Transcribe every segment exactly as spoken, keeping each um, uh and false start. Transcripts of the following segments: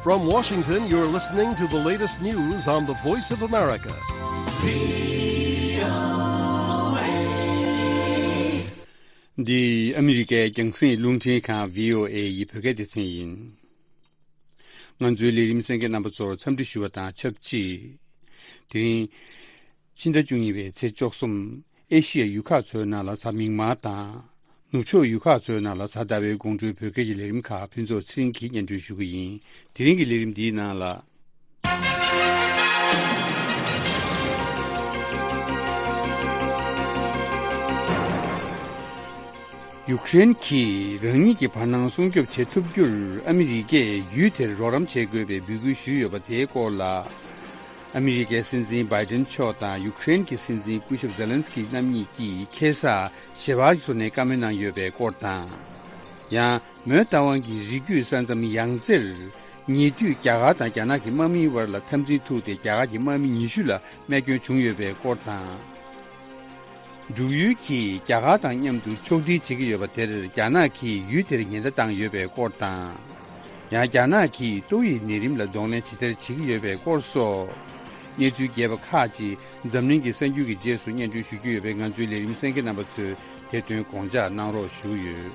From Washington, you're listening to the latest news on the Voice of America. འདི་ཨ་མི་རི་ཀའི་རྒྱང་སྲིང་རླུང་འཕྲིན་ཁང་བྷི་ཨོ་ཨེ་ཡི་བོད་སྐད་སྡེ་ཚན་ཡིན། ང་ཚོའི་ལས་རིམ་གསན་མཁན་རྣམ་པ་ཚོར་འཚམས་འདྲི་ཞུ་བ་དང་ཆབས་ཅིག་དེ་རིང་ཕྱི་ཟླ་བཅུ་གཉིས་པའི་ཚེས་བཅུ་གསུམ། ཨེ་ཤི་ཡ་ཡུལ་ཁག་ཚོའི་ནང་ལ་གཟའ་མིག་དམར་དང་། ནུབ་ཕྱོགས་ཡུལ་ཁག་ཚོའི་ནང་ལ་གཟའ་ཟླ་བའི་དགོང་དྲོའི་བོད་སྐད་ཀྱི་ལས་རིམ་ཁག་ཕུན་ཚོགས་ཚེ་རིང་གིས་སྙན་སྒྲོན་ཞུ་གི་ཡིན། དེ་རིང་གི་ལས་རིམ་འདིའི་ནང་ལ། ཡུཀ་རེན་གྱིས་རང་ཉིད་ཀྱི་བར་སྣང་སྲུང་སྐྱོབ་བྱེད་ཐུབ་རྒྱུར་ཨ་མི་རི་ཀས་ཡུལ་དེར་རོགས་རམ་བྱེད་དགོས་པའི་འབོད་སྐུལ་ཞུས་ཡོད་པ་དེའི་སྐོར་ལ། ཨ་མི་རི་ཀའི་སྲིད་འཛིན་བྷའི་ཏིན་མཆོག་དང་ཡུཀ་རེན་གྱི་སྲིད་འཛིན་སྐུ་ཞབས་ཛེ་ལན་སི་ཀི་རྣམ་གཉིས་ཀྱིས་ཁ་སང་ཞེ་བག་གི་ཐོག་ནས་བཀའ་མོལ་གནང་ཡོད་པའི་སྐོར་དང་། ཡང་མོན་རྟ་དབང་གི་རི་རྒྱུད་ས་མཚམས་ཡང་རྩེར་ཉེ་དུས་རྒྱ་གར་དང་རྒྱ་ནག་གི་དམག་མིའི་དབར་ལ་འཐབ་འཛིང་ཐུག་སྟེ་རྒྱ་གར་གྱི་དམག་མི་ཉི་ཤུ་ལ་རྨས་སྐྱོན་བྱུང་ཡོད་པའི་སྐོར་དང་། འབྲུག་ཡུལ་གྱིས་རྒྱ་གར་དང་མཉམ་དུ་ཕྱོགས་སྒྲིག་བྱེད་ཀྱི་ཡོད་པ་དེར་རྒྱ་ནག་གིས་ཡུལ་དེར་ཉེན་བརྡ་བཏང་ཡོད་པའི་སྐོར་དང་། ཡང་རྒྱ་ནག་གིས་ཏོག་དབྱིབས་ནད་རིམས་ལ་གདོང་ལེན་ཇི་ལྟར་བྱེད་ཀྱི་ཡོད་པའི་སྐོར་སོགས། གནས་ཚུལ་རྒྱས་པ་ཁག་ཅིག་འཛམ་གླིང་གི་གསར་འགྱུར་གྱི་རྗེས་སུ་སྙན་སྒྲོན་ཞུ་རྒྱུ་ཡོད་པས། ང་ཚོའི་ལས་རིམ་གསན་མཁན་རྣམ་པ་ཚོས་དེ་དོན་དགོངས་འཇགས་གནང་རོགས་ཞུ་གི་ཡོད།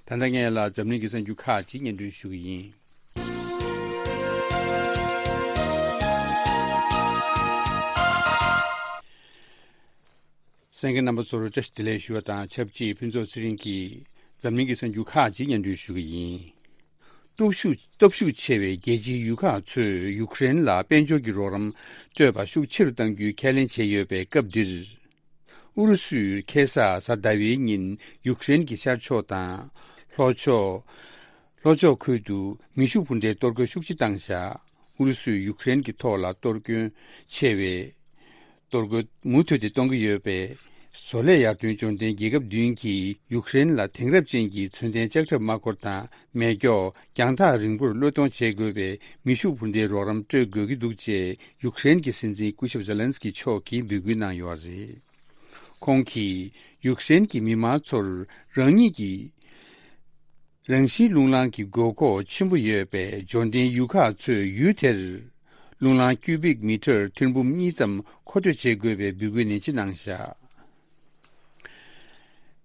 ད་ལྟ་ངས་ལ་འཛམ་གླིང་གི་གསར་འགྱུར་ཁག་ཅིག་སྙན་སྒྲོན་ཞུ་གི་ཡིན། གསན་མཁན་རྣམ་པ་ཚོར་བཀྲ་ཤིས་བདེ་ལེགས་ཞུ་བ་དང་ཆབས་ཅིག་ཕུན་ཚོགས་ཚེ་རིང་གིས་འཛམ་གླིང་གི་གསར་འགྱུར་ཁག་ཅིག་སྙན་སྒྲོན་ཞུ་གི་ཡིན། སྟོབས་ཤུགས་སྟོབས་ཤུགས་ཆེ་བའི་རྒྱལ་སྤྱིའི་ཡུལ་ཁག་ཚོས་ཡུཀ་རེན་ལ་དཔལ་འབྱོར་གྱི་རོགས་རམ་སྤྲོད་པ་ཤུགས་ཆེ་རུ་གཏང་རྒྱུའི་ཁས་ལེན་བྱས་ཡོད་པའི་སྐབས་འདིར། ཨུ་རུ་སུས་ཁ་སང་གཟའ་ཟླ་བའི་ཉིན་ཡུཀ་རེན་གྱི་ཤར་ཕྱོགས་དང་། ལྷོ་ཕྱོགས། ལྷོ་ཕྱོགས་ཁུལ་དུ་མེ་ཤུགས་འཕུར་མདའི་གཏོར་རྒོལ་ཤུགས་ཆེ་བཏང་བཞག་ཨུ་རུ་སུས་ཡུཀ་རེན་གྱི་ཐོག་ལ་གཏོར་སྐྱོན་ཆེ་བའི་གཏོར་རྒོལ་མུ་མཐུད་དེ་གཏོང་གི་ཡོད་པས། བཟོ་ལས་ཡར་ཐོན་འབྱོར་ལྡན་རྒྱལ་ཁབ་བདུན་གྱིས་ཡུཀ་རེན་ལ་དེང་རབས་ཅན་གྱི་མཚོན་ལྡན་ལྕགས་ཁྲབ་དམག་འཁོར་དང་མེ་སྒྱོགས། རྒྱང་ཐག་རིང་པོར་བློས་གཏོང་བྱེད་དགོས་པའི་མེ་ཤུགས་འཕུར་མདའི་རོགས་རམ་སྤྲོད་དགོས་ཀྱི་འདུག་ཅེས་ཡུཀ་རེན་གྱི་སྲིད་འཛིན་སྐུ་ཞབས་ཛེ་ལན་སི་ཀི་མཆོག་གིས་འབོད་སྐུལ་གནང་ཡོད་པ་རེད། ཁོང་གིས་ཡུཀ་རེན་གྱི་མི་མང་ཚོར་རང་ཉིད་ཀྱི་རང་བཞིན་རླུང་ལངས་ཀྱི་དགོས་མཁོ་ཆེན་པོ་ཡོད་པས། འབྱོར་ལྡན་ཡུལ་ཁག་ཚོས་ཡུལ་དེར་རླུང་ལངས་ཀིའུ་བིག་མི་ཊར་ཐེར་འབུམ་གཉིས་ཙམ་མཁོ་སྤྲོད་བྱེད་དགོས་པའི་འབོད་སྐུལ་ནན་ཆེ་གནང་བཞག་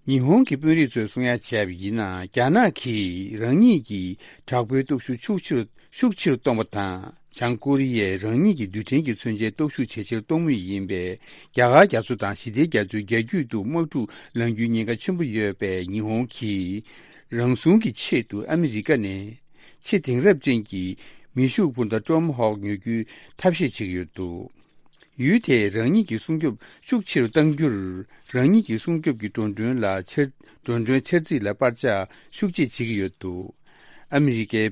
ཉི་ཧོང་གི་དཔོན་རིགས་ཚོས་གསུང་ཡ་བྱས་པ་ཡིན་ན། རྒྱ་ནག་གིས་རང་ཉིད་ཀྱི་དྲག་པོའི་སྟོབས་ཤུགས་ཤུགས་ཆེ་རུ་ཤུགས་ཆེ་རུ་གཏོང་བ་དང་། བྱང་ཀོ་རི་ཡས་རང་ཉིད་ཀྱི་རྡུལ་ཕྲན་གྱི་མཚོན་ཆའི་སྟོབས་ཤུགས་ཇེ་ཆེར་གཏོང་མུས་ཡིན་པས། རྒྱ་གར་རྒྱ་མཚོ་དང་ཞི་བདེའི་རྒྱ་མཚོའི་རྒྱ་རྒྱུད་དུ་དམག་འཁྲུག་ལངས་རྒྱུའི་ཉེན་ཁ་ཆེན་པོ་ཡོད་པས། ཉི་ཧོང་གིས་རང་སྲུང་གི་ཆེད་དུ་ཨ་མི་རི་ཀ་ནས་ཆེས་དེང་རབས་ཅན་གྱི་མེ་ཤུགས་འཕུར་མདའ་ཀྲོམ་ཧོག་ཉོ་རྒྱུའི་ཐབས་ཤེས་བྱེད་ཀྱི་ཡོད་འདུག་ཡུལ་དེས་རང་ཉིད་ཀྱི་སྲུང་སྐྱོབ་ཤུགས་ཆེ་རུ་གཏང་རྒྱུར། རང་ཉིད་ཀྱི་སྲུང་སྐྱོབ་ཀྱི་འགྲོ་གྲོན་ལ་འཕྱར། འགྲོ་གྲོན་འཕྱར་ཚད་ལ་སྤར་ཆ་ཤུགས་ཆེ་བྱེད་ཀྱི་ཡོད་འདུག་ཨ་མི་རི་ཀའི་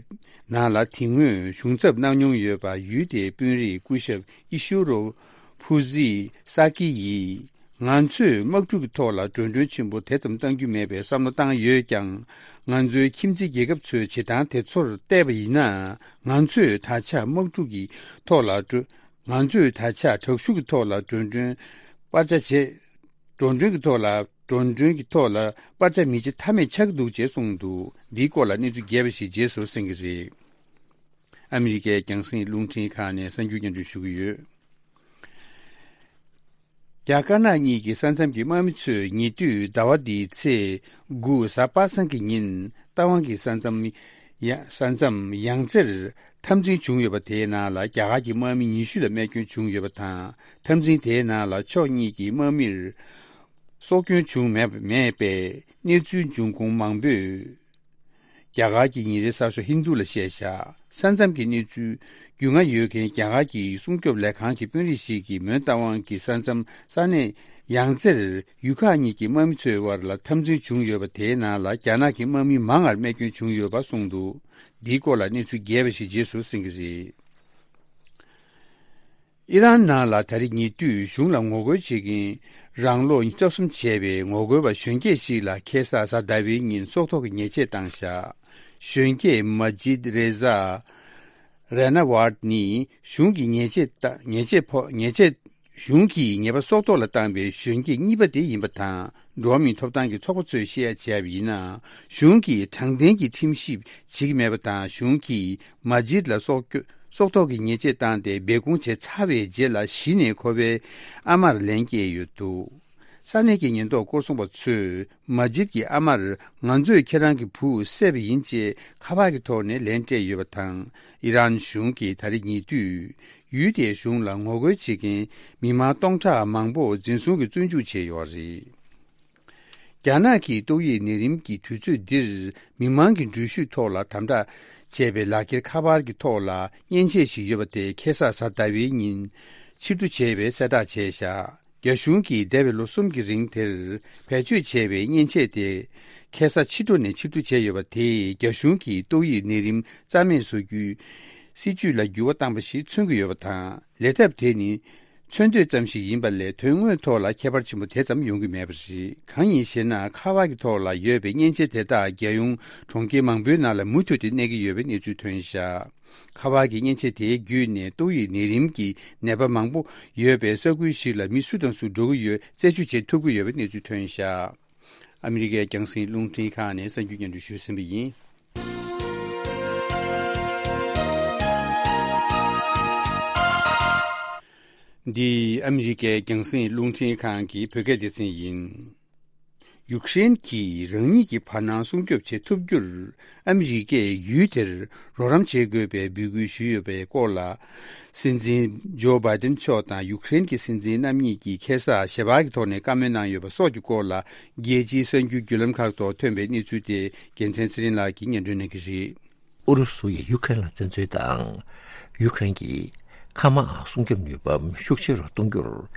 ནང་ལ་དེ་སྔོན་གཞུང་ཚབ་གནང་མྱོང་ཡོད་པ་ཡུལ་དེའི་དཔོན་རིགས་སྐུ་ཞབས་ཨི་ཤུ་རོ་ཕུ་ཟི་ས་ཀི་ཡིས། ང་ཚོས་དམག་འཁྲུག་གི་ཐོག་ལ་འགྲོ་གྲོན་ཆེན་པོ་དེ་ཙམ་གཏང་རྒྱུ་མེད་པའི་བསམ་བློ་བཏང་ཡོད་ཀྱང་། ང་ཚོའི་ཁྱིམ་མཚེས་རྒྱལ་ཁབ་ཚོའི་བྱེད་སྟངས་དེ་ཚོར་བལྟས་པ་ཡིན་ན། ང་ཚོས་ད་ཆ་དམག་འཁྲུག་གི་ཐོག་ལ་འགྲོ། ང་ཚོས་ད་ཆ་དྲག་ཤུགས་ཀྱི་ཐོག་ལ་འགྲོ་གྲོན་སྤར་ཆ་བྱེད། འགྲོ་གྲོན་གྱི་ཐོག་ལ། འགྲོ་གྲོན་གྱི་ཐོག་ལ་སྤར་ཆ་མི་བྱེད་ཐབས་མེད་ཆགས་ཀྱི་འདུག་ཅེས་གསུངས་འདུག་འདིའི་སྐོར་ལ་གནས་ཚུལ་རྒྱས་པ་ཞིག་རྗེས་སུ་གསན་གྱི་རེད། ཨ་མི་རི་ཀའི་རྒྱང་སྲིང་རླུང་འཕྲིན་ཁང་ནས་གསར་འགྱུར་སྙན་སྒྲོན་ཞུ་གི་ཡོད། རྒྱ་དཀར་ནག་གཉིས་ཀྱི་ས་མཚམས་ཀྱི་དམག་མི་ཚོས་ཉེ་དུས་ཟླ་བ་འདིའི་ཚེས་དགུ་གཟའ་པ་སངས་ཀྱི་ཉིན་རྟ་དབང་གི་ས་མཚམས་ཡ། ས་མཚམས་ཡང་རྩེར་འཐབ་འཛིང་བྱུང་ཡོད་པ་དེའི་ནང་ལ་རྒྱ་གར་གྱི་དམག་མི་ཉི་ཤུ་ལ་རྨས་སྐྱོན་བྱུང་ཡོད་པ་དང་། འཐབ་འཛིང་དེའི་ནང་ལ་ཕྱོགས་གཉིས་ཀྱི་དམག་མིར་སྲོག་སྐྱོན་བྱུང་མེད་མེད་པའི་གནས་ཚུལ་འབྱུང་ཁུངས་མང་པོས་རྒྱ་གར་གྱི་ཉིན་རེའི་གསར་ཤོག་ཧིན་དུ་ལ་བཤད་བཞག་ས་མཚམས་ཀྱི་གནས་ཚུལ་རྒྱུས་མངའ་ཡོད་མཁན་རྒྱ་གར་གྱི་སྲུང་སྐྱོབ་ལས་ཁང་གི་དཔོན་རིགས་ཤིག་གིས་མོན་རྟ་དབང་གི་ས་མཚམས་ས་གནས་ཡང་རྩེར་ཡུལ་ཁག་གཉིས་ཀྱི་དམག་མི་ཚོའི་དབར་ལ་འཐབ་འཛིང་བྱུང་ཡོད་པ་དེའི་ནང་ལ་རྒྱ་ནག་གི་དམག་མི་མང་བར་རྨས་སྐྱོན་བྱུང་ཡོད་པ་གསུངས་འདུག་འདིའི་སྐོར་ལ་གནས་ཚུལ་རྒྱས་པ་ཞིག་རྗེས་སུ་གསན་གྱི་རེད། ཨི་རན་ནང་ལ་ད་རེས་ཉེ་དུས་གཞུང་ལ་ངོ་རྒོལ་བྱེད་མཁན་རང་ལོ་ཉི་ཤུ་རྩ་གསུམ་བྱས་པའི་ངོ་རྒོལ་བ་གཞོན་སྐྱེས་ཤིག་ལ་ཁ་སང་གཟའ་ཟླ་བའི་ཉིན་སྲོག་ཐོག་གི་ཉེས་ཆད་བཏང་བཞག་གཞོན་སྐྱེས་མ་ཇིད་རེ་ཟ་རེ་ན་ཝར་ནི་གཞུང་གི་ཉེས་ཆད་ད་ཉེས་ཆད་ཕོག་ཉེས་ཆད་ གཞུང་གིས་ཉེས་པ་སྲོག་ཐོག་ལ་བཏང་བའི་གཞོན་སྐྱེས་གཉིས་པ་དེ་ཡིན་པ་དང་། འགྲོ་བ་མིའི་ཐོབ་ཐང་གི་ཚོགས་པ་ཚོས་བཤད་ཡ་བྱས་པ་ཡིན་ན། གཞུང་གིས་དྲང་བདེན་གྱི་ཁྲིམས་ཞིབ་བྱེད་ཀྱི་མེད་པ་དང་། གཞུང་གིས་མ་ཇིད་ལ་སྲོག་སྐྱོ- སྲོག་ཐོག་གི་ཉེས་ཆད་བཏང་སྟེ་སྦས་སྐུང་བྱས་ཚར་བའི་རྗེས་ལ་གཞི་ནས་ཁོ་པའི་ཨ་མར་ལན་བསྐྱལ་ཡོད་འདུག་ས་གནས་ཀྱི་ཉེན་རྟོག་སྐོར་སྲུང་པ་ཚོས་མ་ཇིད་ཀྱི་ཨ་མར། ང་ཚོས་ཁྱེད་རང་གི་བུ་བསད་པ་ཡིན་ཅེས་ཁ་པར་གྱི་ཐོག་ནས་ལན་སྤྲད་ཡོད་པ་དང་། ཨི་རན་གཞུང་གིས་ད་རེས་ཉེ་དུས་ཡུལ་དེའི་གཞུང་ལ་ངོ་རྒོལ་བྱེད་མཁན་མི་མང་སྟོང་ཕྲག་མང་པོ་འཛིན་བཟུང་གིས་བཙོན་འཇུག་བྱས་ཡོད་རེད། རྒྱ་ནག་གིས་ཏོག་དབྱིབས་ནད་རིམས་ཀྱི་དུས་ཚོད་འདིར་མི་མང་གི་འགྲུལ་བཞུད་ཐོག་ལ་དམ་དྲག་བྱས་པའི་ལག་འཁྱེར་ཁ་པར་གྱི་ཐོག་ལ་མཉེན་ཆས་ཤིག་ཡོད་པ་དེ་ཁ་སང་གཟའ་ཟླ་བའི་ཉིན་ཕྱིར་བསྡུ་བྱས་པའི་གསལ་བསྒྲགས་བྱས་བཞག་རྒྱ་གཞུང་གིས་འདས་པའི་ལོ་གསུམ་གྱི་རིང་དེར་བེད་སྤྱོད་བྱས་པའི་མཉེན་ཆས་དེ་ཁ་སང་ཕྱི་དྲོ་ནས་ཕྱིར་བསྡུ་བྱས་ཡོད་པ་དེས་རྒྱ་གཞུང་གིས་ཏོག་དབྱིབས་ནད་རིམས་རྩ་མེད་བཟོ་རྒྱུའི་སྲིད་ཇུས་ལ་འགྱུར་བ་བཏང་པ་ཞིག་མཚོན་གྱི་ཡོད་པ་དང་། ལས་ཐབས་དེ་ནི་མཚོན་འདོད་ཙམ་ཞིག་ཡིན་པ་ལས་དོན་དངོས་ཐོག་ལ་ཁྱད་པར་ཆེན་པོ་དེ་ཙམ་ཡོང་གི་མེད་པ་རེད། གང་ཡིན་ཞེ་ན། ཁ་པར་གྱི་ཐོག་ལ་ཡོད་པའི་མཉེན་ཆས་དེ་དག་རྒྱལ་ཡོངས་གྲོང་ཁྱེར་མང་པོའི་ནང་ལ་མུ་མཐུད་དེ་གནས་ཀྱི་ཡོད་པའི་གནས་ཚུལ་ཐོན་བཞག་ཁ་པར་གྱི་མཉེན་ཆས་དེའི་བརྒྱུད་ནས་ཏོག་དབྱིབས་ནད་རིམས་ཀྱི་ནད་པ་མང་པོ་ཡོད་པའི་ས་ཁུལ་ཞིག་ལ་མི་སུ་དང་སུ་འགྲོ་གི་ཡོད་རྩད་གཅོད་བྱེད་ཐུབ་ཀྱི་ཡོད་པའི་གནས་ཚུལ་ཐོན་བཞག་ཨ་མི་རི་ཀའི་རྒྱང་སྲིང་རླུང་འཕྲིན་ཁང་ནས་གསར་འགྱུར་སྙན་སྒྲོན་ཞུས་ཟིན་པ་ཡིན། འདི་ཨ་མི་རི་ཀའི་རྒྱང་སྲིང་རླུང་འཕྲིན་ཁང་གི་བོད་སྐད་སྡེ་ཚན་ཡིན། ཡུཀ་རེན་གྱིས་རང་ཉིད་ཀྱི་བར་སྣང་སྲུང་སྐྱོབ་བྱེད་ཐུབ་རྒྱུར་ཨ་མི་རི་ཀས་ཡུལ་དེར་རོགས་རམ་བྱེད་དགོས་པའི་འབོད་སྐུལ་ཞུས་ཡོད་པའི་སྐོར་ལ། སྲིད་འཛིན་ཇོ་བྷའི་ཏན་མཆོག་དང་ཡུཀ་རེན་གྱི་སྲིད་འཛིན་རྣམ་གཉིས་ཀྱིས་ཁ་སང་ཞལ་པར་གྱི་ཐོག་ནས་བཀའ་མོལ་གནང་ཡོད་པ་སོགས་ཀྱི་སྐོར་ལ། རྒྱལ་སྤྱིའི་གསར་འགྱུར་བརྒྱུད་ལམ་ཁག་ཐོག་ཐོན་པའི་གནས་ཚུལ་དེ་རྒྱལ་མཚན་ཚེ་རིང་ལགས་ཀྱིས་སྙན་སྒྲོན་གནང་གི་རེད། ཨུ་རུ་སུ་ཡིས་ཡུཀ་རེན་ལ་བཙན་འཛུལ་དང་། ཡུཀ་རེན་གྱི་མཁའ་དམག་སྲུང་སྐྱོབ་ནུས་པ་ཤུགས་ཆེ་རུ་གཏོང་རྒྱུར།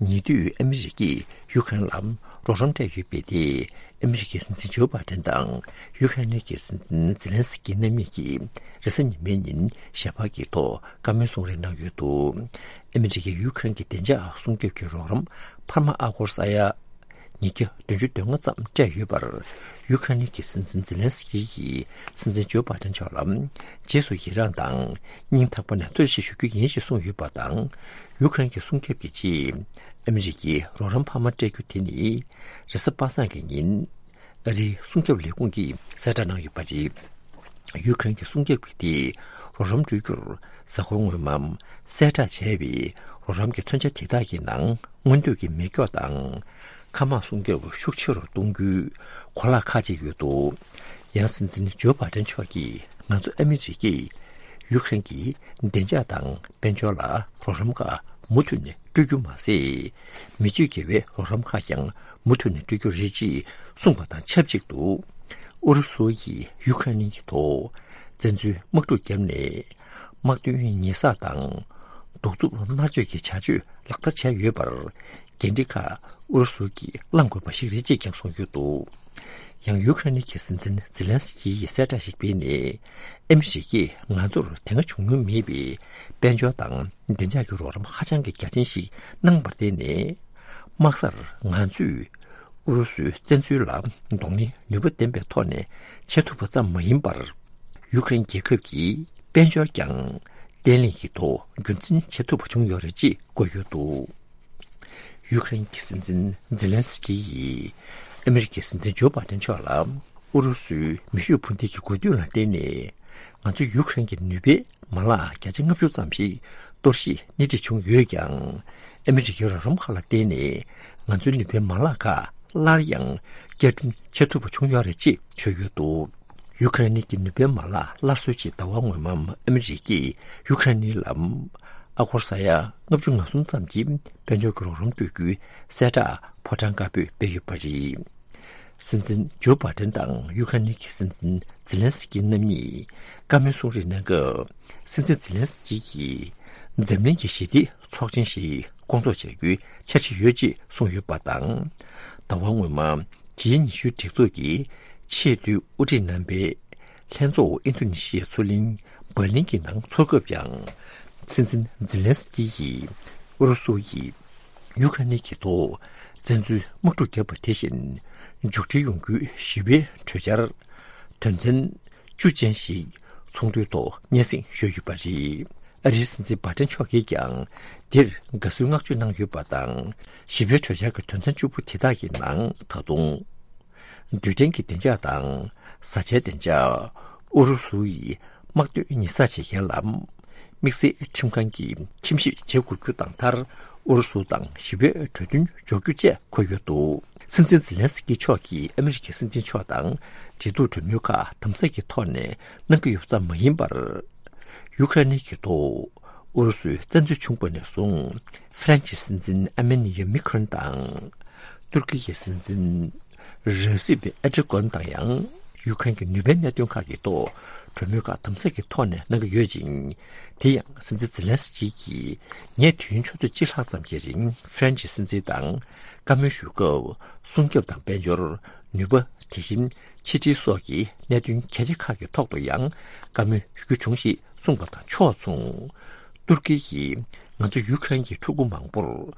ཉེ་དུས་ཨ་མི་རི་ཀས་ཡུཀ་རེན་ལ་རོགས་རམ་སྤྲད་ཡོད་པའི་ཐད། ཨ་མི་རི་ཀའི་སྲིད་འཛིན་ཇོ་བྷའི་ཏན་དང་ཡུཀ་རེན་གྱི་སྲིད་འཛིན་ཛེ་ལན་སི་ཀི་རྣམ་གཉིས་ཀྱིས་རེས་གཟའ་ཉི་མའི་ཉིན་ཞལ་པར་གྱི་ཐོག་བཀའ་མོལ་གསུང་རེས་གནང་ཡོད་འདུག་ཨ་མི་རི་ཀས་ཡུཀ་རེན་གྱི་བདེ་འཇགས་སྲུང་སྐྱོབ་ཀྱི་རོགས་རམ་འཕར་མ་ཨ་སྒོར་ས་ཡ་ཉིས་བརྒྱ་བདུན་ཅུ་དོན་ལྔ་ཙམ་སྤྲད་ཡོད་པར། ཡུ་ཁ་རེན་གྱི་སྲིད་འཛིན་ཛེ་ལན་སི་ཀི་ཡིས་སྲིད་འཛིན་ཇོ་བྷའི་ཏན་མཆོག་ལ་རྗེས་སུ་ཡི་རངས་དང་སྙིང་ཐག་པ་ནས་བསྟོད་བསྔགས་ཞུ་རྒྱུ་ཡིན་ཞེས་གསུངས་ཡོད་པ་དང་། ཡུ་ཁ་རེན་གྱི་སྲུང་སྐྱོབ་ཀྱི་ཆེད་ཨ་མི་རི་ཀའི་རོགས་རམ་འཕར་མ་སྤྲད་རྒྱུ་དེ་ནི་རེས་གཟའ་པ་སངས་ཀྱི་ཉིན་ཨ་རིའི་སྲུང་སྐྱོབ་ལས་ཁུངས་ཀྱིས་གསལ་བསྒྲགས་གནང་ཡོད་པ་རེད། ཡུ་ཁ་རེན་གྱི་སྲུང་སྐྱོབ་ཀྱི་ཐད་རོགས་རམ་སྤྲོད་རྒྱུར་གཟའ་འཁོར་སྔོན་མ་གསལ་བསྒྲགས་བྱས་པའི་རོགས་རམ་གྱི་མཚོན་ཆ་དེ་དག་གི་ནང་མངོན་འདོད་ཀྱི་མེ་སྒྱོགས་དང་། མཁའ་དམག་སྲུང་སྐྱོབ་ཤུགས་ཆེ་རུ་གཏོང་རྒྱུའི་གོ་ལག་ཁག་ཅིག་ཡོད་འདུག་ཡང་སྲིད་འཛིན་ཇོ་བྷའི་ཏན་མཆོག་གིས་ང་ཚོ་ཨ་མི་རི་ཀས་ཡུ་ཁ་རེན་གྱི་བདེ་འཇགས་དང་དཔལ་འབྱོར་ལ་རོགས་རམ་ཁག་མུ་མཐུད་ནས་སྤྲོད་རྒྱུ་མ་ཟད། མི་སྤྱོད་དགེ་བའི་རོགས་རམ་ཁག་ཀྱང་མུ་མཐུད་ནས་སྤྲོད་རྒྱུ་རེད་ཅེས་གསུངས་པ་དང་ཆབས་ཅིག་ཏུ། ཨུ་རུ་སུ་ཡིས་ཡུ་ཁ་རེན་གྱི་ཐོག་བཙན་འཛུལ་དམག་འཁྲུག་བརྒྱབ་ནས། དམག་དོན་ཉེས་བསགས་དང་། གདུག་རྩུབ་མནར་གཅོད་ཀྱི་བྱ་སྤྱོད་ལག་བསྟར་བྱས་ཡོད་པར། འགན་འཁྲི་ཁག་ཨུ་རུ་སུ་གྱིས་བླང་དགོས་པ་ཞིག་རེད་ཅེས་ཀྱང་གསུངས་ཡོད་འདུག་ཡང་ཡུ་ཁ་རེན་གྱི་སྲིད་འཛིན་ཛེ་ལན་སི་ཀི་ཡིས་གསལ་བསྒྲགས་ཤིག་སྤེལ་ནས། ཨ་མི་རི་ཀས་ང་ཚོར་དེ་སྔ་བྱུང་མྱོང་མེད་པའི་དཔལ་འབྱོར་དང་བདེ་འཇགས་ཀྱི་རོགས་རམ་ཧ་ཅང་གི་རྒྱ་ཆེན་ཞིག་གནང་བར་བརྟེན་ནས། དམག་སར་ང་ཚོས་ཨུ་རུ་སུའི་བཙན་འཛུལ་ལ་གདོང་ལེན་ནུས་པ་ལྡན་པའི་ཐོག་ནས་བྱེད་ཐུབ་པ་ཙམ་མ་ཡིན་པར། ཡུ་ཁ་རེན་རྒྱལ་ཁབ་ཀྱི་དཔལ་འབྱོར་ཀྱང་བརྟན་ལྷིང་གི་ཐོག་རྒྱུན་འཛིན་བྱེད་ཐུབ་པ་བྱུང་ཡོད་རེད་ཅེས་བཀོད་ཡོད་འདུག་ཡུ་ཁ་རེན་གྱི་སྲིད་འཛིན་ཛེ་ལན་སི་ཀི་ཡིས་ཨ་མི་རི་ཀའི་སྲིད་འཛིན་ཇོ་བྷའི་ཏན་མཆོག་ལ་ཨུ་རུ་སུའི་མེ་ཤུགས་འཕུར་མདེལ་གྱི་འགོས་མདུན་ལ་བརྟེན་ནས་ང་ཚོ་ཡུ་ཁ་རེན་གྱི་ནུས་པའི་མ་ལག་བརྒྱ་ཆ་ལྔ་བཅུ་ཙམ་ཞིག་གཏོར་བཤིག་སྣེ་ཁྲིད་བྱུང་ཡོད་ཀྱང་། ཨ་མི་རི་ཀའི་རོགས་རམ་ཁག་ལ་བརྟེན་ནས་ང་ཚོའི་ནུས་པའི་མ་ལག་ཁག་སླར་ཡང་བསྐྱར་སྐྲུན་བྱེད་ཐུབ་པ་བྱུང་ཡོད་རེད་ཅེས་བརྗོད་ཡོད་འདུག་ཡུ་ཁ་རེན་གྱི་ནུས་པའི་མ་ལག་སླར་གསོའི་ཆེད་ཟླ་བ་སྔོན་མ་ཨ་མི་རི་ཀས་ཡུ་ཁ་རེན་ལ་ཨ་སྒོར་ས་ཡ་ལྔ་བཅུ་ང་གསུམ་ཙམ་གྱི་དཔལ་འབྱོར་གྱི་རོགས་རམ་སྤྲོད་རྒྱུའི་གསལ་བསྒྲགས་ཕོ་བྲང་དཀར་པོས་སྤེལ་ཡོད་པ་རེད། སྲིད་འཛིན་ཇོ་བྷའི་ཏན་དང་ཡུ་ཁ་རེན་གྱི་སྲིད་འཛིན་ཛེ་ལན་སི་ཀི་རྣམ་གཉིས་བཀའ་མོལ་གསུང་རེས་གནང་སྐབས། སྲིད་འཛིན་ཛེ་ལན་སི་ཀི་ཡིས་འཛམ་གླིང་གི་ཞི་བདེའི་ཚོགས་ཆེན་ཞིག་སྐོང་ཚོགས་བྱ་རྒྱུའི་འཆར་གཞི་ཡོད་ཅེས་གསུངས་ཡོད་པ་དང་། ཟླ་བ་སྔོན་མ་ཇི་ཉི་ཤུའི་སྒྲིག་འཛུགས་ཀྱི་ཆེས་མཐོའི་དབུ་ཁྲིད་རྣམ་པའི་ལྷན་ཚོགས་ཨིན་རྡུ་ནི་ཤི་ཡའི་མཚོ་གླིང་འབར་ལིན་གྱི་ནང་འཚོགས་སྐབས་ཀྱང་། སྲིད་འཛིན་ཛེ་ལན་སི་ཀི་ཡིས་ཨུ་རུ་སུ་ཡིས་ཡུ་ཁ་རེན་གྱི་ཐོག་བཙན་འཛུལ་དམག་འཁྲུག་བརྒྱབ་པ་དེ་བཞིན་མཇུག་སྒྲིལ་ཡོང་རྒྱུའི་ཞི་བའི་གྲོས་འཆར་དོན་ཚན་བཅུ་ཅན་ཞིག་ཚོགས་འདུའི་ཐོག་སྙན་སེང་ཞུས་ཡོད་པ་རེད། ཨ་རིའི་སྲིད་འཛིན་བྷའི་ཏན་མཆོག་གིས་ཀྱང་འདིར་དགའ་བསུའི་བསྔགས་བརྗོད་གནང་ཡོད་པ་དང་། ཞི་བའི་གྲོས་འཆར་གྱི་དོན་ཚན་བཅུ་པོ་དེ་དག་གི་ནང་ད་དུང་། རྡུལ་ཕྲན་གྱི་བདེ་འཇགས་དང་བཟའ་བཅའི་བདེ་འཇགས། ཨུ་རུ་སུ་ཡིས་དམག་དོན་ཉེས་བསགས་བྱེད་མཁན་ལ་དམིགས་བསལ་ཁྲིམས་ཁང་གིས་ཁྲིམས་ཞིབ་བྱེད་དགོས་རྒྱུ་དང་མཐར། ཨུ་རུ་སུ་དང་ཞི་བའི་གྲོས་མཐུན་འཇོག་རྒྱུ་བཅས་འཁོད་ཡོད་འདུག་སྲིད་འཛིན་ཛེ་ལན་སི་ཀི་མཆོག་གིས་ཨ་མི་རི་ཀའི་སྲིད་འཛིན་མཆོག་དང་འབྲེལ་གཏུག་གྲོས་མོལ་ཁག་དམ་ཟབ་ཀྱི་ཐོག་ནས་གནང་གི་ཡོད་པ་ཙམ་མ་ཡིན་པར། ཡུ་ཁ་རེན་གྱི་ཐོག་ཨུ་རུ་སུའི་བཙན་འཛུལ་བྱུང་བ་ནས་བཟུང་། ཧྥ་རན་ཆི་སྲིད་འཛིན་ཨ་མེ་ནི་ཡ་མེ་ཁོན་དང་། ཏུར་ཀི་ཡི་སྲིད་འཛིན་རེ་སིབ་ཨེར་ཏོ་གྷན་དང་ཡང་ཡུ་ཁ་རེན་གྱི་ནུས་པའི་གནད་དོན་ཁག་གི་ཐོག་གྲོས་མོལ་ཁག་དམ་ཟབ་ཀྱི་ཐོག་ནས་གནང་གི་ཡོད་ཅིང་། དེ་ཡང་སྲིད་འཛིན་ཛེ་ལན་སི་ཀི་གིས་ངས་དུས་ཡུན་ཆུ་ཚོད་གཅིག་ལྷག་ཙམ་གྱི་རིང་ཧྥ་རན་ཆི་སྲིད་འཛིན་དང་བཀའ་མོལ་ཞུ་སྐབས། སྲུང་སྐྱོབ་དང་དཔལ་འབྱོར། ནུས་པ། དེ་བཞིན་ཕྱི་འབྲེལ་སོགས་ཀྱི་གནད་དོན་གལ་ཆེ་ཁག་གི་ཐོག་ཏུ་ཡང་བཀའ་མོལ་ཞུ་རྒྱུ་བྱུང་ཞེས་གསུངས་པ་དང་ཕྱོགས་མཚུངས། ཏུར་ཀི་ཡིས་ང་ཚོ་ཡུ་ཁ་རེན་གྱི་ཕྲུ་གུ་མང་པོར་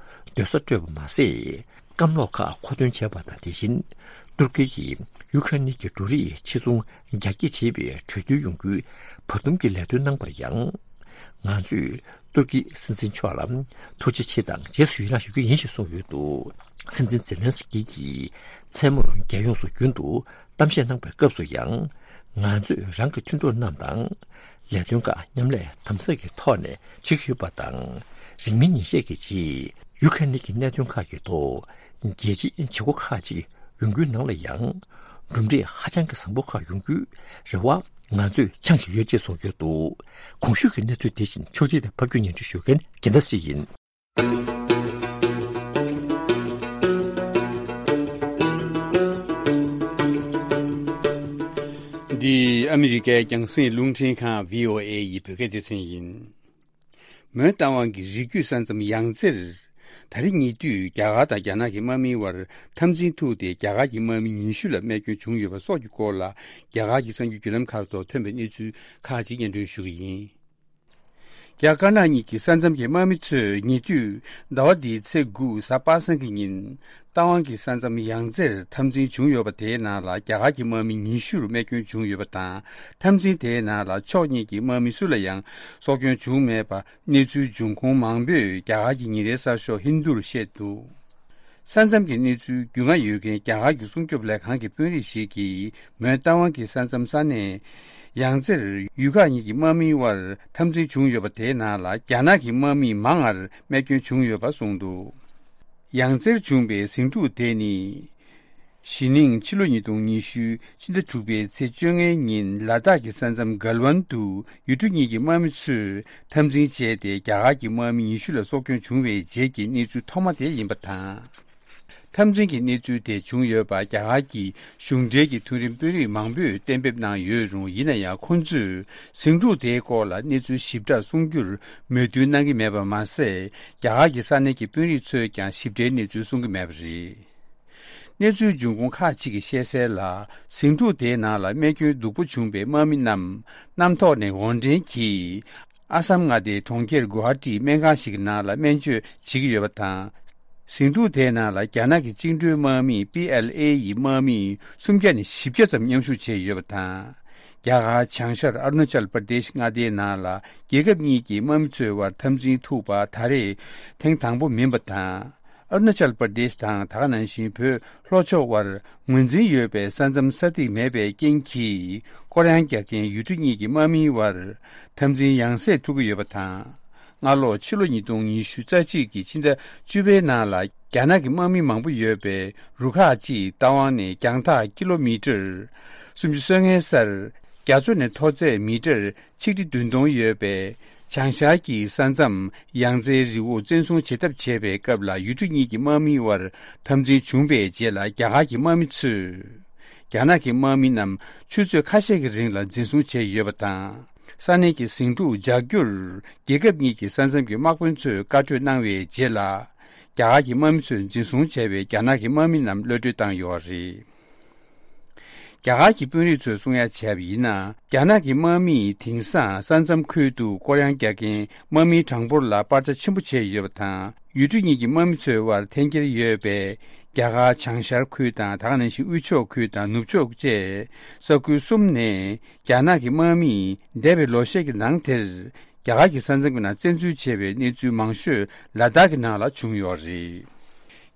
སྡོད་ས་སྤྲོད་པ་མ་ཟད། སྐམ་ལོག་ཁག་མཁོ་འདོན་བྱས་པ་དང་། དེ་བཞིན་ཏུར་ཀི་ཡིས་ཡུ་ཁ་རེན་གྱི་འབྲུ་རིགས་ཕྱིར་ཚོང་རྒྱ་སྐྱེད་བྱེད་པའི་གྲོས་བསྡུར་ཡོང་རྒྱུའི་བར་འདུམ་གྱི་ལས་དོན་གནང་པར་ཡང་། ང་ཚོས་ཏུར་ཀི་སྲིད་འཛིན་མཆོག་ལ་ཐུགས་རྗེ་ཆེ་དང་རྗེས་སུ་ཡི་རང་ཞུ་རྒྱུ་ཡིན་ཞེས་གསུངས་ཡོད་འདུག་སྲིད་འཛིན་ཛེ་ལན་སི་ཀི་གིས་མཚན་མོར་རྒྱལ་ཡོངས་སུ་རྒྱུན་དུ་གཏམ་བཤད་གནང་པའི་སྐབས་སུ་ཡང་། ང་ཚོས་རང་གི་མཐུན་གྲོགས་རྣམས་དང་ལས་དོན་ཁག་མཉམ་ལས་དམ་ཟབ་ཀྱི་ཐོག་ནས་བྱེད་ཀྱི་ཡོད་པ་དང་། རིང་མིན་ཉིན་ཤས་ཀྱི་རྗེས་ཡུ་ཁ་རེན་གྱི་གནད་དོན་ཁག་གི་ཐོག་རྒྱལ་སྤྱིའི་བྱེད་སྒོ་ཁག་ཅིག་ཡོང་རྒྱུའི་ནང་ལ་ཡང་གྲུབ་འབྲས་ཧ་ཅང་གི་བཟང་པོ་ཁག་ཡོང་རྒྱུའི་རེ་བ་ང་ཚོས་འཆང་བཞིན་ཡོད་ཅེས་གསུངས་ཡོད་འདུག་གོང་ཞུས་ཀྱི་གནས་ཚུལ་དེ་བཞིན་ཕྱོགས་སྒྲིག་དང་ཕབ་སྒྱུར་སྙན་སྒྲོན་ཞུ་མཁན་རྒྱལ་མཚན་ཞིག་ཡིན། འདི་ཨ་མི་རི་ཀའི་རྒྱང་སྲིང་རླུང་འཕྲིན་ཁང་བྷི་ཨོ་ཨེ་ཡི་བོད་སྐད་སྡེ་ཚན་ཡིན། མོན་རྟ་དབང་གི་རི་རྒྱུད་ས་མཚམས་ཡང་རྩེར། ད་རེས་ཉེ་དུས་རྒྱ་གར་དང་རྒྱ་ནག་གི་དམག་མིའི་དབར་འཐབ་འཛིང་ཐུག་སྟེ། རྒྱ་གར་གྱི་དམག་མི་ཉི་ཤུ་ལ་རྨས་སྐྱོན་བྱུང་ཡོད་པ་སོགས་ཀྱི་སྐོར་ལ། རྒྱ་གར་གྱི་གསར་འགྱུར་བརྒྱུད་ལམ་ཁག་ཐོག་ཐོན་པའི་གནས་ཚུལ་ཁག་ཅིག་སྙན་སྒྲོན་ཞུ་གི་ཡིན། རྒྱ་དཀར་ནག་གཉིས་ཀྱི་ས་མཚམས་ཀྱི་དམག་མི་ཚོས་ཉེ་དུས་ཟླ་བ་འདིའི་ཚེས་དགུ་གཟའ་པ་སངས་ཀྱི་ཉིན། རྟ་དབང་གི་ས་མཚམས་ཡང་རྩེར་འཐབ་འཛིང་བྱུང་ཡོད་པ། དེའི་ནང་ལ་རྒྱ་གར་གྱི་དམག་མི་ཉི་ཤུར་རྨས་སྐྱོན་བྱུང་ཡོད་པ་དང་། འཐབ་འཛིང་དེའི་ནང་ལ་ཕྱོགས་གཉིས་ཀྱི་དམག་མི་སུ་ལ་ཡང་སྲོག་སྐྱོན་བྱུང་མེད་པ། གནས་ཚུལ་འབྱུང་ཁུངས་མང་པོས་རྒྱ་གར་གྱི་ཉིན་རེའི་གསར་ཤོག་ཧིན་དུར་བཤད་འདུག་ས་མཚམས་ཀྱི་གནས་ཚུལ་རྒྱུས་མངའ་ཡོད་མཁན་རྒྱ་གར་གྱི་སྲུང་སྐྱོབ་ལས་ཁང་གི་དཔོན་རིགས་ཤིག་གིས། མོན་རྟ་དབང་གི་ས་མཚམས་ས་གནས་ཡང་རྩེར་ཡུལ་ཁག་གཉིས་ཀྱི་དམག་མིའི་དབར་འཐབ་འཛིང་བྱུང་ཡོད་པ། དེའི་ནང་ལ་རྒྱ་ནག་གི་དམག་མི་མང་ང་རྨས་སྐྱོན་བྱུང་ཡོད་པ་གསུངས་འདུག་ཡང་རྩེར་བྱུང་བའི་ཟིང་འཁྲུག་དེ་ནི། གཞེས་ནིང་ཕྱི་ལོ་ཉིས་སྟོང་ཉི་ཤུ་ཕྱི་ཟླ་དྲུག་པའི་ཚེས་བཅོ་ལྔའི་ཉིན་ལ་དྭགས་ཀྱི་ས་མཚམས་གལ་ཝན་དུ་ཡུལ་གྲུ་གཉིས་ཀྱི་དམག་མི་ཚོས་འཐབ་འཛིང་བྱས་ཏེ། རྒྱ་གར་གྱི་དམག་མི་ཉི་ཤུ་ལ་སྲོག་སྐྱོན་བྱུང་བའི་རྗེས་ཀྱི་གནས་ཚུལ་ཐོག་མ་དེ་ཡིན་པ་དང་། འཐབ་འཛིང་གི་གནས་ཚུལ་དེ་བྱུང་ཡོད་པ་རྒྱ་གར་གྱི་གཞུང་འབྲེལ་གྱི་མཐོ་རིམ་དཔོན་རིགས་མང་པོས་གཏན་འབེབས་གནང་ཡོད་རུང་། ཡིན་ན་ཡང་ཁོང་ཚོས་ཟིང་འཁྲུག་དེའི་སྐོར་ལ་གནས་ཚུལ་ཞིབ་ཕྲ་གསུང་རྒྱུར་མོས་མཐུན་གནང་གི་མེད་པ་མ་ཟད། རྒྱ་གར་གྱི་ས་གནས་ཀྱི་དཔོན་རིགས་ཚོས་ཀྱང་ཞིབ་ཕྲའི་གནས་ཚུལ་གསུང་གི་མེད་པ་རེད། གནས་ཚུལ་འབྱུང་ཁུངས་ཁག་ཅིག་གིས་བཤད་གསལ་ལ། ཟིང་འཁྲུག་དེའི་ནང་ལ་རྨས་སྐྱོན་སྡུག་པོ་བྱུང་བའི་དམག་མི་རྣམས་གནམ་ཐོག་ནས་འོར་འདྲེན་གྱིས། ཨ་སམ་མངའ་སྡེའི་གྲོང་ཁྱེར་གུ་ཧ་ཏི་སྨན་ཁང་ཞིག་གི་ནང་ལ་སྨན་བཅོས་བྱེད་ཀྱི་ཡོད་པ་དང་། ཟིང་འཁྲུག་དེའི་ནང་ལ་རྒྱ་ནག་གི་བཅིངས་འགྲོལ་དམག་མི་པི་ཨེལ་ཨེ་ཡི་དམག་མི་སུམ་བརྒྱ་ནས་བཞི་བརྒྱ་ཙམ་མཉམ་ཞུགས་བྱས་ཡོད་པ་དང་། རྒྱ་གར་བྱང་ཤར་ཨ་རུ་ན་ཅལ་པར་དེཤ་མངའ་སྡེའི་ནང་ལ་རྒྱལ་ཁབ་གཉིས་ཀྱི་དམག་མི་ཚོའི་དབར་འཐབ་འཛིང་ཐུག་པ་ད་རེས་ཐེངས་དང་པོ་མིན་པ་དང་། ཨ་རུ་ན་ཅལ་པར་དེཤ་དང་། ད་ག་ནང་བཞིན་བོད་ལྷོ་ཕྱོགས་དབར་ངོས་འཛིན་ཡོད་པའི་ས་མཚམས་ས་ཐིག་མེད་པའི་རྐྱེན་གྱིས། སྐོར་གཡང་རྒྱག་མཁན་ཡུལ་གྲུ་གཉིས་ཀྱི་དམག་མིའི་དབར་འཐབ་འཛིང་ཡང་སེ་ཐུག་གི་ཡོད་པ་དང་། སྔ་ལོ་ཕྱི་ལོ་ཉིས་སྟོང་ཉི་ཤུ་རྩ་གཅིག་གི་ཕྱི་ཟླ་བཅུ་པའི་ནང་ལ། རྒྱ་ནག་གི་དམག་མི་མང་པོ་ཡོད་པའི་རུ་ཁག་ཅིག་རྟ་དབང་ནས་རྒྱང་ཐག་ཀི་ལོ་མི་ཊར་སུམ་ཅུ་སོ་ལྔའི་སར། རྒྱ་མཚོ་ནས་མཐོ་ཚད་མི་ཊར་ཆིག་ཁྲི་བདུན་སྟོང་ཡོད་པའི་བྱང་ཤར་གྱི་ས་མཚམས་ཡང་རྩེའི་རི་བོ་བཙན་བཟུང་བྱེད་ཐབས་བྱས་པའི་སྐབས་ལ། ཡུལ་གྲུ་གཉིས་ཀྱི་དམག་མིའི་དབར་འཐབ་འཛིང་བྱུང་བའི་རྗེས་ལ། རྒྱ་གར་གྱི་དམག་མི་ཚོས་རྒྱ་ནག་གི་དམག་མི་རྣམས་ཆུ་ཚོད་ཁ་ཤས་ཀྱི་རིང་ལ་འཛིན་བཟུང་བྱས་ཡོད་པ་དང་། ས་གནས་ཀྱི་ཟིང་འཁྲུག་འཇགས་རྒྱུར་རྒྱལ་ཁབ་གཉིས་ཀྱི་ས་མཚམས་ཀྱི་དམག་དཔོན་ཚོས་བཀའ་གྲོས་གནང་བའི་རྗེས་ལ། རྒྱ་གར་གྱི་དམག་མི་ཚོས་འཛིན་བཟུང་བྱས་པའི་རྒྱ་ནག་གི་དམག་མི་རྣམས་གློད་གྲོལ་བཏང་ཡོད་པ་རེད། རྒྱ་གར་གྱི་དཔོན་རིགས་ཚོས་གསུང་ཡ་བྱས་པ་ཡིན་ན། རྒྱ་ནག་གི་དམག་མིས་དེང་སང་ས་མཚམས་ཁུལ་དུ་སྐོར་གཡང་རྒྱག་མཁན་དམག་མིའི་གྲངས་འབོར་ལ་སྤར་ཆ་ཆེན་པོ་བྱས་ཡོད་པ་དང་། ཡུལ་གྲུ་གཉིས་ཀྱི་དམག་མི་ཚོའི་དབར་འཐེན་འཁྱེར་ཡོད་པའི་རྒྱ་གར་བྱང་ཤར་ཁུལ་དང་། ད་ག་ནང་བཞིན་དབུས་ཕྱོགས་ཁུལ་དང་ནུབ་ཕྱོགས་བཅས་ས་ཁུལ་གསུམ་ནས། རྒྱ་ནག་གི་དམག་མིས་འདས་པའི་ལོ་ཤས་ཀྱི་ནང་དེར། རྒྱ་གར་གྱི་ས་མཚམས་ཀྱི་ནང་བཙན་འཛུལ་བྱས་པའི་གནས་ཚུལ་མང་ཤོས་ལ་དྭགས་ཀྱི་ནང་ལ་བྱུང་ཡོད་རེད།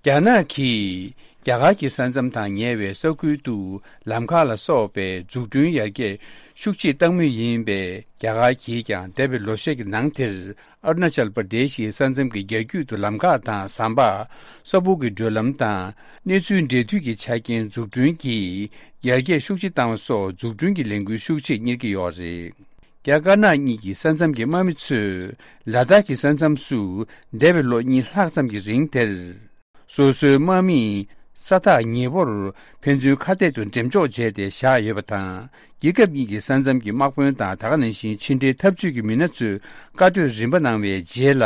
རྒྱ་ནག་གིས་རྒྱ་གར་གྱི་ས་མཚམས་དང་ཉེ་བའི་ས་ཁུལ་དུ་ལམ་ཁ་ལ་སོགས་པའི་འཛུགས་སྐྲུན་ཡར་རྒྱས་ཤུགས་ཆེ་བཏང་མུས་ཡིན་པས། རྒྱ་གར་གྱིས་ཀྱང་འདས་པའི་ལོ་ཤས་ཀྱི་ནང་དེར་ཨ་རུ་ན་ཅལ་པར་དེ་ཤི་ས་མཚམས་ཀྱི་རྒྱ་རྒྱུད་དུ་ལམ་ཁ་དང་ཟམ་པ། ས་སྦུག་གི་བགྲོད་ལམ་དང་གནས་ཚུལ་འབྲེལ་མཐུད་ཀྱི་ཆ་རྐྱེན་འཛུགས་སྐྲུན་གྱིས་ཡར་རྒྱས་ཤུགས་ཆེ་བཏང་བ་སོགས་འཛུགས་སྐྲུན་གྱི་ལས་འགུལ་ཤུགས་ཆེ་གཉེར་གྱི་ཡོད་རེད། རྒྱ་དཀར་ནག་གཉིས་ཀྱི་ས་མཚམས་ཀྱི་དམག་མི་ཚོས་ལ་དྭགས་ཀྱི་ས་མཚམས་སུ་འདས་པའི་ལོ་གཉིས་ལྷག་ཙམ་གྱི་རིང་དེར། སོ་སོའི་དམག་མིས་ས་ཐག་ཉེ་བོར་ཕན་ཚུན་ཁ་གཏད་དུ་འགྲེམས་འཇོག་བྱས་ཏེ་བཞག་ཡོད་པ་དང་། རྒྱལ་ཁབ་གཉིས་ཀྱི་ས་མཚམས་ཀྱི་དམག་དཔོན་དང་། ད་ག་ནང་བཞིན་ཕྱི་འབྲེལ་འཐབ་ཇུས་ཀྱི་མི་སྣ་ཚོས་བཀའ་གྲོས་རིམ་པ་གནང་བའི་རྗེས་ལ།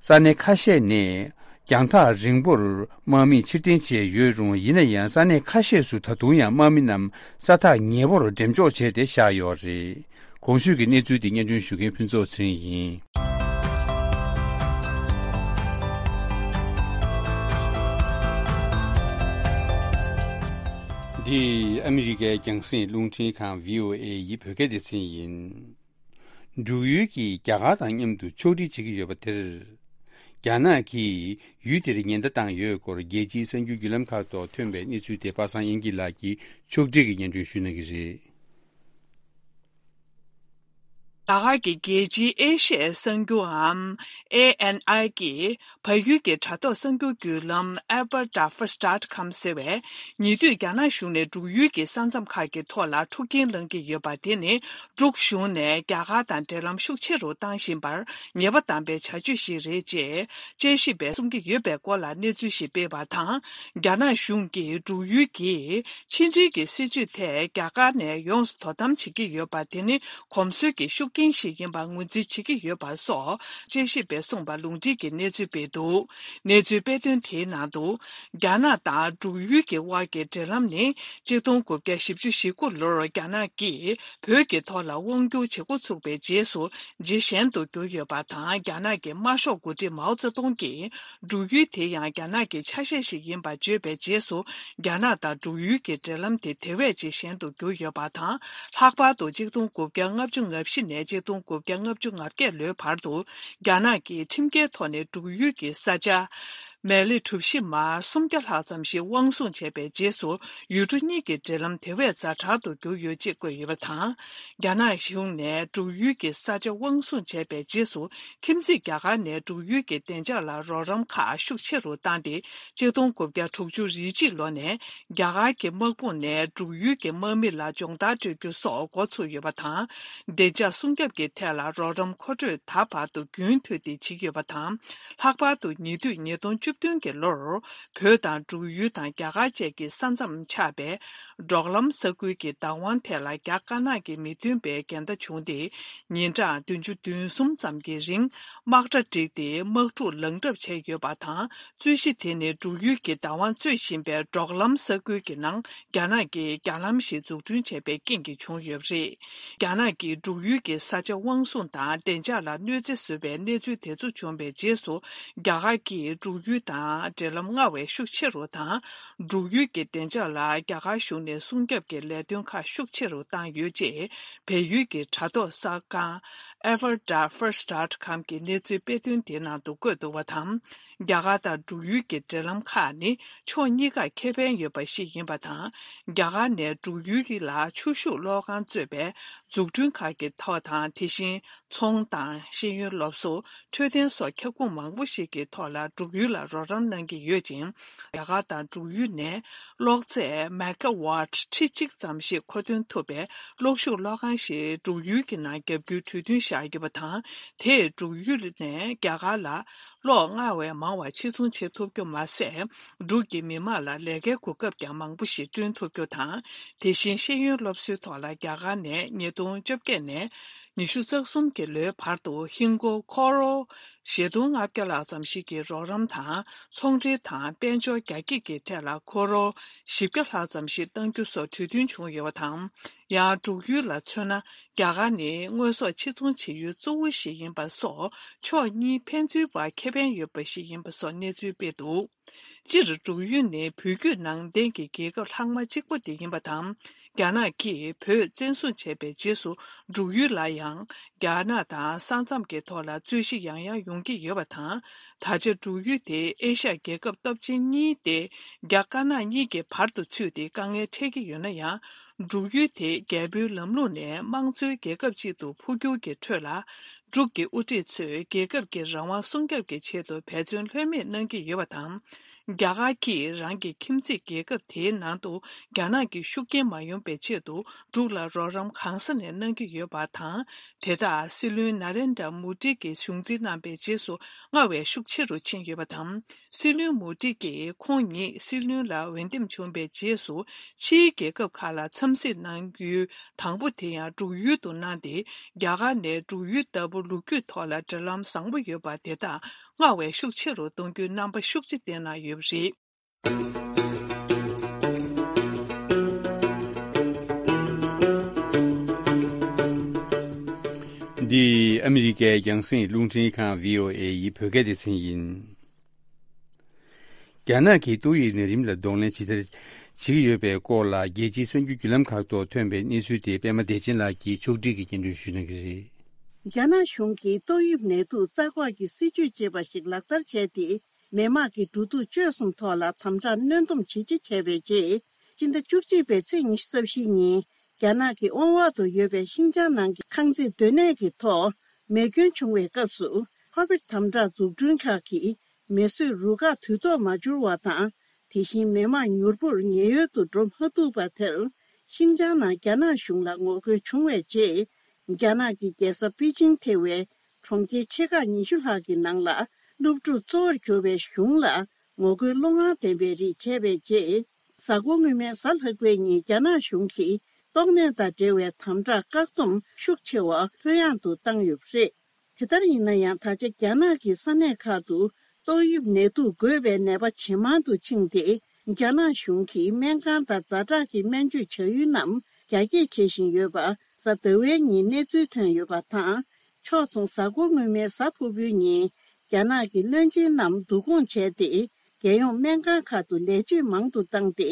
ས་གནས་ཁ་ཤས་ནས་རྒྱང་ཐག་རིང་པོར་དམག་མི་ཕྱིར་འཐེན་བྱས་ཡོད་རུང་། ཡིན་ན་ཡང་ས་གནས་ཁ་ཤས་སུ་ད་དུང་ཡང་དམག་མི་རྣམས་ས་ཐག་ཉེ་བོར་འགྲེམས་འཇོག་བྱས་ཏེ་བཞག་ཡོད་རེད། གོང་ཞུས་ཀྱི་གནས་ཚུལ་དེ་སྙན་སྒྲོན་ཞུ་མཁན་ཕུན་ཚོགས་ཚེ་རིང་ཡིན། འདི་ཨ་མི་རི་ཀའི་རྒྱང་སྲིང་རླུང་འཕྲིན་ཁང་བྷི་ཨོ་ཨེ་ཡི་བོད་སྐད་སྡེ་ཚན་ཡིན། འབྲུག་ཡུལ་གྱིས་རྒྱ་གར་དང་མཉམ་དུ་ཕྱོགས་སྒྲིག་བྱེད་ཀྱི་ཡོད་པ་དེར། རྒྱ་ནག་གིས་ཡུལ་དེར་ཉེན་བརྡ་བཏང་ཡོད་སྐོར་རྒྱལ་སྤྱིའི་གསར་འགྱུར་བརྒྱུད་ལམ་ཁག་ཐོག་ཐོན་པའི་གནས་ཚུལ་དེ་པ་སངས་དབྱངས་སྐྱིད་ལགས་ཀྱིས་ཕྱོགས་སྒྲིག་གིས་སྙན་སྒྲོན་ཞུ་གནང་གི་རེད། རྒྱ་གར་གྱི་རྒྱལ་སྤྱིའི་ཨེ་ཤི་ཡའི་གསར་འགྱུར་འམ། ཨེ་ཨེན་ཨའི་གིས་བལ་ཡུལ་གྱི་དྲ་ཐོག་གསར་འགྱུར་བརྒྱུད་ལམ་Aberdaffers dot com ཟེར་བས། ཉེ་དུས་རྒྱ་ནག་གཞུང་ནས་འབྲུག་ཡུལ་གྱི་ས་མཚམས་ཁག་གི་ཐོག་ལ་འཁྲུག་རྐྱེན་སློང་གི་ཡོད་པ་དེ་ནི། འབྲུག་གཞུང་ནས་རྒྱ་གར་དང་འབྲེལ་ལམ་ཤུགས་ཆེ་རུ་བཏང་བཞིན་པར་ཉེས་པ་དམ་པའི་བྱ་སྤྱོད་ཞིག་རེད་ཅེས་དཔྱད་ཞིབ་པས་གསུང་གི་ཡོད་པའི་སྐོར་ལ་གནས་ཚུལ་ཞིག་སྤེལ་བ་དང་། རྒྱ་ནག་གཞུང་གིས་འབྲུག་ཡུལ་གྱི་ཕྱི་འབྲེལ་གྱི་སྲིད་བྱུས་ཐད་རྒྱ་གར་ནས་ཡོངས་སུ་དོ་དམ་བྱེད་ཀྱི་ཡོད་པ་དེ་ནི་གོམས་སྲོལ་གྱི་ཤུགས་རྐྱེན་ཞིག་ཡིན་པར་ངོས་འཛིན་བྱེད་ཀྱི་ཡོད་པ་སོགས་དཔྱད་ཞིབ་པས་གསུངས་པ་ལུང་འདྲེན་གྱིས་གནས་ཚུལ་སྤེལ་འདུག་གནས་ཚུལ་སྤེལ་དོན་དེའི་ནང་དུ། རྒྱ་ནག་དང་འབྲུག་ཡུལ་གྱི་དབར་གྱི་འབྲེལ་ལམ་ནི་གཅིག་སྟོང་དགུ་བརྒྱ་བཞི་བཅུ་ཞེ་དགུ་ལོར་རྒྱ་ནག་གིས་བོད་ཀྱི་ཐོག་ལ་དབང་བསྒྱུར་བྱེད་འགོ་ཚུགས་པའི་རྗེས་སུ་ཇེ་ཞན་དུ་གྱུར་ཡོད་པ་དང་། རྒྱ་ནག་གི་དམར་ཤོག་འགོ་ཁྲིད་མའོ་ཙེ་ཏུང་གིས་འབྲུག་ཡུལ་དེ་ཡང་རྒྱ་ནག་གི་ཆ་ཤས་ཤིག་ཡིན་པ་བརྗོད་པའི་རྗེས་སུ། རྒྱ་ནག་དང་འབྲུག་ཡུལ་གྱི་འབྲེལ་ལམ་དེ་དེ་བས་ཇེ་ཞན་དུ་གྱུར་ཡོད་པ་དང་། ལྷག་པར་དུ་གཅིག་སྟོང་དགུ་བརྒྱ་ལྔ་བཅུ་ང་བཞི་ནས་གཅིག་སྟོང་དགུ་བརྒྱ་ལྔ་བཅུ་ང་བརྒྱད་ལོའི་བར་དུ། རྒྱ་ནག་གིས་ཁྲིམས་འགལ་ཐོག་ནས་འབྲུག་ཡུལ་གྱི་ས་ཆ་མེ་ལེ་གྲུ་བཞི་མ་སུམ་བརྒྱ་ལྷག་ཙམ་ཞིག་དབང་བཟུང་བྱས་པའི་རྗེས་སུ། ཡུལ་གྲུ་གཉིས་ཀྱི་འབྲེལ་ལམ་དེ་བས་ཛ་དྲག་ཏུ་གྱུར་ཡོད་ཅེས་བཀོད་ཡོད་པ་དང་། རྒྱ་ནག་གཞུང་ནས་འབྲུག་ཡུལ་གྱི་ས་ཆ་དབང་བཟུང་བྱས་པའི་རྗེས་སུ། ཁྱིམ་མཚེས་རྒྱ་གར་ནས་འབྲུག་ཡུལ་གྱི་བདེ་འཇགས་ལ་རོགས་རམ་ཁག་ཤུགས་ཆེ་རུ་བཏང་སྟེ། གཅིག་སྟོང་དགུ་བརྒྱ་དྲུག་ཅུ་རེ་གཅིག་ལོ་ནས་རྒྱ་གར་གྱི་དམག་དཔུང་ནས་འབྲུག་ཡུལ་གྱི་དམག་མི་ལ་སྦྱོང་བརྡར་སྤྲོད་རྒྱུ་སོགས་འགོ་ཚུགས་ཡོད་པ་དང་། བདེ་འཇགས་སྲུང་སྐྱོབ་ཀྱི་ཐད་ལ་རོགས་རམ་མཁོ་སྤྲོད་ད་བར་དུ་རྒྱུན་མཐུད་དེ་བྱེད་ཀྱི་ཡོད་པ་དང་། ལྷག་པར་དུ་ཉེ་དུས་ཉིས་སྟོང་བཅུ་བདུན་གྱི་ལོར། བོད་དང་འབྲུག་ཡུལ་དང་རྒྱ་གར་བཅས་ཀྱི་ས་མཚམས་ཆགས་པའི་འབྲོག་ལམ་ས་ཁུལ་གྱི་བདག་དབང་ཐད་ལ་རྒྱ་དཀར་ནག་གི་མི་མཐུན་པའི་འགལ་ཟླ་བྱུང་སྟེ། ཉིན་གྲངས་བདུན་ཅུ་དོན་གསུམ་ཙམ་གྱི་རིང་དམག་གྲ་བསྒྲིགས་ཏེ་དམག་འཁྲུག་ལངས་གྲབས་བྱས་ཡོད་པ་དང་། རྩོད་གཞི་དེ་ནི་འབྲུག་ཡུལ་གྱི་བདག་དབང་རྩོད་བཞིན་པའི་འབྲོག་ལམ་ས་ཁུལ་གྱི་ནང་རྒྱ་ནག་གིས་རྒྱ་ལམ་ཞིག་འཛུགས་སྐྲུན་བྱས་པའི་རྐྱེན་གྱིས་བྱུང་ཡོད་པ་རེད། རྒྱ་ནག་གིས་འབྲུག་ཡུལ་གྱི་ས་ཆ་དབང་བཟུང་དང་བདེ་འཇགས་ལ་གནོད་འཚེ་བཟོས་པའི་གནས་ཚུལ་དེ་ཚོ་བྱུང་བའི་རྗེས་སུ། རྒྱ་གར་གྱིས་འབྲུག་ཡུལ་དང་འབྲེལ་ལམ་སྔར་བས་ཤུགས་ཆེ་རུ་དང་། འབྲུག་ཡུལ་གྱི་བདེ་འཇགས་ལ་རྒྱ་གར་གཞུང་ནས་སྲུང་སྐྱོབ་ཀྱི་ལས་དོན་ཁག་ཤུགས་ཆེ་རུ་བཏང་ཡོད་ཅེས། བལ་ཡུལ་གྱི་དྲ་ཐོག་གསར་ཁང་Aberdaffers dot com གྱི་གནས་ཚུལ་སྤེལ་དོན་དེའི་ནང་དུ་བཀོད་འདུག་པ་དང་། རྒྱ་གར་དང་འབྲུག་ཡུལ་གྱི་འབྲེལ་ལམ་ཁག་ནི་ཕྱོགས་གཉིས་ཀར་ཁེ་ཕན་ཡོད་པ་ཞིག་ཡིན་པ་དང་། རྒྱ་གར་ནས་འབྲུག་ཡུལ་ལ་ཆུ་ཤུགས་གློག་ཁང་གཙོས་པའི་འཛུགས་སྐྲུན་ཁག་གི་ཐོག་དང་། དེ་བཞིན་ཚོང་དང་ཤེས་ཡོན་སློབ་གསོ། འཕྲོད་བསྟེན་སོགས་ཁྱབ་ཁོངས་མང་པོ་ཞིག་གི་ཐོག་ལ་འབྲུག་ཡུལ་ལ་རོགས་རམ་གནང་གི་ཡོད་ཅིང་། རྒྱ་གར་དང་འབྲུག་ཡུལ་ནས་གློག་ཚད་མེ་ག་ཝཊ་ཁྲི་གཅིག་ཙམ་ཞིག་མཁོ་འདོན་ཐུབ་པའི་གློག་ཤུགས་གློག་ཁང་ཞིག་འབྲུག་ཡུལ་གྱི་ནང་བརྒྱབ་རྒྱུའི་གྲོས་མཐུན་བཞག་ཡོད་པ་དང་། དེས་འབྲུག་ཡུལ་ནས་རྒྱ་གར་ལ་གློག་སྔར་བས་མང་བ་ཕྱིར་ཚོང་བྱེད་ཐུབ་རྒྱུ་མ་ཟད། འབྲུག་གི་མི་དམངས་ལ་ལས་ཀའི་གོ་སྐབས་ཀྱང་མང་པོ་ཞིག་བསྐྲུན་ཐུབ་རྒྱུ་དང་། དེ་བཞིན་ཤེས་ཡོན་སློབ་གསོའི་ཐོག་ལ་རྒྱ་གར་ནས་ཉིས་སྟོང་བཅོ་བརྒྱད་ནས་ཉི་ཤུ་རྩ་གསུམ་གྱི་ལོའི་བར་དུ་ཧིན་སྒོར་ཁོ་རོར་བཞི་སྟོང་ལྔ་བརྒྱ་ལྷག་ཙམ་ཞིག་གི་རོགས་རམ་དང་། ཚོང་འབྲེལ་དང་དཔལ་འབྱོར་རྒྱ་སྐྱེད་ཀྱི་ཐད་ལ་ཁོ་རོར་བཞི་བརྒྱ་ལྷག་ཙམ་ཞིག་གཏང་རྒྱུ་སོགས་གྲོས་མཐུན་བྱུང་ཡོད་པ་དང་། ཡང་འབྲུག་ཡུལ་ལ་མཚོན་ན། རྒྱ་གར་ནི་དངོས་ཟོག་ཕྱིར་ཚོང་བྱེད་ཡུལ་གཙོ་བོ་ཞིག་ཡིན་པ་སོགས། ཕྱོགས་གཉིས་ཕན་ཚུན་བར་ཁེ་ཕན་ཡོད་པ་ཞིག་ཡིན་པ་སོགས་གནས་ཚུལ་སྤེལ་འདུག་སྤྱིར་འབྲུག་ཡུལ་ནི་བོད་བརྒྱུད་ནང་བསྟན་གྱི་རྒྱལ་ཁབ་ལྷག་མ་གཅིག་པོ་དེ་ཡིན་པ་དང་། རྒྱ་ནག་གིས་བོད་བཙན་བཟུང་བྱས་པའི་རྗེས་སུ། འབྲུག་ཡུལ་ལ་ཡང་རྒྱ་ནག་དང་ས་མཚམས་ཀྱི་ཐོག་ལ་རྩོད་གཞི་ཡང་ཡང་ཡོང་གི་ཡོད་པ་དང་། ད་ཆ་འབྲུག་ཡུལ་དེ་ཨེ་ཤ་ཡ་རྒྱལ་ཁབ་སྟོབས་ཆེན་གཉིས་ཏེ། རྒྱ་དཀར་ནག་གཉིས་ཀྱི་བར་དུ་ཚུད་དེ་དཀའ་ངལ་འཕྲད་ཀྱི་ཡོད་ན་ཡང་། འབྲུག་ཡུལ་དེ་རྒྱལ་པོའི་ལམ་ལུགས་ནས་དམངས་གཙོའི་རྒྱལ་ཁབ་ཅིག་ཏུ་འཕོ་འགྱུར་གྱི་ཁྲོད་ལ། འབྲུག་གི་དབུ་ཁྲིད་ཚོས་རྒྱལ་ཁབ་ཀྱི་རང་དབང་སྲུང་སྐྱོབ་ཀྱི་ཆེད་དུ་འབད་བརྩོན་ལྷོད་མེད་གནང་གི་ཡོད་པ་དང་། རྒྱ་གར་གྱིས་རང་གི་ཁྱིམ་མཚེས་རྒྱལ་ཁབ་དེའི་ནང་དུ་རྒྱ་ནག་གི་ཤུགས་རྐྱེན་མ་ཡོང་པའི་ཆེད་དུ་འབྲུག་ལ་རོགས་རམ་གང་ས་ནས་གནང་གི་ཡོད་པ་དང་། དེ་དག་སྲིད་བློན་ན་རེན་དྲ་མོ་ཌི་གིས་གཞུང་འཛིན་གནང་པའི་རྗེས་སུ་སྔར་བས་ཤུགས་ཆེ་རུ་ཕྱིན་ཡོད་པ་དང་། སྲིད་བློན་མོ་ཌི་གིས་ཁོང་ཉིད་སྲིད་བློན་ལ་འོས་འདེམས་བྱུང་བའི་རྗེས་སུ་ཕྱིའི་རྒྱལ་ཁབ་ཁག་ལ་འཚམས་གཟིགས་གནང་ཡུལ་དང་པོ་དེ་ཡང་འབྲུག་ཡུལ་དུ་གནང་སྟེ། རྒྱ་གར་ནས་འབྲུག་ཡུལ་ལྟ་བུ་ལོ་རྒྱུས་ཐོག་ལ་འབྲེལ་ལམ་བཟང་པོ་ཡོད་པ་དེ་དག་སྔར་བས་ཤུགས་ཆེ་རུ་གཏོང་རྒྱུའི་རྣམ་པ་ཤུགས་ཆེ་བསྟན་གནང་ཡོད་པ་རེད། འདི་ཨ་མི་རི་ཀའི་རྒྱང་སྲིང་རླུང་འཕྲིན་ཁང་བྷི་ཨོ་ཨེ་ཡི་བོད་སྐད་སྡེ་ཚན་ཡིན། རྒྱ་ནག་གིས་ཏོག་དབྱིབས་ནད་རིམས་ལ་གདོང་ལེན་ཇི་ལྟར་བྱེད་ཀྱི་ཡོད་པའི་སྐོར་ལ། རྒྱལ་སྤྱིའི་གསར་འགྱུར་བརྒྱུད་ལམ་ཁག་ཐོག་ཐོན་པའི་གནས་ཚུལ་དེ་པད་མ་བདེ་ཆེན་ལགས་ཀྱིས་ཕྱོགས་སྒྲིག་གིས་སྙན་སྒྲོན་ཞུ་གནང་གི་རེད། རྒྱ་ནག་གཞུང་གིས་ཏོག་དབྱིབས་ནད་དུག་རྩ་འགོག་གི་སྲིད་ཇུས་ཅེས་པ་ཞིག་ལག་བསྟར་བྱས་ཏེ། མི་དམངས་ཀྱི་འགྲོ་འདུག་སྤྱོད་གསུམ་ཐོག་ལ་དམ་དྲག་གནོན་སྡོམ་ཇེ་ཆེ་བྱས་པའི་རྗེས། སྤྱི་ཟླ་བཅུ་གཅིག་པའི་ཚེས་ཉི་ཤུ་རྩ་བཞི་ཉིན། རྒྱ་ནག་གི་དབང་འོག་ཏུ་ཡོད་པའི་ཤིན་ཅང་ནང་གི་ཁང་བརྩེགས་སྡོད་གནས་ཀྱི་ཐོག་མེ་སྐྱོན་བྱུང་བའི་སྐབས་སུ། ཁོ་བིད་དམ་དྲག་འཛུགས་སྐྲུན་ཁག་གིས་མེ་གསོད་རུ་ཁག་དུས་ཐོག་མ་འབྱོར་བ་དང་། དེ་བཞིན་མི་དམངས་མྱུར་པོར་ཉེན་གཡོལ་དུ་འགྲོ་མ་ཐུབ་པ་དེར། ཤིན་ཅང་ནང་རྒྱ་ནག་གཞུང་ལ་ངོ་རྒོལ་བྱུང་བའི་རྗེས། རྒྱ་ནག་གི་རྒྱལ་ས་པེ་ཅིང་ཐེ་བའི་གྲོང་ཁྱེར་ཆེ་ཁག་ཉི་ཤུ་ལྷག་གི་ནང་ལ། སློབ་ཕྲུག་གཙོ་བོར་གྱུར་པའི་གཞུང་ལ་ངོ་རྒོལ་བློ་ངང་ལྡན་པའི་རིགས་བྱས་པའི་རྗེས། གཟའ་འཁོར་སྔོན་མའི་གཟའ་ལྷག་པའི་ཉིན་རྒྱ་ནག་གཞུང་གིས་ཏོག་ནད་དང་འབྲེལ་བའི་དམ་དྲག་བཀག་སྡོམ་ཤུགས་ཆེ་བ་ལྷོད་ཡངས་དུ་བཏང་ཡོད་པ་རེད། དེ་ལྟར་ཡིན་ན་ཡང་། ད་ཆ་རྒྱ་ནག་གི་ས་གནས་ཁག་ཏུ་ཏོག་དབྱིབས་ནད་དུག་འགོས་པའི་ནད་པ་ཇེ་མང་དུ་ཕྱིན་ཏེ། རྒྱ་ནག་གཞུང་གིས་སྨན་ཁང་དང་ཛ་དྲག་གི་སྨན་བཅོས་བྱ་ཡུལ་རྣམས་རྒྱ་སྐྱེད་བྱེད་བཞིན་ཡོད་པ། གཟའ་ཟླ་བའི་ཉིན་གནས་ཚུལ་ཐོན་ཡོད་པ་དང་། ཕྱོགས་མཚུངས། གཟའ་འཁོར་སྔོན་མའི་གཟའ་ཕུར་བུའི་ཉིན། རྒྱ་ནག་གི་བློན་ཆེན་རྣམས་བསྡུ་སྐོང་བྱས་ཏེ། རྒྱལ་ཡོངས་སྨན་ཁང་ཁག་ཏུ་ལས་བྱེད་མང་དུ་བཏང་སྟེ།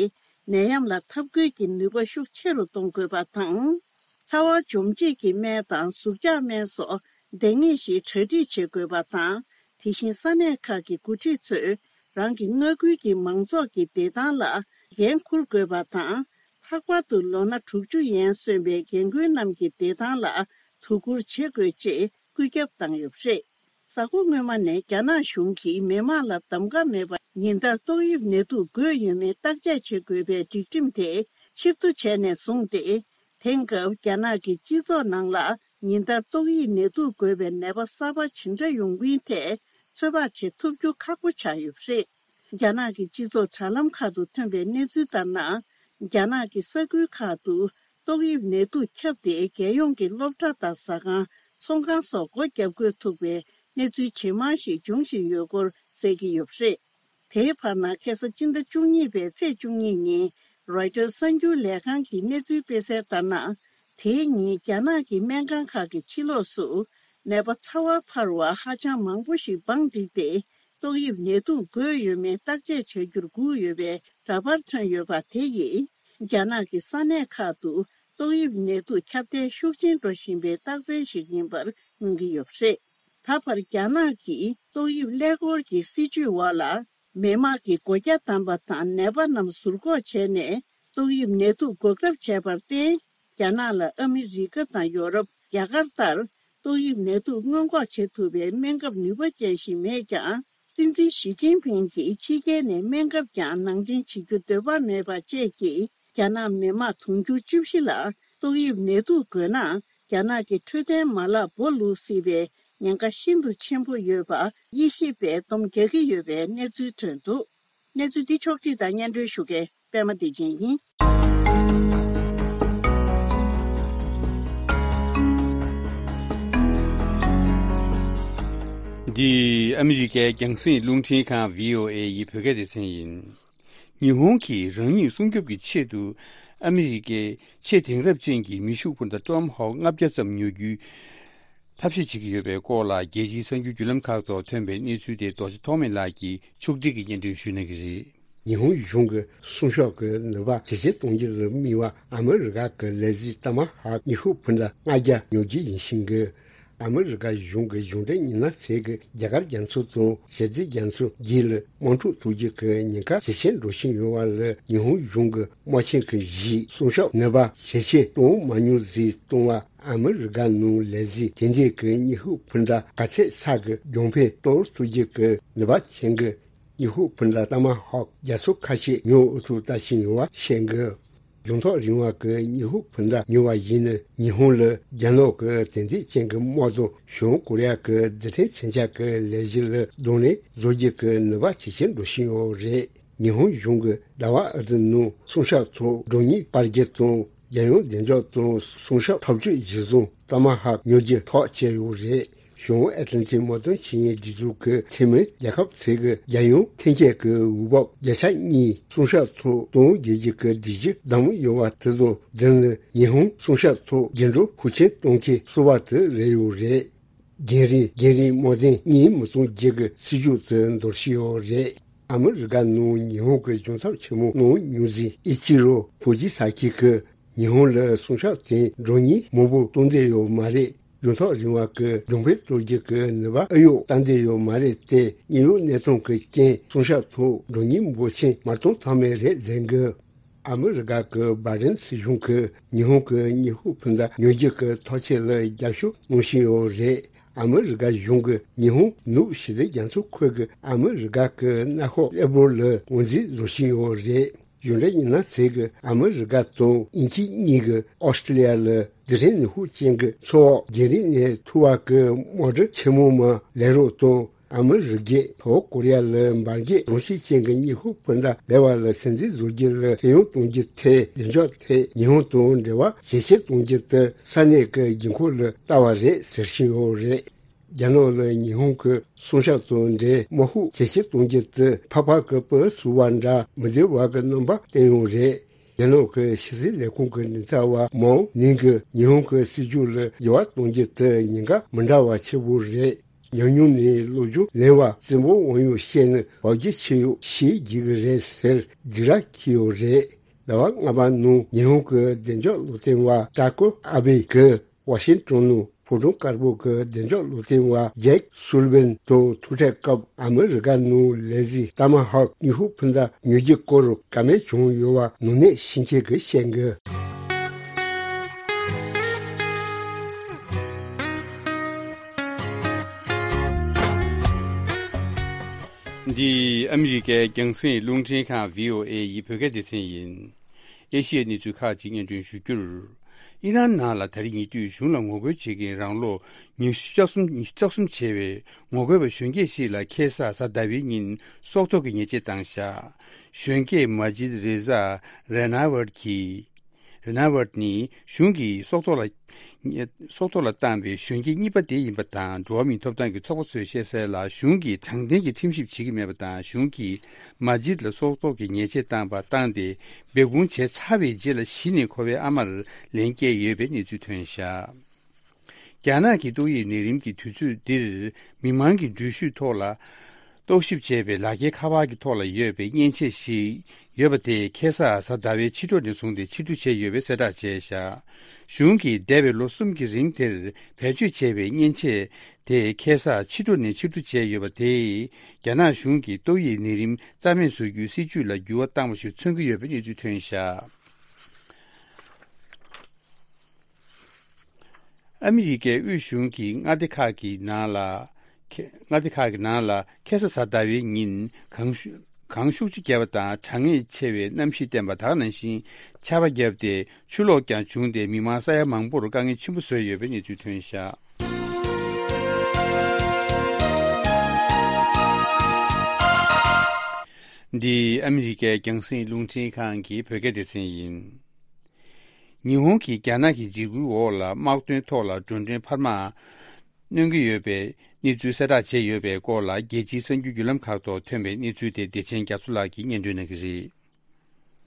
ནད་ཡམས་ལ་འཐབ་རྒོལ་གྱི་ནུས་པ་ཤུགས་ཆེ་རུ་གཏོང་དགོས་པ་དང་། ཚ་བ་འཇོམས་བྱེད་ཀྱི་སྨན་དང་ཟུག་གཅོག་སྨན་སོགས་འདང་ངེས་ཤིག་གྲ་སྒྲིག་བྱེད་དགོས་པ་དང་། དེ་བཞིན་ས་གནས་ཁག་གི་འགོ་ཁྲིད་ཚོས་རང་གི་མངའ་ཁུལ་གྱི་མང་ཚོགས་ཀྱི་བདེ་ཐང་ལ་འགན་འཁུར་དགོས་པ་དང་། ལྷག་པར་དུ་ལོ་ན་དྲུག་ཅུ་ཡན་སོན་པའི་རྒན་རྒོན་རྣམས་ཀྱི་བདེ་ཐང་ལ་དོ་ཁུར་བྱེད་དགོས་ཅེས་བཀོད་ཁྱབ་བཏང་ཡོད་པ་རེད། གཟའ་འཁོར་སྔོན་མ་ནས་རྒྱ་ནག་གཞུང་གིས་མི་དམངས་ལ་གདམ་ག་མེད་པར་ཉིན་ལྟར་ཏོག་དབྱིབས་ནད་དུག་འགོས་ཡོད་མེད་བརྟག་དཔྱད་བྱེད་དགོས་པའི་སྒྲིག་ཁྲིམས་དེ་ཕྱིར་བསྡུ་བྱས་ནས་བཟུང་སྟེ། དེང་སྐབས་རྒྱ་ནག་གི་སྤྱི་ཚོགས་ནང་ལ་ཉིན་ལྟར་ཏོག་དབྱིབས་ནད་དུག་འགོས་པའི་ནད་པ་གསར་པ་ཇི་འདྲ་ཡོང་མིན་ཐད་ཚོད་དཔག་བྱེད་ཐུབ་རྒྱུ་ཁག་པོ་ཆགས་ཡོད་པ་རེད། རྒྱ་ནག་གི་སྤྱི་ཚོགས་དྲ་ལམ་ཁག་ཏུ་ཐོན་པའི་གནས་ཚུལ་ལྟར་ན། རྒྱ་ནག་གི་ས་ཁུལ་ཁག་ཏུ་ཏོག་དབྱིབས་ནད་དུག་ཁྱབ་སྟེ། རྒྱལ་ཡོངས་ཀྱི་སློབ་གྲྭ་དང་ཟ་ཁང་། ཚོང་ཁང་སོགས་སྒོ་བརྒྱབ་དགོས་ཐུག་པའི་གནས་ཚུལ་ཇེ་མང་ཞིག་འབྱུང་བཞིན་ཡོད་སྐོར་གསལ་གྱི་ཡོད་པ་རེད། དེའི་བར་ན། ཁ་སང་སྤྱི་ཟླ་བཅུ་གཉིས་པའི་ཚེས་བཅུ་གཉིས་ཉིན། རོའི་ཊར་གསར་འགྱུར་ལས་ཁང་གིས་གནས་ཚུལ་སྤེལ་གསལ་ལྟར་ན། དེའི་ཉིན་རྒྱ་ནག་གི་སྨན་ཁང་ཁག་གི་ཕྱི་ལོགས་སུ་ནད་པ་ཚ་བ་འཕར་བ་ཧ་ཅང་མང་པོ་ཞིག་སྦང་བསྒྲིགས་ཏེ། ཏོག་དབྱིབས་ནད་དུག་འགོས་ཡོད་མེད་བརྟག་དཔྱད་བྱ་རྒྱུར་སྒུག་ཡོད་པའི་འདྲ་པར་ཐོན་ཡོད་པ་དེ་ཡིས། རྒྱ་ནག་གི་ས་གནས་ཁག་ཏུ་ཏོག་དབྱིབས་ནད་དུག་ཁྱབ་གདལ་ཤུགས་ཆེན་འགྲོ་བཞིན་པའི་རྟགས་མཚན་ཞིག་ཡིན་པར་མངོན་གྱི་ཡོད་པ་རེད། ད་བར་རྒྱ་ནག་གིས་ཏོག་དབྱིབས་ཀླད་ཀོར་གྱི་སྲིད་ཇུས་འོག་ལ། མི་དམངས་ཀྱི་སྒོ་རྒྱ་བསྡམས་པ་དང་། ནད་པ་རྣམས་ཟུར་འགོག་བྱས་ནས། ཏོག་དབྱིབས་ནད་དུག་འགོག་ཐབས་བྱས་པར་བརྟེན། རྒྱ་ནག་ལ་ཨ་མི་རི་ཀ་དང་ཡོ་རོབ། རྒྱ་གར་ལྟར། ཏོག་དབྱིབས་ནད་དུག་སྔོན་འགོག་བྱེད་ཐུབ་པའི་སྨན་ཁབ་ནུས་པ་ཅན་ཞིག་མེད་ཀྱང་། སྲིད་འཛིན་ཞི་ཅིན་ཕིང་གིས་ཕྱི་རྒྱལ་ནས་སྨན་ཁབ་ཀྱང་ནང་འདྲེན་བྱེད་རྒྱུ་འདོད་པ་མེད་པ་བཅས་ཀྱིས། རྒྱ་ནག་མི་དམངས་དུང་ཕྱུར་བཅུ་བཞི་ལ་ཏོག་དབྱིབས་ནད་དུག་འགོས་ན། རྒྱ་ནག་གི་འཕྲོད་བསྟེན་མ་ལག་སྦོ་ལུག་སྲིད་པའི་ཉེན་ཁ་ཤིན་ཏུ་ཆེན་པོ་ཡོད་པ། དབྱེ་ཞིབ་པས་སྡོམ་རྒྱག་གི་ཡོད་པའི་གནས་ཚུལ་ཐོན་འདུག། གནས་ཚུལ་འདི་ཕྱོགས་བསྒྲིགས་དང་སྙན་སྒྲོན་ཞུ་མཁན་པད་མ་བདེ་ཆེན་ཡིན། འདི་ཨ་མི་རི་ཀའི་རྒྱང་སྲིང་རླུང་འཕྲིན་ཁང་བྷི་ཨོ་ཨེ་ཡི་བོད་སྐད་སྡེ་ཚན་ཡིན། ཉི་ཧོང་གིས་རང་ཉིད་སྲུང་སྐྱོབ་ཀྱི་ཆེད་དུ་ཨ་མི་རི་ཀའི་ཆེས་དེང་རབས་ཅན་གྱི་མེ་ཤུགས་འཕུར་མདའ་ཊོམ་ཧོག་ལྔ་བརྒྱ་ཙམ་ཉོ་རྒྱུའི་ཐབས་ཤེས་བྱེད་ཀྱི་ཡོད་པའི་སྐོར་ལ། རྒྱལ་སྤྱིའི་གསར་འགྱུར་བརྒྱུད་ལམ་ཁག་ཐོག་ཐོན་པའི་གནས་ཚུལ་དེ་རྡོ་རྗེ་ཐོགས་མེད་ལགས་ཀྱིས་ཕྱོགས་སྒྲིག་གིས་སྙན་སྒྲོན་ཞུ་གནང་གི་རེད། ཉི་ཧོང་གཞུང་གི་སྲུང་སྐྱོབ་ཀྱི་ནུས་པ་ཇེ་ཆེར་གཏོང་རྒྱུར་དམིགས་པ་ཨ་མི་རི་ཀ་གི་ལས་གཞི་ཏ་མ་ཧོག་ཉི་ཤུ་ཕུ་འདྲ་ལྔ་བརྒྱ་ཉོ་རྒྱུ་ཡིན་ཞིང་གི། ཨ་མི་རི་ཀ་གཞུང་གི་གཞུང་འབྲེལ་མི་སྣ་ཚོས་ཀྱི་རྒྱ་གར་རྒྱ་མཚོ་དང་ཞི་བདེ་རྒྱ་མཚོ་བརྒྱུད་ལ་དམག་འཁྲུག་གཏོང་རྒྱུ་གི་ཉེན་ཁ་ཇེ་ཆེར་འགྲོ་བཞིན་ཡོད་པ་ལ་ཉི་ཧོང་གཞུང་གི་དམག་ཆེན་གྱི་གཞིས་སྲུང་སྐྱོབ་ནུས་པ་ཇེ་ཆེར་གཏོང་མ་མྱོང་ཟིག་གཏོང་བ། ཨ་མི་རི་ཀ་ནང་ལས་གཞི་དེ་འདྲའི་གི་ཉི་ཤུ་ཕུ་འདྲ་ག་ཚད་ས་གི་གྱོང་འཕེན་གཏོར་ཐུབ་རྒྱུ་གི་ནུས་པ་ཆེན་གི། ཉི་ཧོང་ཕུ་འདྲ་ཏ་མ་ཧོག་རྒྱ་མཚོ་ཁ་ཤས་ཉོ་ཨུ་ཚུགས་ལྟ་བཞིན་ཡོད་པ་བཤད་གི། ཡོང་ཐོག་རིང་བ་གི་ཉི་ཧོང་ཕུ་འདྲ་ཉོ་བ་ཡིན་ན་ཉི་ཧོང་ལ་རྒྱ་ནག་གི་དེ་འདྲའི་ཅན་གི་དམག་དང་བྱང་ཀོ་རི་ཡ་གི་རྡུལ་ཕྲན་མཚོན་ཆ་གི་ལས་གཞི་ལ་གདོང་ལེན་བཟོ་རྒྱུ་གི་ནུས་པ་ཇེ་ཆེར་འགྲོ་བཞིན་ཡོད་རེད། ཉི་ཧོང་གཞུང་གི་ཟླ་བ་ཨ་ཏི་ནང་སྲུང་སྐྱོབ་ཐོག་མགྲོན་གཉེར་སྤར་རྒྱུ་དང་རྒྱལ་ཡོངས་བདེ་འཇགས་དང་སྲུང་སྐྱོབ་ཐབས་ཇུས་གཞིར་བཟུང་ཏ་མ་ཧོག་ཉོ་རྒྱུ་ཐག་བཅད་ཡོད་རེད། བྱང་ཨེ་ཏི་ལན་ཏིག་དམག་དོན་ཆེད་གཉེར་སྒྲིག་འཛུགས་ཀྱི་འཐུས་མི་རྒྱལ་ཁབ་ཚོས་ཀྱི་རྒྱལ་ཡོངས་ཐོན་སྐྱེད་ཀྱི་འོས་བབ་བརྒྱ་ཆ་གཉིས་སྲུང་སྐྱོབ་ཐོག་གཏོང་དགོས་རྒྱུ་གི་སྒྲིག་གཞི་བདམས་ཡོད་པ་དེ་དང་མདུན་ལ་ཉི་ཧོང་སྲུང་སྐྱོབ་ཐོག་འགྱུར་འགྲོས་ཤུགས་ཆེན་གཏོང་མཁན་གསར་པ་དེ་རེད་ཡོད་རེད། རྒྱང་རིང་རྒྱང་རིང་དམག་དོན་གཉིས་མི་གཏོང་རྒྱུ་གི་སྲིད་ཇུས་དེ་འདོར་བཞིན་ཡོད་རེད། ཨ་མི་རི་ཀ་ནང་ཉི་ཧོང་གི་གཞུང་ཚབ་ཆེན་མོ་གནང་མྱོང་མཛད་ཨི་ཅི་རོ་ཕུ་ཇི་ས་ཀི་གིས་ཉི་ཧོང་ལ་སྲུང་སྐྱོབ་དེ་མགྲོན་གཉེར་མང་པོ་གཏོང་འདོད་ཡོད་མ་རེད། ཡོང་ཐོག་རིང་བ་གི་གྱོང་འཕེན་གཏོང་རྒྱུ་གི་ནུས་པ་ཨེ་ཡོད་ལྟ་འདོད་ཡོད་མ་རེད་དེ། དངོས་ཡོད་གནས་སྟངས་ཀྱི་རྐྱེན་སྲུང་སྐྱོབ་ཐོག་མགྲོན་གཉེར་འབོར་ཆེན་མ་གཏོང་ཐབས་མེད་རེད་ཟེར་གི། ཨ་མི་རི་ཀ་གི་བྷའི་ཌེན་སྲིད་གཞུང་གིས་ཉི་ཧོང་གི་ཉི་ཧོང་ཕུ་འདྲ་ཉོ་རྒྱུ་གི་ཐག་གཅོད་ལ་རྒྱབ་སྐྱོར་གནང་བཞིན་ཡོད་རེད། ཨ་མི་རི་ཀ་གཞུང་གིས་ཉི་ཧོང་ནུབ་ཞི་བདེ་རྒྱ་མཚོ་ཁུལ་གྱི་ཨ་མི་རི་ཀ་གི་མངའ་ཁོངས་གླེ་པོར་ལ་ངོས་འཛིན་བཟོ་བཞིན་ཡོད་རེད། གཞུང་འབྲེལ་མི་སྣ་ཚོས་ཀྱིས་ཨ་མི་རི་ཀ་དང་དབྱིན་ཇི་གཉིས་ཀྱིས་ཨོ་སི་ཀྲི་ལི་ཡ་ལ་རྡུལ་ཕྲན་ནུས་ཤུགས་ཅན་གྱི་མཚོ་འོག་རྒྱང་རིང་ནས་འཐུ་བ་གི་དམག་གྲུ་ཆེན་མོ་མ་ལེན་རོགས་དང་། ཨ་མི་རི་ཀས་བྱང་ཀོ་རི་ཡ་ལ་འབར་གས་གྲོང་གསེབ་ཅན་གྱི་ཉི་ཧོང་ཕུ་འདྲ་ལེན་པ་ལ་སེམས་འཛིན་བཟོ་རྒྱུ་ལ་ཤེས་ཡོན་གཏོང་རྒྱུ་དེ་བདེ་འཇགས་ཐད་ཉི་ཧོང་དང་འབྲེལ་བ་ཇེ་ཆེར་གཏོང་རྒྱུ་དེ་ས་གནས་ཀྱི་དགོས་མཁོ་ལ་ལྟ་བ་རེད་ཟེར་བཞིན་ཡོད་རེད། རྒྱ་ནག་ལ་ཉི་ཧོང་གི་སྲུང་སྐྱོབ་དང་འབྲེལ་དམག་ཤུགས་ཇེ་ཆེར་གཏོང་རྒྱུ་དེ་ཕག་པ་གི་སྤུ་ཟུར་བ་འདྲ་མི་བདེ་བ་གི་རྣམ་པ་བསྟན་ཡོད་རེད། རྒྱ་ནག་གི་ཕྱི་སྲིད་ལས་ཁུངས་ཀྱི་མགྲིན་ཚབ་པ་མའོ་ནིང་གིས་ཉི་ཧོང་གི་སྲིད་ཇུས་ལ་འགྱུར་བ་གཏོང་རྒྱུ་དེ་ཉེན་ཁ་མི་འདྲ་བ་ཆེ་བོ་རེད། ཉམས་མྱོང་ནས་བློ་སྦྱོང་ལེན་པ་བཙན་པོ་དབང་ཡོད་བཤད་ན་བབ་རྒྱུ་ཆེ་ཡོད་ཤེས་རྒྱུ་གི་རེད་ཟེར་འཇིགས་ར་སྐྱེས་ཡོད་རེད། ཟླ་བ་ལྔ་པ་ནང་ཉི་ཧོང་གི་བདེ་འཇགས་བློ་མཐུན་པ་ཀྲ་ཀོ་ཨ་བྷེ་གིས་ཝ་ཤིང་ཏོན་ནང་ཕོ་བྲང་དཀར་པོ་གི་བདེ་འཇགས་བློ་མཐུན་པ་ཇེཀ་སུ་ལི་ཝན་དང་ཐུག་འཕྲད་སྐབས་ཨ་མི་རི་ཀ་ནང་ལས་གཞི་ཏ་མ་ཧོག་ཉི་ཧོང་ཕུ་འདྲ་ཉོ་རྒྱུ་སྐོར་བཀའ་མོལ་བྱུང་ཡོད་པ་ནང་གནས་ཤིང་ཆེན་གྱིས་བཤད་འདུག་འདི་ཨ་མི་རི་ཀའི་རྒྱང་སྲིང་རླུང་འཕྲིན་ཁང་བྷི་ཨོ་ཨེ་ཡི་བོད་སྐད་སྡེ་ཚན་ཡིན། ཨེ་ཤི་ཡའི་གནས་ཚུལ་ཁག་ཅིག་སྙན་སྒྲོན་ཞུ་རྒྱུར། ཨི་རན་ནང་ལ་ད་རེས་ཉེ་དུས་གཞུང་ལ་ངོ་རྒོལ་བྱེད་མཁན་རང་ལོ་ཉི་ཤུ་རྩ་གསུམ་ཉི་ཤུ་རྩ་གསུམ་བྱས་པའི་ངོ་རྒོལ་བ་གཞོན་སྐྱེས་ཤིག་ལ་ཁ་སང་གཟའ་ཟླ་བའི་ཉིན་སྲོག་ཐོག་གི་ཉེས་ཆད་བཏང་བཞག་གཞོན་སྐྱེས་མ་ཇིད་རེ་ཟ་རེ་ན་ཝར་གྱིས། རེ་ན་ཝར་ནི་གཞུང་གིས་སྲོག་ཐོག་ལ་སྲོག་ཐོག་ལ་བཏང་བའི་གཞོན་སྐྱེས་གཉིས་པ་དེ་ཡིན་པ་དང་། འགྲོ་བ་མིའི་ཐོབ་ཐང་གི་ཚོགས་པ་ཚོས་བཤད་གསལ་ལ། གཞུང་གིས་དྲང་བདེན་གྱི་ཁྲིམས་ཞིབ་བྱེད་ཀྱི་མེད་པ་དང་། གཞུང་གིས་མ་ཇིད་ལ་སྲོག་ཐོག་གི་ཉེས་ཆད་བཏང་བ་བཏང་སྟེ་འབོད་སྐུལ་བྱས་ཚར་བའི་རྗེས་ལ་གཞི་ནས་ཁོ་པའི་ཨ་མར་ལན་བསྐྱལ་ཡོད་པའི་གནས་ཚུལ་ཐོན་བཞག་རྒྱ་ནག་གི་ཏོག་དབྱིབས་ནད་རིམས་ཀྱི་དུས་ཚོད་འདིར་མི་མང་གི་འགྲུལ་བཞུད་ཐོག་ལ་རྟོག་ཞིབ་བྱས་པའི་ལག་འཁྱེར་ཁ་པར་གྱི་ཐོག་ལ་ཡོད་པའི་མཉེན་ཆས་ཤིག་ཡོད་པ་དེ་ཁ་སང་གཟའ་ཟླ་བའི་ཕྱི་དྲོ་ནས་བཟུང་སྟེ་ཕྱིར་བསྡུ་བྱས་ཡོད་པའི་གསལ་བསྒྲགས་བྱས་བཞག་གཞུང་གིས་འདས་པའི་ལོ་གསུམ་གྱི་རིང་དེར་བེད་སྤྱོད་བྱས་པའི་མཉེན་ཆས་དེ་ཁ་སང་ཕྱི་དྲོ་ནས་ཕྱིར་བསྡུ་བྱས་ཡོད་པ་དེས་རྒྱ་ནག་གཞུང་གིས་ཏོག་དབྱིབས་ནད་རིམས་རྩ་མེད་བཟོ་རྒྱུའི་སྲིད་ཇུས་ལ་འགྱུར་བ་བཏང་བ་ཞིག་མཚོན་གྱི་ཡོད་པའི་གནས་ཚུལ་ཐོན་བཞག་ཨ་མི་རི་ཀའི་དབུས་གཞུང་གི་མངའ་སྡེ་ཁག་གི་ནང་ལ། ཁེ་མངའ་སྡེ་ཁག་གི་ནང་ལ་ཁ་སང་གཟའ་ཟླ་བའི་ཉིན་གངས་ཤུགས་གངས་ཤུགས་ཆེ་བརྒྱབ་པ་དང་། གྲང་ངར་ཆེ་བའི་གནམ་གཤིས་བསྟན་པ་དེ་ག་ནང་བཞིན་ཆར་པ་བརྒྱབ་སྟེ་ཆུ་ལོག་ཀྱང་བྱུང་སྟེ་མི་མང་ས་ཡ་མང་པོར་དཀའ་ངལ་ཆེན་པོ་བཟོས་ཡོད་པའི་གནས་ཚུལ་ཐོན་བཞག་འདི་ཨ་མི་རི་ཀའི་རྒྱང་སྲིང་རླུང་འཕྲིན་ཁང་གི་བོད་སྐད་སྡེ་ཚན་ཡིན། ཉི་ཧོང་གིས་རྒྱ་ནག་གི་འཇིགས་སྐུལ་འོག་ལ་དམག་དོན་ཐོག་ལ་འགྲོ་གྲོན་འཕར་མ་གནོན་གྱི་ཡོད་པའི་གནས་ཚུལ་གསལ་བསྒྲགས་བྱས་ཡོད་པའི་སྐོར་ལ། རྒྱལ་སྤྱིའི་གསར་འགྱུར་བརྒྱུད་ལམ་ཁག་ཐོག་ཐོན་པའི་གནས་ཚུལ་དེ་བདེ་ཆེན་རྒྱ་མཚོ་ལགས་ཀྱིས་སྙན་སྒྲོན་གནང་གི་རེད།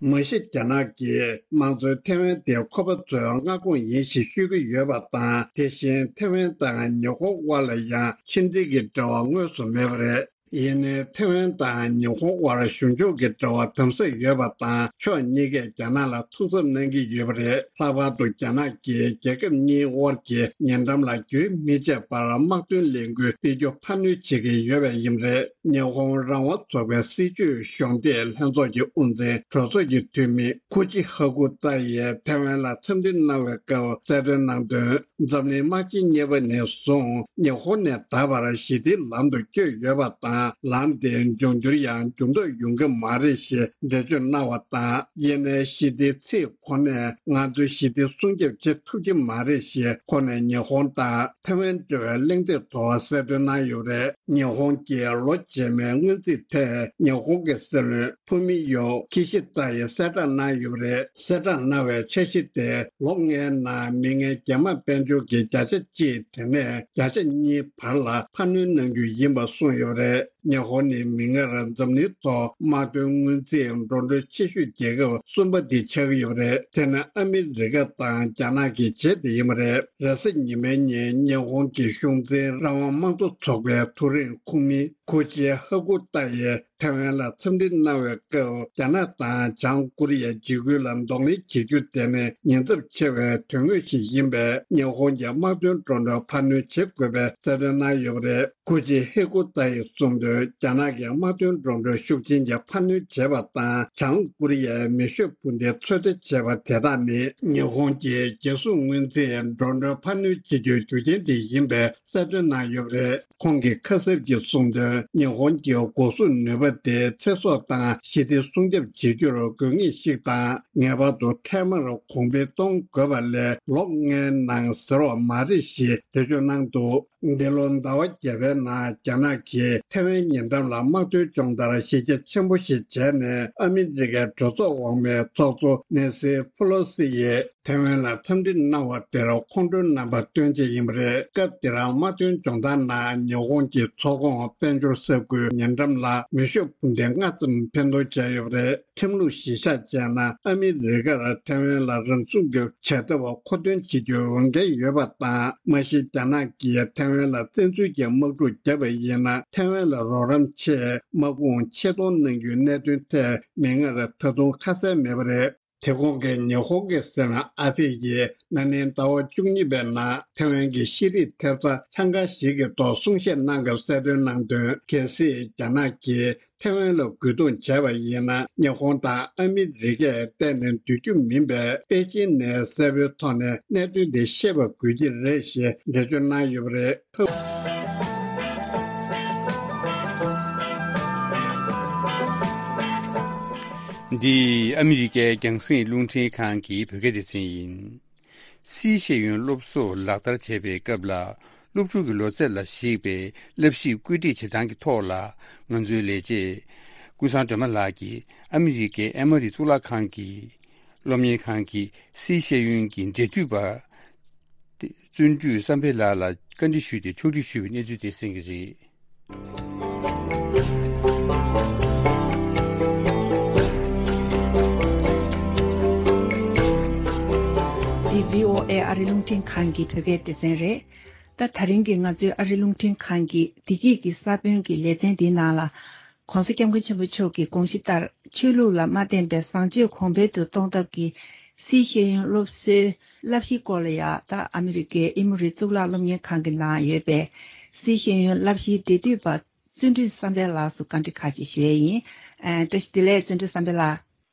མ་གཞི་རྒྱ་ནག་གིས་དམངས་གཙོའི་ཐའེ་ཝན་དེ་ཁོ་པ་ཚོའི་མངའ་ཁོངས་ཡིན་ཞེས་ཤོད་ཀྱི་ཡོད་པ་དང་། དེ་བཞིན་ཐའེ་ཝན་དང་ཉི་ཧོང་དབར་ལ་ཡང་ཕྱི་འབྲེལ་གྱི་འབྲེལ་བ་དངོས་སུ་མེད་པ་རེད། ཡིན་ནའི་ཐེ་ཝན་དང་ཉི་ཧོང་དབར་གཞུང་ཕྱོགས་ཀྱི་འབྲེལ་བ་དམ་ཟབ་ཡོད་པ་དང་ཕྱོགས་གཉིས་ཀས་རྒྱ་ནག་ལ་ཐུགས་འཚབ་གནང་གི་ཡོད་པ་རེད། ལྷག་པར་དུ་རྒྱ་ནག་གིས་རྒྱལ་ཁབ་གཉིས་དབར་གྱི་ཉེ་འགྲམ་ལ་རྒྱུན་མི་ཆད་པར་དམག་དོན་ལས་འགུལ་སྤེལ་རྒྱུ་འཕར་སྣོན་བྱེད་ཀྱི་ཡོད་པ་ཡིན་པ་རེད། ཉི་ཧོང་རང་དབང་ཚོགས་པའི་སྲིད་བྱུས་གཞོགས་འདེགས་ལྷན་ཚོགས་ཀྱི་དབུ་འཛིན་གྲོས་ཚོགས་ཀྱི་འཐུས་མི་ཁུ་ཅི་ཧ་ཀུ་ཏཱ་ཡིས་ཐེ་ཝན་ལ་འཚམས་འདྲི་གནང་བའི་སྐབས་གསལ་སྟོན་གནང་དོན། འཛམ་གླིང་དམག་ཆེན་གཉིས་པ་ནས་བཟུང་ཉི་ཧོང་ནས་ད་བར་ཞི་བདེའི་ལམ་དུ་བསྐྱོད་ཡོད་པ་དང་། ལམ་དེ་འབྱུང་འགྱུར་ཡང་འགྱུར་ལྡོག་ཡོང་གི་མ་རེད་ཞེས་འགྲེལ་བརྗོད་གནང་བ་དང་། ཡིན་ནའི་ཞི་བདེའི་ཚིག་ཁོ་ནས་ང་ཚོས་ཞི་བདེ་སྲུང་སྐྱོབ་བྱེད་ཐུབ་ཀྱི་མ་རེད་ཞེས་ཁོ་ནས་ཉི་ཧོང་དང་ཐེ་ཝན་འབྲེལ་བའི་གླེང་སྟེགས་ཐོག་གསལ་སྟོན་གནང་ཡོད་པ་རེད། ཉི་ཧོང་གི་ལོ་རྗེས་མའི་སྔོན་རྩིས་ཐད་ཉི་ཧོང་གི་སྲིད་བློན་ཕུ་མི་ཡོ་ཁི་ཤི་ཏཱ་ཡིས་གསལ་བསྒྲགས་གནང་ཡོད་པ་རེད། གསལ་བསྒྲགས་གནང་བའི་འཆར་གཞི་དེ་ལོ་ལྔའི་ནང་མི་ངན་རྒྱ་དམར་དཔལ་འབྱོར་གྱི་བརྒྱ་ཆ་གཅིག་དེ་ནས་བརྒྱ་ཆ་གཉིས་བར་ལ་འཕར་སྣོན་གནང་རྒྱུ་ཡིན་པ་གསུངས་ཡོད་པ་རེད། ཉི་ཧོང་ནི་མིག་སྔར་འཛམ་གླིང་ཐོག་དམག་དོན་སྔོན་རྩིས་འགྲོ་གྲོན་ཆེ་ཤོས་རྒྱལ་ཁབ་གསུམ་པ་དེ་ཆགས་ཀྱི་ཡོད་པ་རེད། དེ་ནི་ཨ་མི་རི་ཀ་དང་རྒྱ་ནག་གི་རྗེས་དེ་ཡིན་པ་རེད། རེས་གཟའ་ཉི་མའི་ཉིན་ཉི་ཧོང་གི་གཞུང་འཛིན་རང་དབང་དམངས་གཙོ་ཚོགས་པའི་ཐོ་རེངས་ཁོངས་མི་ཁུ་ཅི་ཧ་ཀུ་ཏཱ་ཡིས་ཐེ་ཝན་ལ་འཚམས་འདྲི་གནང་བའི་སྐབས། རྒྱ་ནག་དང་བྱང་ཀོ་རི་ཡའི་འཇིགས་སྐུལ་ལ་གདོང་ལེན་བྱེད་རྒྱུ་དེ་ནི་ཉེན་ཚབས་ཆེ་བའི་དོན་དངོས་ཤིག་ཡིན་པས། ཉི་ཧོང་གི་དམག་དོན་འགྲོ་གྲོན་འཕར་སྣོན་བྱེད་དགོས་པའི་གསལ་སྟོན་གནང་ཡོད་པ་རེད། ཁུ་ཅི་ཧེ་ཀུ་ཏཱ་ཡིས་གསུངས་དོན། རྒྱ་ནག་གི་དམག་དོན་འགྲོ་གྲོན་ཤུགས་ཆེན་གྱིས་འཕར་སྣོན་བྱས་པ་དང་། བྱང་ཀོ་རི་ཡའི་མེ་ཤོད་འཕུར་མདེལ་ཚོད་ལྟ་བྱས་པ་དེ་དག་ནི་ཉི་ཧོང་གིས་རྒྱལ་སྲུང་སྔོན་རྩིས་འགྲོ་གྲོན་འཕར་སྣོན་བྱེད་རྒྱུའི་རྒྱུ་རྐྱེན་དེ་ཡིན་པའི་གསལ་སྟོན་གནང་ཡོད་པ་རེད། ཁོང་གིས་ཁ་གསབ་ཀྱིས་གསུངས་དོན། ཉི་ཧོང་གི་འགོག་སྲུང་ནུས་པ་དེ་ཚེ་སྲོག་དང་ཞི་བདེ་སྲུང་སྐྱོབ་བྱེད་རྒྱུར་དགོས་ངེས་ཤིག་དང་། ངེས་པར་དུ་འཕྲལ་མར་གོང་འཕེལ་གཏོང་དགོས་པ་ལས་ལོ་ལྔའི་ནང་ཟེར་བ་མ་རེད་ཞེས་འགྲེལ་བརྗོད་གནང་འདུག་འདི་ལོ་ཟླ་བ་བརྒྱད་པའི་ནང་རྒྱ་ནག་གིས་ཐེ་ཝན་ཉེ་འགྲམ་ལ་དམག་དོན་སྦྱོང་བརྡར་གཞི་རྒྱ་ཆེན་པོ་ཞིག་བྱས་ནས། ཨ་མི་རི་ཀའི་གྲོས་ཚོགས་འོག་མའི་ཚོགས་གཙོ་ནེན་སི་ཕུ་ལོ་སི་ཡིས་ཐེ་ཝན་ལ་འཚམས་འདྲི་གནང་བ་དེར་ཁོང་ཁྲོའི་རྣམ་པ་སྟོན་ཆེད་ཡིན་པ་རེད། སྐབས་དེར་དམག་དོན་སྦྱོང་བརྡར་ནང་ཉི་ཧོང་གི་ཚོགས་ཁོངས་དཔལ་འབྱོར་ས་ཁུལ་ཉེ་འགྲམ་ལ་མེ་ཤོད་འཕུར་མདེལ་ལྔ་ཙམ་འཕེན་གཏོང་བྱས་ཡོད་པ་རེད། ཁྲིམས་ལུགས་གཞིར་བཞག་བྱས་ན། ཨ་མི་རི་ཀར་ཐེ་ཝན་ལ་རང་སྲུང་གི་བྱ་ཐབས་མཁོ་འདོན་བྱེད་རྒྱུའི་འོས་འགན་ཡོད་པ་དང་། མ་གཞི་རྒྱ་ནག་གིས་ཐེ་ཝན་ལ་བཙན་འཛུལ་གྱི་དམག་འཁྲུག་བརྒྱབ་པ་ཡིན་ན། ཐེ་ཝན་ལ་རོགས་རམ་ཆེད་དམག་དཔུང་ཆེད་གཏོང་གནང་རྒྱུའི་གནད་དོན་ཐད་མིག་སྔར་ད་དུང་ཁ་གསལ་མེད་པ་རེད། དེ་གོང་གི་ཉི་ཧོང་གི་སྲིད་བློན་ཨ་ཕེ་ཡིས་ན་ནིང་ཟླ་བ་བཅུ་གཉིས་པའི་ནང་ཐེ་ཝན་གྱི་ཤེས་རིག་ཐེབས་རྩ་ལྷན་ཁང་ཞིག་གི་ཐོག་གསུང་བཤད་གནང་སྐབས་གསལ་སྟོན་གནང་དོན། གལ་སྲིད་རྒྱ་ནག་གིས་ཐེ་ཝན་ལ་རྒོལ་རྡུང་བྱས་པ་ཡིན་ན། ཉི་ཧོང་དང་ཨ་མི་རི་ཀས་གཏན་ནས་འདུལ་རྒྱུ་མིན་པས། པེ་ཅིན་ནས་གསལ་པོའི་ཐོག་ནས་གནད་དོན་འདི་ཤེས་པ་དགོས་ཀྱི་རེད་ཞེས་འགྲེལ་བརྗོད་གནང་ཡོད་པ་རེད། འདི་ཨ་མི་རི་ཀའི་རྒྱང་སྲིང་རླུང་འཕྲིན་ཁང་གི་བོད་སྐད་སྡེ་ཚན་ཡིན། སི་ཤེས་ཡོན་སློབ་གསོ་ལག་བསྟར་བྱེད་པའི་སྐབས་ལ། སློབ་ཕྲུག་གི་ལོ་ཚད་ལ་གཞིགས་པའི་བསླབ་གཞི་བཀོད་སྒྲིག་བྱེད་སྟངས་ཀྱི་ཐོག་ལ། ང་ཚོའི་ལས་བྱེད་ཀུན་བཟང་སྒྲོལ་མ་ལགས་ཀྱིས་ཨ་མི་རི་ཀའི་ཨེ་མོ་རི་གཙུག་ལག་ཁང་གི་སློབ་གཉེར་ཁང་གི་སི་ཤེས་ཡོན་གྱི་འབྲེལ་མཐུད་པ། བརྩོན་འགྲུས་བསམ་འཕེལ་ལགས་ལ་བཀའ་འདྲི་ཞུས་ཏེ་ཕྱོགས་སྒྲིག་ཞུས་པའི་གནས་ཚུལ་དེ་གསན་གྱི་རེད། འདི་བྷི་ཨོ་ཨེ་ཨ་རི་རླུང་འཕྲིན་ཁང་གི་བོད་སྐད་སྡེ་ཚན་རེད། ད་དེ་རིང་གི་ང་ཚོའི་ཨ་རི་རླུང་འཕྲིན་ཁང་གི་བདེ་སྐྱིད་ཀྱི་ས་བོན་གྱི་ལེ་ཚན་འདིའི་ནང་ལ། ྋགོང་ས་ྋསྐྱབས་མགོན་ཆེན་པོ་མཆོག་གི་དགོངས་གཞི་ལྟར། ཆོས་ལུགས་ལ་མ་བརྟེན་པའི་བཟང་སྤྱོད་གོང་འཕེལ་དུ་གཏོང་ཐབས་ཀྱི་སི་ཤེས་ཡོན་སློབ་གསོའི་བསླབ་གཞིའི་སྐོར་ལ་ཡང་། ད་ཨ་མི་རི་ཀའི་ཨེ་མོ་རི་གཙུག་ལག་སློབ་གཉེར་ཁང་གི་ནང་ཡོད་པའི་སི་ཤེས་ཡོན་བསླབ་གཞིའི་འབྲེལ་མཐུད་པ་བརྩོན་འགྲུས་བསམ་འཕེལ་ལགས་སུ་བཀའ་འདྲི་ཁག་ཅིག་ཞུ་ཡས་ཡིན། ཨ། བཀྲ་ཤིས་བདེ་ལེགས། བརྩོན་འགྲུས་བསམ་འཕེལ་ལགས།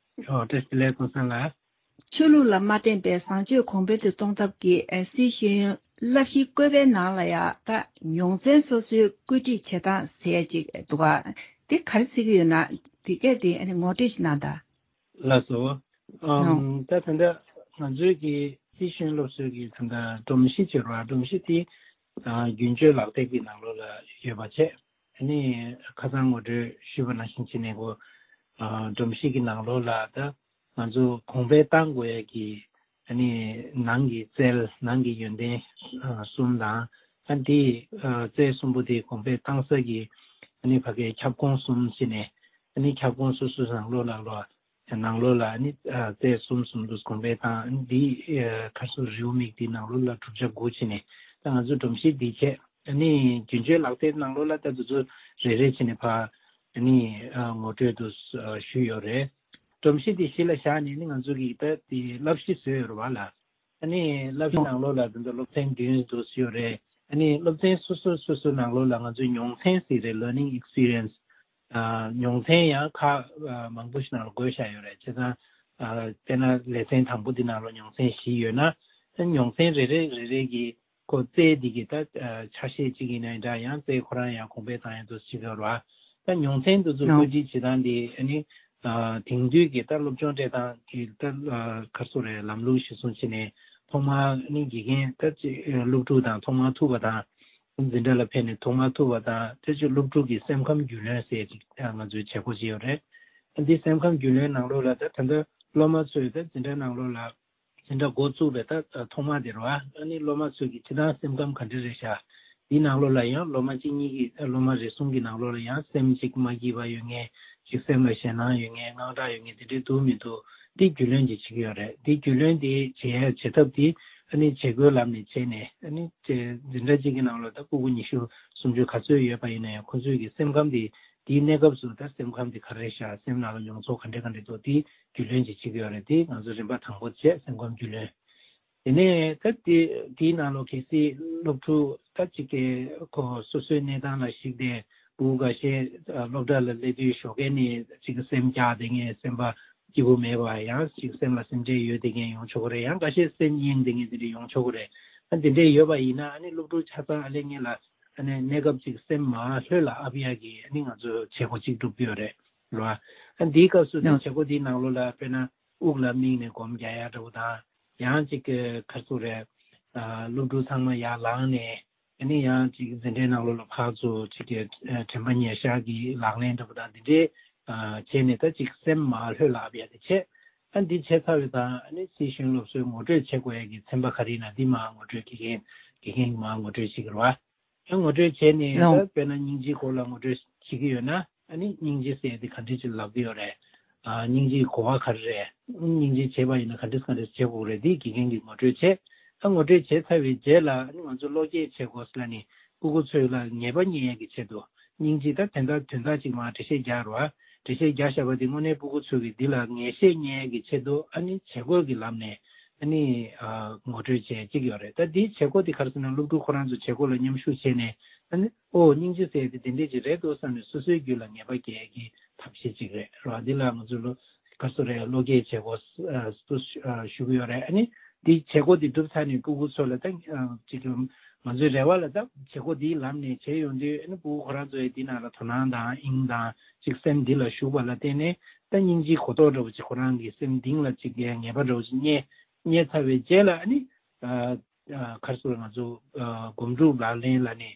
ཨོ། བཀྲ་ཤིས་བདེ་ལེགས། ཀུན་བཟང་ལགས། ཆོས་ལུགས་ལ་མ་བརྟེན་པའི་བཟང་སྤྱོད་གོང་འཕེལ་དུ་གཏོང་ཐབས་ཀྱི་སྲིད་ཤེས་བསླབ་གཞིའི་བཀོད་པའི་ནང་ལ་ཡང་ད་ཉོང་ཚན་སོ་སོའི་བཀོད་སྒྲིག་བྱེད་སྟངས་ཟེར་ཅིག་འདུག་ག་དེ་ག་རེ་ཟེར་གྱི་ཡོད་ན། དེ་གས་དེ་ངོ་སྤྲོད་ཞིག་གནང་དང་། ལགས་སོ། ཨམ། ད་ད་ལྟ་ང་ཚོའི་གི་སྲིད་ཤེས་སློབ་གསོའི་གི་ད་ལྟ་སྒྲོམ་གཞི་ཅིག་ཡོད་རེད་བ། སྒྲོམ་གཞི་དེ་རྒྱུན་སྤྱོད་ལག་དེབ་ཀྱི་ནང་ལོགས་ལ་ཡོད་པ་བྱས། ཨ་ནི་ཁ་སང་ངོ་སྤྲོད་ཞུས་པ་ནང་བཞིན་བྱས་ནས་ཀོ། ཨ། སྒྲོམ་གཞི་གི་ནང་ལོགས་ལ་ད་ང་ཚོ་གོང་འཕེལ་གཏང་དགོས་ཡ་གི། ཨ་ནི་ནང་གི་རྩལ། ནང་གི་ཡོན་ཏན་གསུམ་དང་། ཨ། དེ། ཨ། རྩལ་གསུམ་པོ་དེ་གོང་འཕེལ་གཏང་ས་གི། ཨ་ནི་ཕ་གའི་ཁྱབ་ཁོངས་གསུམ་བྱས་ནས། ཨ་ནི་ཁྱབ་ཁོངས་སོ་སོའི་ནང་ལོགས་ལ་ལོ། ནང་ལོགས་ལ་ཨ་ནི། ཨ། རྩལ་གསུམ་གསུམ་དུ་གོང་འཕེལ་གཏང་། ཨ་ནི་དེ། ཨ། ཁ་སོ་རེའུ་མིག་དེ་ནང་ལོགས་ལ་གྲུབ་ཆ་དགུ་བྱས་ནས། ད་ང་ཚོ་སྒྲོམ་གཞི་འདི་བྱས། ཨ་ནི་རྒྱུན་སྤྱོད་ལག་དེབ་ནང་ལོགས་ལ་ད་དེ་ཚོ་རེ་རེ་བྱས་ནས་ཕར་ཨ་ནི་ཨ་ངོ་སྤྲོད་དུ་ཨ་ཞུས་ཡོད་རེད། སྒྲོམ་གཞི་དེ་གཞི་ལ་བཞག་ནས་ནི་ང་ཚོ་གིས་ད་དེ་བསླབ་གཞི་བཟོས་ཡོད་རེད་བ་ལ། ཨ་ནི་བསླབ་གཞི་ནང་ལོགས་ལ་དེ་ཚོ་སློབ་ཚན་བདུན་དུ་ཡོད་རེད། ཨ་ནི་སློབ་ཚན་སོ་སོ་སོ་སོ་ནང་ལོགས་ལ་ང་ཚོས་མྱོང་ཚན་ཟེར་རེད། learning experience། ཨ་མྱོང་ཚན་ཡང་ཁག་ཨ་མང་པོ་ཞིག་ནང་ལ་བགོས་བཞག་ཡོད་རེད། བྱས་ཙང་ཨ་དཔེར་ན་ལེ་ཚན་དང་པོ་འདི་ནང་ལ་མྱོང་ཚན་བཞི་ཡོད་ན། ཨ་མྱོང་ཚན་རེ་རེ་རེ་རེ་གི་ཁོ་རྩལ་འདི་གི་ད་ཨ་ཆ་ཤས་གཅིག་ཡིན་ན་འདྲ། ཡང་རྩལ་ཁོ་རང་ཡང་གོང་འཕེལ་བཏང་ཡ་འདུག་ཅིག་ཡོད་རེད་བ། ད་མྱོང་ཚན་འདི་ཚོ་ཨོ་བཀོད་སྒྲིག་བྱེད་སྟངས་འདི་ཨ་ནི་ཨ་དེང་དུས་ཀྱི་ད་སློབ་སྦྱོང་སྤྲད་སྟངས་ཀྱི་ད་ཨ་ག་རེ་ཟེར་རེད། ལམ་ལུགས་གཞིར་བཟུང་བྱས་ནས་ཐོག་མར་ཨ་ནི་དགེ་རྒན་ད་ཅིག་སློབ་ཕྲུག་དང་ཐོག་མར་ཐུག་པ་དང་། འཛིན་གྲྭ་ལ་ཕེབས་ནས་ཐོག་མར་ཐུག་པ་དང་། དེ་ཚོ་སློབ་ཕྲུག་གི་སེམས་ཁམས་རྒྱུས་ལོན་ཟེར་ཅིག་ང་ཚོའི་བྱེད་སྒོ་ཅིག་ཡོད་རེད། འདི་སེམས་ཁམས་རྒྱུས་ལོན་ནང་ལོགས་ལ་ད་ད་ལྟ་སློབ་མ་ཚོས་ད་འཛིན་གྲྭ་ནང་ལོགས་ལ་འཛིན་གྲྭ་འགོ་བཙུགས་པའི་ད་ཐོག་མ་དེ་རེད་བ། ཨ་ནི་སློབ་མ་ཚོས་ཀྱི་སྤྱིར་བཏང་སེམས་ཁམས་ག་འདྲ་རེད་ཤག་འདི་ནང་ལོགས་ལ་ཡང་སློབ་མ་གཅིག་གཉིས་ཀྱི་སློབ་མ་རེ་ཟུང་གི་ནང་ལོགས་ལ་ཡང་སེམས་གཅིག་མ་སྐྱིད་པ་ཡོད་མཁན། གཅིག་སེམས་ལ་ཞེད་སྣང་ཡོད་མཁན། དངངས་སྐྲག་ཡོད་མཁན་དེ་འདྲའི་འདུག་མི་འདུག་འདི་རྒྱུས་ལོན་ཅིག་བྱེད་ཀྱི་ཡོད་རེད། འདི་རྒྱུས་ལོན་འདི་བྱེད་ཡ་བྱེད་ཐབས་འདི་ཨ་ནི་བྱེད་སྒོའི་ལམ་ནས་བྱས་ནས། ཨ་ནི་འཛིན་གྲྭ་གཅིག་གི་ནང་ལ་ད་སྤུ་གུ་ཉི་ཤུ་སུམ་ཅུ་ག་ཚོད་ཡོད་པ་ཡིན་ན་ཡང་། ཁོ་ཚོའི་གི་སེམས་ཁམས་འདི་དེའི་གནས་སྐབས་སུ་ད་སེམས་ཁམས་འདི་ག་རེ་ཤག་སེམས་ནང་ལ་མྱོང་ཚོར་ག་འདྲ་ག་འདྲ་འདུག་འདི་རྒྱུས་ལོན་ཅིག་བྱེད་ཀྱི་ཡོད་རེད། འདི་ང་ཚོ་རིམ་པ་དང་པོ་བྱས། སེམས་ཁམས་རྒྱུས་ལོན། དེ་ནས་ད་དེ་དེའི་ནང་ལོགས་གལ་སྲིད་སློབ་ཕྲུག་ད་ཅིག་གི་ཁོ་སོ་སོའི་གནས་སྟངས་ལ་གཞིགས་ཏེ། སྤུ་གུ་འགའ་ཤས་ཨ་སློབ་གྲྭ་ལ་སླེབས་དུས་ཞོགས་ཀས་ནས་ཅིག་གི་སེམས་སྐྱག་བསྡད་མཁན། སེམས་པ་སྐྱིད་པོ་མེད་པ། ཡང་ཅིག་སེམས་ལ་སེམས་ཁྲལ་ཡོད་བསྡད་མཁན་ཡོང་ཆོག་གི་རེད། ཡང་འགའ་ཤས་སེམས་གཡེང་བསྡད་མཁན་དེ་འདྲ་ཡོང་ཆོག་གི་རེད། ཨ་དེ་འདྲས་ཡོད་པ་ཡིན་ན། ཨ་ནི་སློབ་ཕྲུག་ཆ་ཚང་ཨ་ལས་ངན་ལ་ཨ་ནི་གནས་སྐབས་ཅིག་སེམས་མ་ལྷོད་ལ་ཨབ་ཡ་གི་ཨ་ནི་ང་ཚོ་བྱེད་སྒོ་ཅིག་སྒྲུབ་ཀྱི་ཡོད་རེད་རེད་བ། ཨ་འདིའི་སྐབས་སུ་ད་ཡང་བྱེད་སྒོ་འདིའི་ནང་ལོགས་ལ་དཔེར་ན་དབུགས་ལ་དམིགས་ནས་སྒོམ་རྒྱག་ཡ་འདྲ་བོ་དང་། ཡང་ཅིག་གི་ག་རེ་ཟེར་རེད། ཨ་སློབ་ཕྲུག་ཚང་མ་ཡར་ལངས་ནས། ཨ་ནི་ཡང་ཅིག་འཛིན་གྲྭའི་ནང་ལོགས་ལ་ཕར་ཚུར་ཅིག་གི་ཨ་དྲན་པ་ཉེར་བཞག་གི་ལག་ལེན་འདྲ་པོ་དང་འདི་འདྲའི་ཨ་བྱས་ནས། ད་ཅིག་སེམས་མ་ལྷོད་ལ་ཨབ་ཡ་དེ་བྱས། ཨ་འདི་བྱས་ཚར་བའི་དང་། ཨ་ནི་སྲིད་གཞུང་སློབ་གསོའི་ངོ་སྤྲོད་བྱེད་དགོས་ཡ་གི་ཚན་པ་ག་རེ་ཡིན་ན་འདི་མར་ངོ་སྤྲོད། དགེ་རྒན་དགེ་རྒན་གྱིས་མར་ངོ་སྤྲོད་བྱེད་ཀྱི་རེད་བ། ཡང་ངོ་སྤྲོད་བྱས་ནས། ད་ལོ། དཔེར་ན་སྙིང་རྗེའི་སྐོར་ལ་ངོ་སྤྲོད་བྱེད་ཀྱི་ཡོད་ན། ཨ་ནི་སྙིང་རྗེ་ཟེར་དེ་ག་འདྲ་ཅིག་ལབ་ཀྱི་ཡོད་རེད། ཨ་སྙིང་རྗེའི་གོ་བ་ག་རེ་རེད། སྙིང་རྗེ་བྱེད་པ་ཡིན་ན་ག་འདྲ་ག་འདྲ་བྱེད་དགོས་རེད། འདི་དགེ་རྒན་གྱིས་ངོ་སྤྲོད་བྱས། ཨ་ངོ་སྤྲོད་བྱས་ཚར་བའི་རྗེས་ལ། ཨ་ནི་ང་ཚོ་བློ་སྐྱེད་བྱེད་དགོས་ཟེར་ལབ་ནས། སྤུ་གུ་ཚོ་ལ་ངེས་པ་རྙེད་ཡས་ཀྱི་ཆེད་དུ། སྙིང་རྗེ་ད་དོན་དག་དོན་དག་ཅིག་མར་འགྲེལ་བཤད་རྒྱག་རོགས། འགྲེལ་བཤད་རྒྱག་བཞག་པ་དེ་དངོས་གནས་སྤུ་གུ་ཚོ་གིས་འདི་ལ་ངེས་ཤེས་རྙེད་ཡས་ཀྱི་ཆེད་དུ། ཨ་ནི་བྱེད་སྒོ་གི་ལམ་ནས་ཨ་ནི་ཨ་ངོ་སྤྲོད་བྱེད་ཅིག་ཡོད་རེད། ད་འདིའི་བྱེད་སྒོ་འདི་ག་རེ་ཟེར་ན། སློབ་ཕྲུག་ཁོ་རང་ཚོ་བྱེད་སྒོ་ལ་མཉམ་ཞུགས་བྱས་ནས། ཨ་ནི་ཨོ་སྙིང་རྗེ་ཟེར་ཡས་དེ་འདི་འདྲས་ཅིག་རེད་འདུག་བསམ་ནས་སོ་སོའི་རྒྱུད་ལ་ངེས་པ་སྐྱེ་ཡས་ཀྱི་ཐབས་ཤེས་ཅིག་རེད་རོགས། འདི་ལ་ང་ཚོ་ལོ་ག་རེ་ཟེར་རེད། བློ་སྐྱེད་བྱེད་སྒོ་ཨ་སུ་ཨ་ཞུ་གི་ཡོད་རེད། ཨ་ནི་འདི་བྱེད་སྒོ་འདི་གྲུབ་ཚར་ནས་སྤུ་གུ་ཚོ་ལ་ད་ཨ་ཅིག་ང་ཚོའི་རེ་བ་ལ། ད་བྱེད་སྒོ་འདིའི་ལམ་ནས་བྱས་ཡོང་དུས། ཨ་ནི་སྤུ་གུ་ཁོ་རང་ཚོ་ཡི་འདི་ནང་ལ་དོ་སྣང་དང་དབྱིངས་དང་ཅིག་སེམས་འདི་ལ་ཞུགས་པ་ལ་བརྟེན་ནས། ད་སྙིང་རྗེའི་གོ་རྟོགས་འདྲ་བོ་ཅིག་ཁོ་རང་གི་སེམས་གཏིང་ལ་ཅིག་ངེས་པ་འདྲ་བོ་ཅིག་རྙེད། རྙེད་ཚར་བའི་རྗེས་ལ། ཨ་ནི་ཨ་ཨ་ག་རེ་ཟེར། ང་ཚོ་ཨ་སྒོམ་སྒྲུབ་ལག་ལེན་ལ་ནི།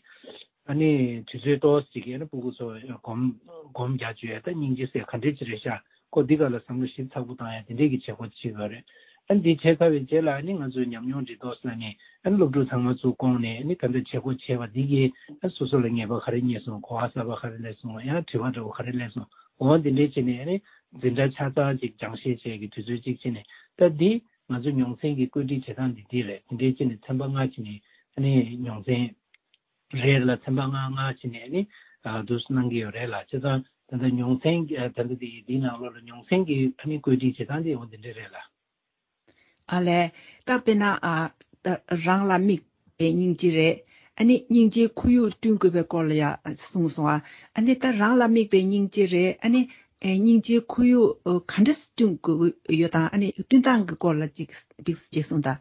ཨ་ནི་དུས་ཚོད་ཏོག་ཙམ་ཅིག་གི། ཨ་ནི་སྤུ་གུ་ཚོ་སྒོམ་སྒོམ་རྒྱག་བཅུག་ཡ། ད་སྙིང་རྗེ་ཟེར་ག་འདྲས་ཅིག་རེད་ཤག་ཁོ་འདི་ག་ལ་བསམ་བློ་ཞིབ་ཚགས་པོ་བཏང་ཡ་དེ་འདྲས་ཀྱི་བྱེད་སྒོ་བྱེད་དགོས་རེད། ཨ་ནི་འདི་བྱས་ཚར་བའི་རྗེས་ལ། ཨ་ནི་ང་ཚོས་ཉམས་མྱོང་འདྲི་རྟོག་ཟེར་ནས། ཨ་ནི་སློབ་ཕྲུག་ཚང་མ་ཚུར་བསྐོངས་ནས། ཨ་ནི་ད་ལྟ་བྱེད་སྒོ་བྱས་པ་འདི་གིས་ཨ་སོ་སོ་ལ་ངེས་པ་ག་རེ་རྙེད་སོང་། གོ་བ་གསར་པ་ག་རེ་སླེབས་སོང་། ཡང་དྲི་བ་འདྲ་བོ་ག་རེ་སླེབས་སོང་། འོ་འདི་འདྲས་བྱས་ནས། ཨ་ནི་འཛིན་གྲྭ་ཆ་ཚང་ཅིག་སྦྱང་བཤད་བྱས་ཀྱི་དུས་ཚོད་ཅིག་བྱས་ནས། ད་འདི་ང་ཚོ་མྱོང་ཚན་གྱི་བཀོད་སྒྲིག་བྱེད་སྟངས་འདི་འདི་རེད། དེ་འདྲས་བྱས་ནས་ཚན་པ་ལྔ་བྱས་ནས། ཨ་ནི་མྱོང་ཚན་རེ་ལ་ཚན་པ་ལྔ་ལྔ་བྱས་ནས། ཨ་ནི་ཨ་འདུག་སེ་གནང་གི་ཡོད་རེད་ལ། བྱས་ཙང་ད་ལྟ་མྱོང་ཚན་གྱི་ཨ་ད་ལྟ་འདི་འདིའི་ནང་ལོགས་ལ་མྱོང་ཚན་གྱི་ཨ་ནི་བཀོད་སྒྲིག་བྱེད་སྟངས་འདི་འོ་འདི་འདྲས་རེད་ལ། ཨ་ལས། ད་དཔེར་ན་ཨ་ད་རང་ལ་དམིགས་པའི་སྙིང་རྗེ་རེད། ཨ་ནི་སྙིང་རྗེའི་ཁོར་ཡུག་བསྐྲུན་དགོས་པའི་སྐོར་ལ་ཡ་གསུངས་སོང་ཨ། ཨ་ནི་ད་རང་ལ་དམིགས་པའི་སྙིང་རྗེ་རེད། ཨ་ནི་ཨེ་སྙིང་རྗེའི་ཁོར་ཡུག་ཨ་ག་འདྲ་བསྐྲུན་དགོས་ཡོད་དང་། ཨ་ནི་བསྐྲུན་སྟངས་ཀྱི་སྐོར་ལ་ཅིག་འདུག་སེ་ཅིག་གསུངས་དང་།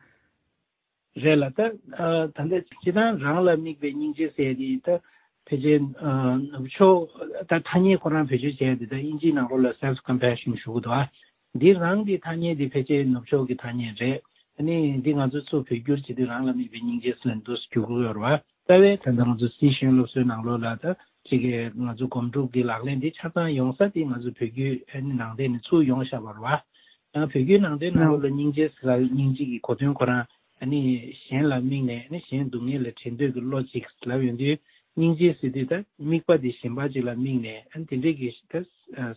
རེད་ལ། ད་ཨ་ད་ལྟ་སྤྱིར་བཏང་རང་ལ་དམིགས་པའི་སྙིང་རྗེ་ཟེར་དེ། ད་ཕལ་ཆེར་ཨ་ནུབ་ཕྱོགས། ད་ཐ་སྙད་ཁོ་རང་བེད་སྤྱོད་བྱས་ཏེ། ད་དབྱིན་ཇིའི་ནང་ལོགས་ལ་self compassion ཞུ་གི་འདུག་ཨ། འདི་རང་གི་ཐ་སྙད་འདི་ཕལ་ཆེར་ནུབ་ཕྱོགས་ཀྱི་ཐ་སྙད་རེད། ཨ་ནི་འདི་ང་ཚོ་ཚུར་བོད་བསྒྱུར་བྱེད་དུས་རང་ལ་དམིགས་པའི་སྙིང་རྗེ་ཟེར་ནས་འདུག་སེ་བསྒྱུར་གྱི་ཡོད་རེད་བ། རྩ་བའི་ད་ལྟ་ང་ཚོ་སྲིད་གཞུང་སློབ་གསོའི་ནང་ལོགས་ལ། ད་ཅིག་གི་ང་ཚོ་སྒོམ་སྒྲུབ་ཀྱི་ལག་ལེན་འདི་ཆ་ཚང་ཡོང་ས་དེ་ང་ཚོ་བོད་བརྒྱུད་ཨ་ནི་ནང་བསྟན་ནས་ཚུར་ཡོང་བཞག་པ་རེད་བ། ཡང་བོད་བརྒྱུད་ནང་བསྟན་ནང་ལོགས་ལ་སྙིང་རྗེ་ཟེར་ལ། སྙིང་རྗེ་གི་གོ་དོན་ཁོ་རང་ཨ་ནི་གཞན་ལ་དམིགས་ནས། ཨ་ནི་གཞན་སྡུག་བསྔལ་ལས་བྲལ་འདོད་ཀྱི་བློ་ཅིག་ལབ་ཡོང་དུས། སྙིང་རྗེ་ཟེར་དུས་ད་དམིགས་པ་དེ་གཞན་པ་ཅིག་ལ་དམིགས་ནས། ཨ་ནི་དེ་འདྲས་ཀྱི་ད་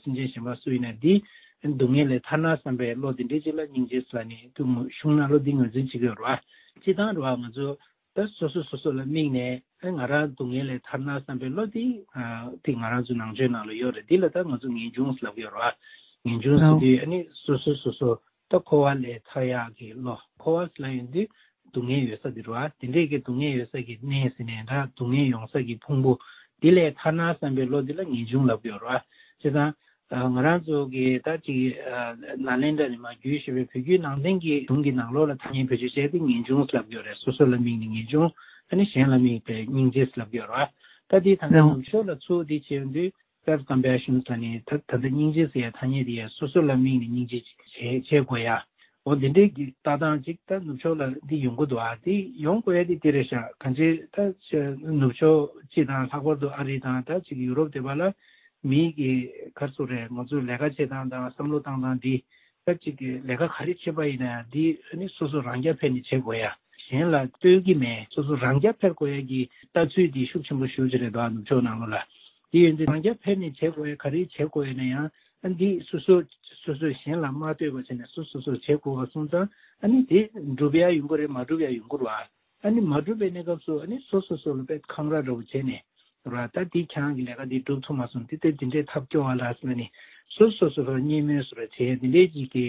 སེམས་ཅན་གཞན་པ་སུ་ཡིན་ན་འདི་སྡུག་བསྔལ་ལས་ཐར་ན་བསམ་པའི་བློ་དེ་འདྲས་ཅིག་ལ་སྙིང་རྗེ་ཟེར་ལ་ནི། དུ་གཞུང་ནང་ལོགས་འདི་ངོས་འཛིན་བྱེད་ཀྱི་ཡོད་རེད་བ། སྤྱིར་བཏང་རེད་བ། ང་ཚོ་ད་ ད་སོ་སོ་སོ་སོ་ལ་དམིགས་ནས་ཨ་ང་རང་སྡུག་བསྔལ་ལས་ཐར་ན་བསམ་པའི་བློ་དེ་ཨ་དེ་ང་རང་ཚོའི་ནང་ཆོས་ནང་ལ་ཡོད་རེད། འདི་ལ་ད་ང་ཚོ་ངེས་འབྱུང་ལབ་ཀྱི་ཡོད་རེད་བ། ངེས་འབྱུང་ཟེར་དུས་ཨ་ནི་སོ་སོ་སོ་སོ་ད་འཁོར་བ་ལས་ཐར་ཡག་གི་བློ། འཁོར་བ་ལ་ཡོང་དུས་སྡུག་བསྔལ་ཡོད་ས་དེ་རེད་བ། དེ་འདྲས་ཀྱི་སྡུག་བསྔལ་ཡོད་ས་གི་གནས་ཟེར་ནས་འདྲ་སྡུག་བསྔལ་ཡོང་ས་གི་ཕུང་པོ་འདི་ལས་ཐར་ན་བསམ་པའི་བློ་འདི་ལ་ངེས་འབྱུང་ལབ་ཀྱི་ཡོད་རེད་བ། བྱས་ཙང་། ང་རང་ཚོ་གི་ད་ཅིག་ནཱ་ལེནྡྲ་ནས་མར་བརྒྱུད་བཞིན་པའི་བོད་བརྒྱུད་ནང་བསྟན་གྱི་གཞུང་གི་ནང་ལོགས་ལ་ཐ་སྙད་བེད་སྤྱོད་བྱས་ཏེ་ངེས་འབྱུང་ལབ་ཀྱི་ཡོད་རེད། སོ་སོ་ལ་དམིགས་ནས་ངེས་འབྱུང་། ཨ་ནི་གཞན་ལ་དམིགས་པའི་སྙིང་རྗེ་ལབ་ཀྱི་ཡོད་རེད། ད་དེ་ད་ལྟ་ནུབ་ཕྱོགས་ལ་ཚུར་དེ་བྱས་ཡོང་དུས་self compassion ལབ་ནས་ད་ད་ལྟ་སྙིང་རྗེ་ཟེར་ཡ་ཐ་སྙད་དེ་ཡ་སོ་སོ་ལ་དམིགས་ནས་སྙིང་རྗེ་བྱེད་བྱེད་དགོས་ཡ། འོ་འདི་འདྲའི་གི་ལྟ་སྟངས་ཅིག་ད་ནུབ་ཕྱོགས་ལ་འདི་ཡོང་གི་འདུག་ཨ་འདི་ཡོང་དགོས་ཡ་དེ་དེ་རེད་ཤག་གང་ཅི་ད་ནུབ་ཕྱོགས་སྤྱི་དང་ལྷག་པར་དུ་ཨ་རི་དང་ད་ཅིག་ཡུ་རོབ་དེ་པ་ལ། མིའི་གི་ག་རེ་ཟེར་རེད། ང་ཚོའི་ལས་ཀ་བྱེད་སྟངས་དང་བསམ་བློ་བཏང་སྟངས་འདི་ད་ཅིག་གི་ལས་ཀ་ག་རེ་བྱེད་པ་ཡིན་ན་འདི་ནི་སོ་སོ་རང་རྐྱ་འཕེར་ནས་བྱེད་དགོས་ཡ། གཞན་ལ་ལྟོས་ཀྱི་མེད། སོ་སོ་རང་རྐྱ་འཕེར་དགོས་ཡ་གི་ལྟ་ཚུལ་འདི་ཤུགས་ཆེན་པོ་ཞེ་པོ་ཅིག་རེད་འདུག་ནུབ་ཕྱོགས་ནང་ལོགས་ལ། འདི་ཡོད་འདི་རང་རྐྱ་འཕེར་ནས་བྱེད་དགོས་ཡ་ག་རེ་བྱེད་དགོས་ཡ་ན་ཡང་ཨ་འདི་སོ་སོ་སོ་སོས་གཞན་ལ་མ་ལྟོས་པ་བྱས་ནས་སོ་སོ་སོ་བྱེད་དགོས་པ་སོང་ཙང་ཨ་ནི་དེ་འགྲུབ་ཡ་ཡོང་གི་རེད། མ་འགྲུབ་ཡ་ཡོང་གི་རེད་བ། ཨ་ནི་མ་འགྲུབ་པའི་གནས་སྐབས་སུ་ཨ་ནི་སོ་སོ་སོ་ལ་དཔེ་འཁང་ར་འདྲ་བོ་བྱས་ནས་ར་ད་འདི་ཁྱེད་རང་གི་ལས་ཀ་འདི་འགྲུབ་ཐུབ་མ་སོང་། འདི་ལྟ་འདི་འདྲའི་ཐབས་སྐྱོ་བ་ལ་ཟེར་ནས་སོ་སོ་སོ་ལ་བརྙས་སྨོད་བཟོ་འདྲ་བྱས་འདི་འདྲའི་ཅིག་གི་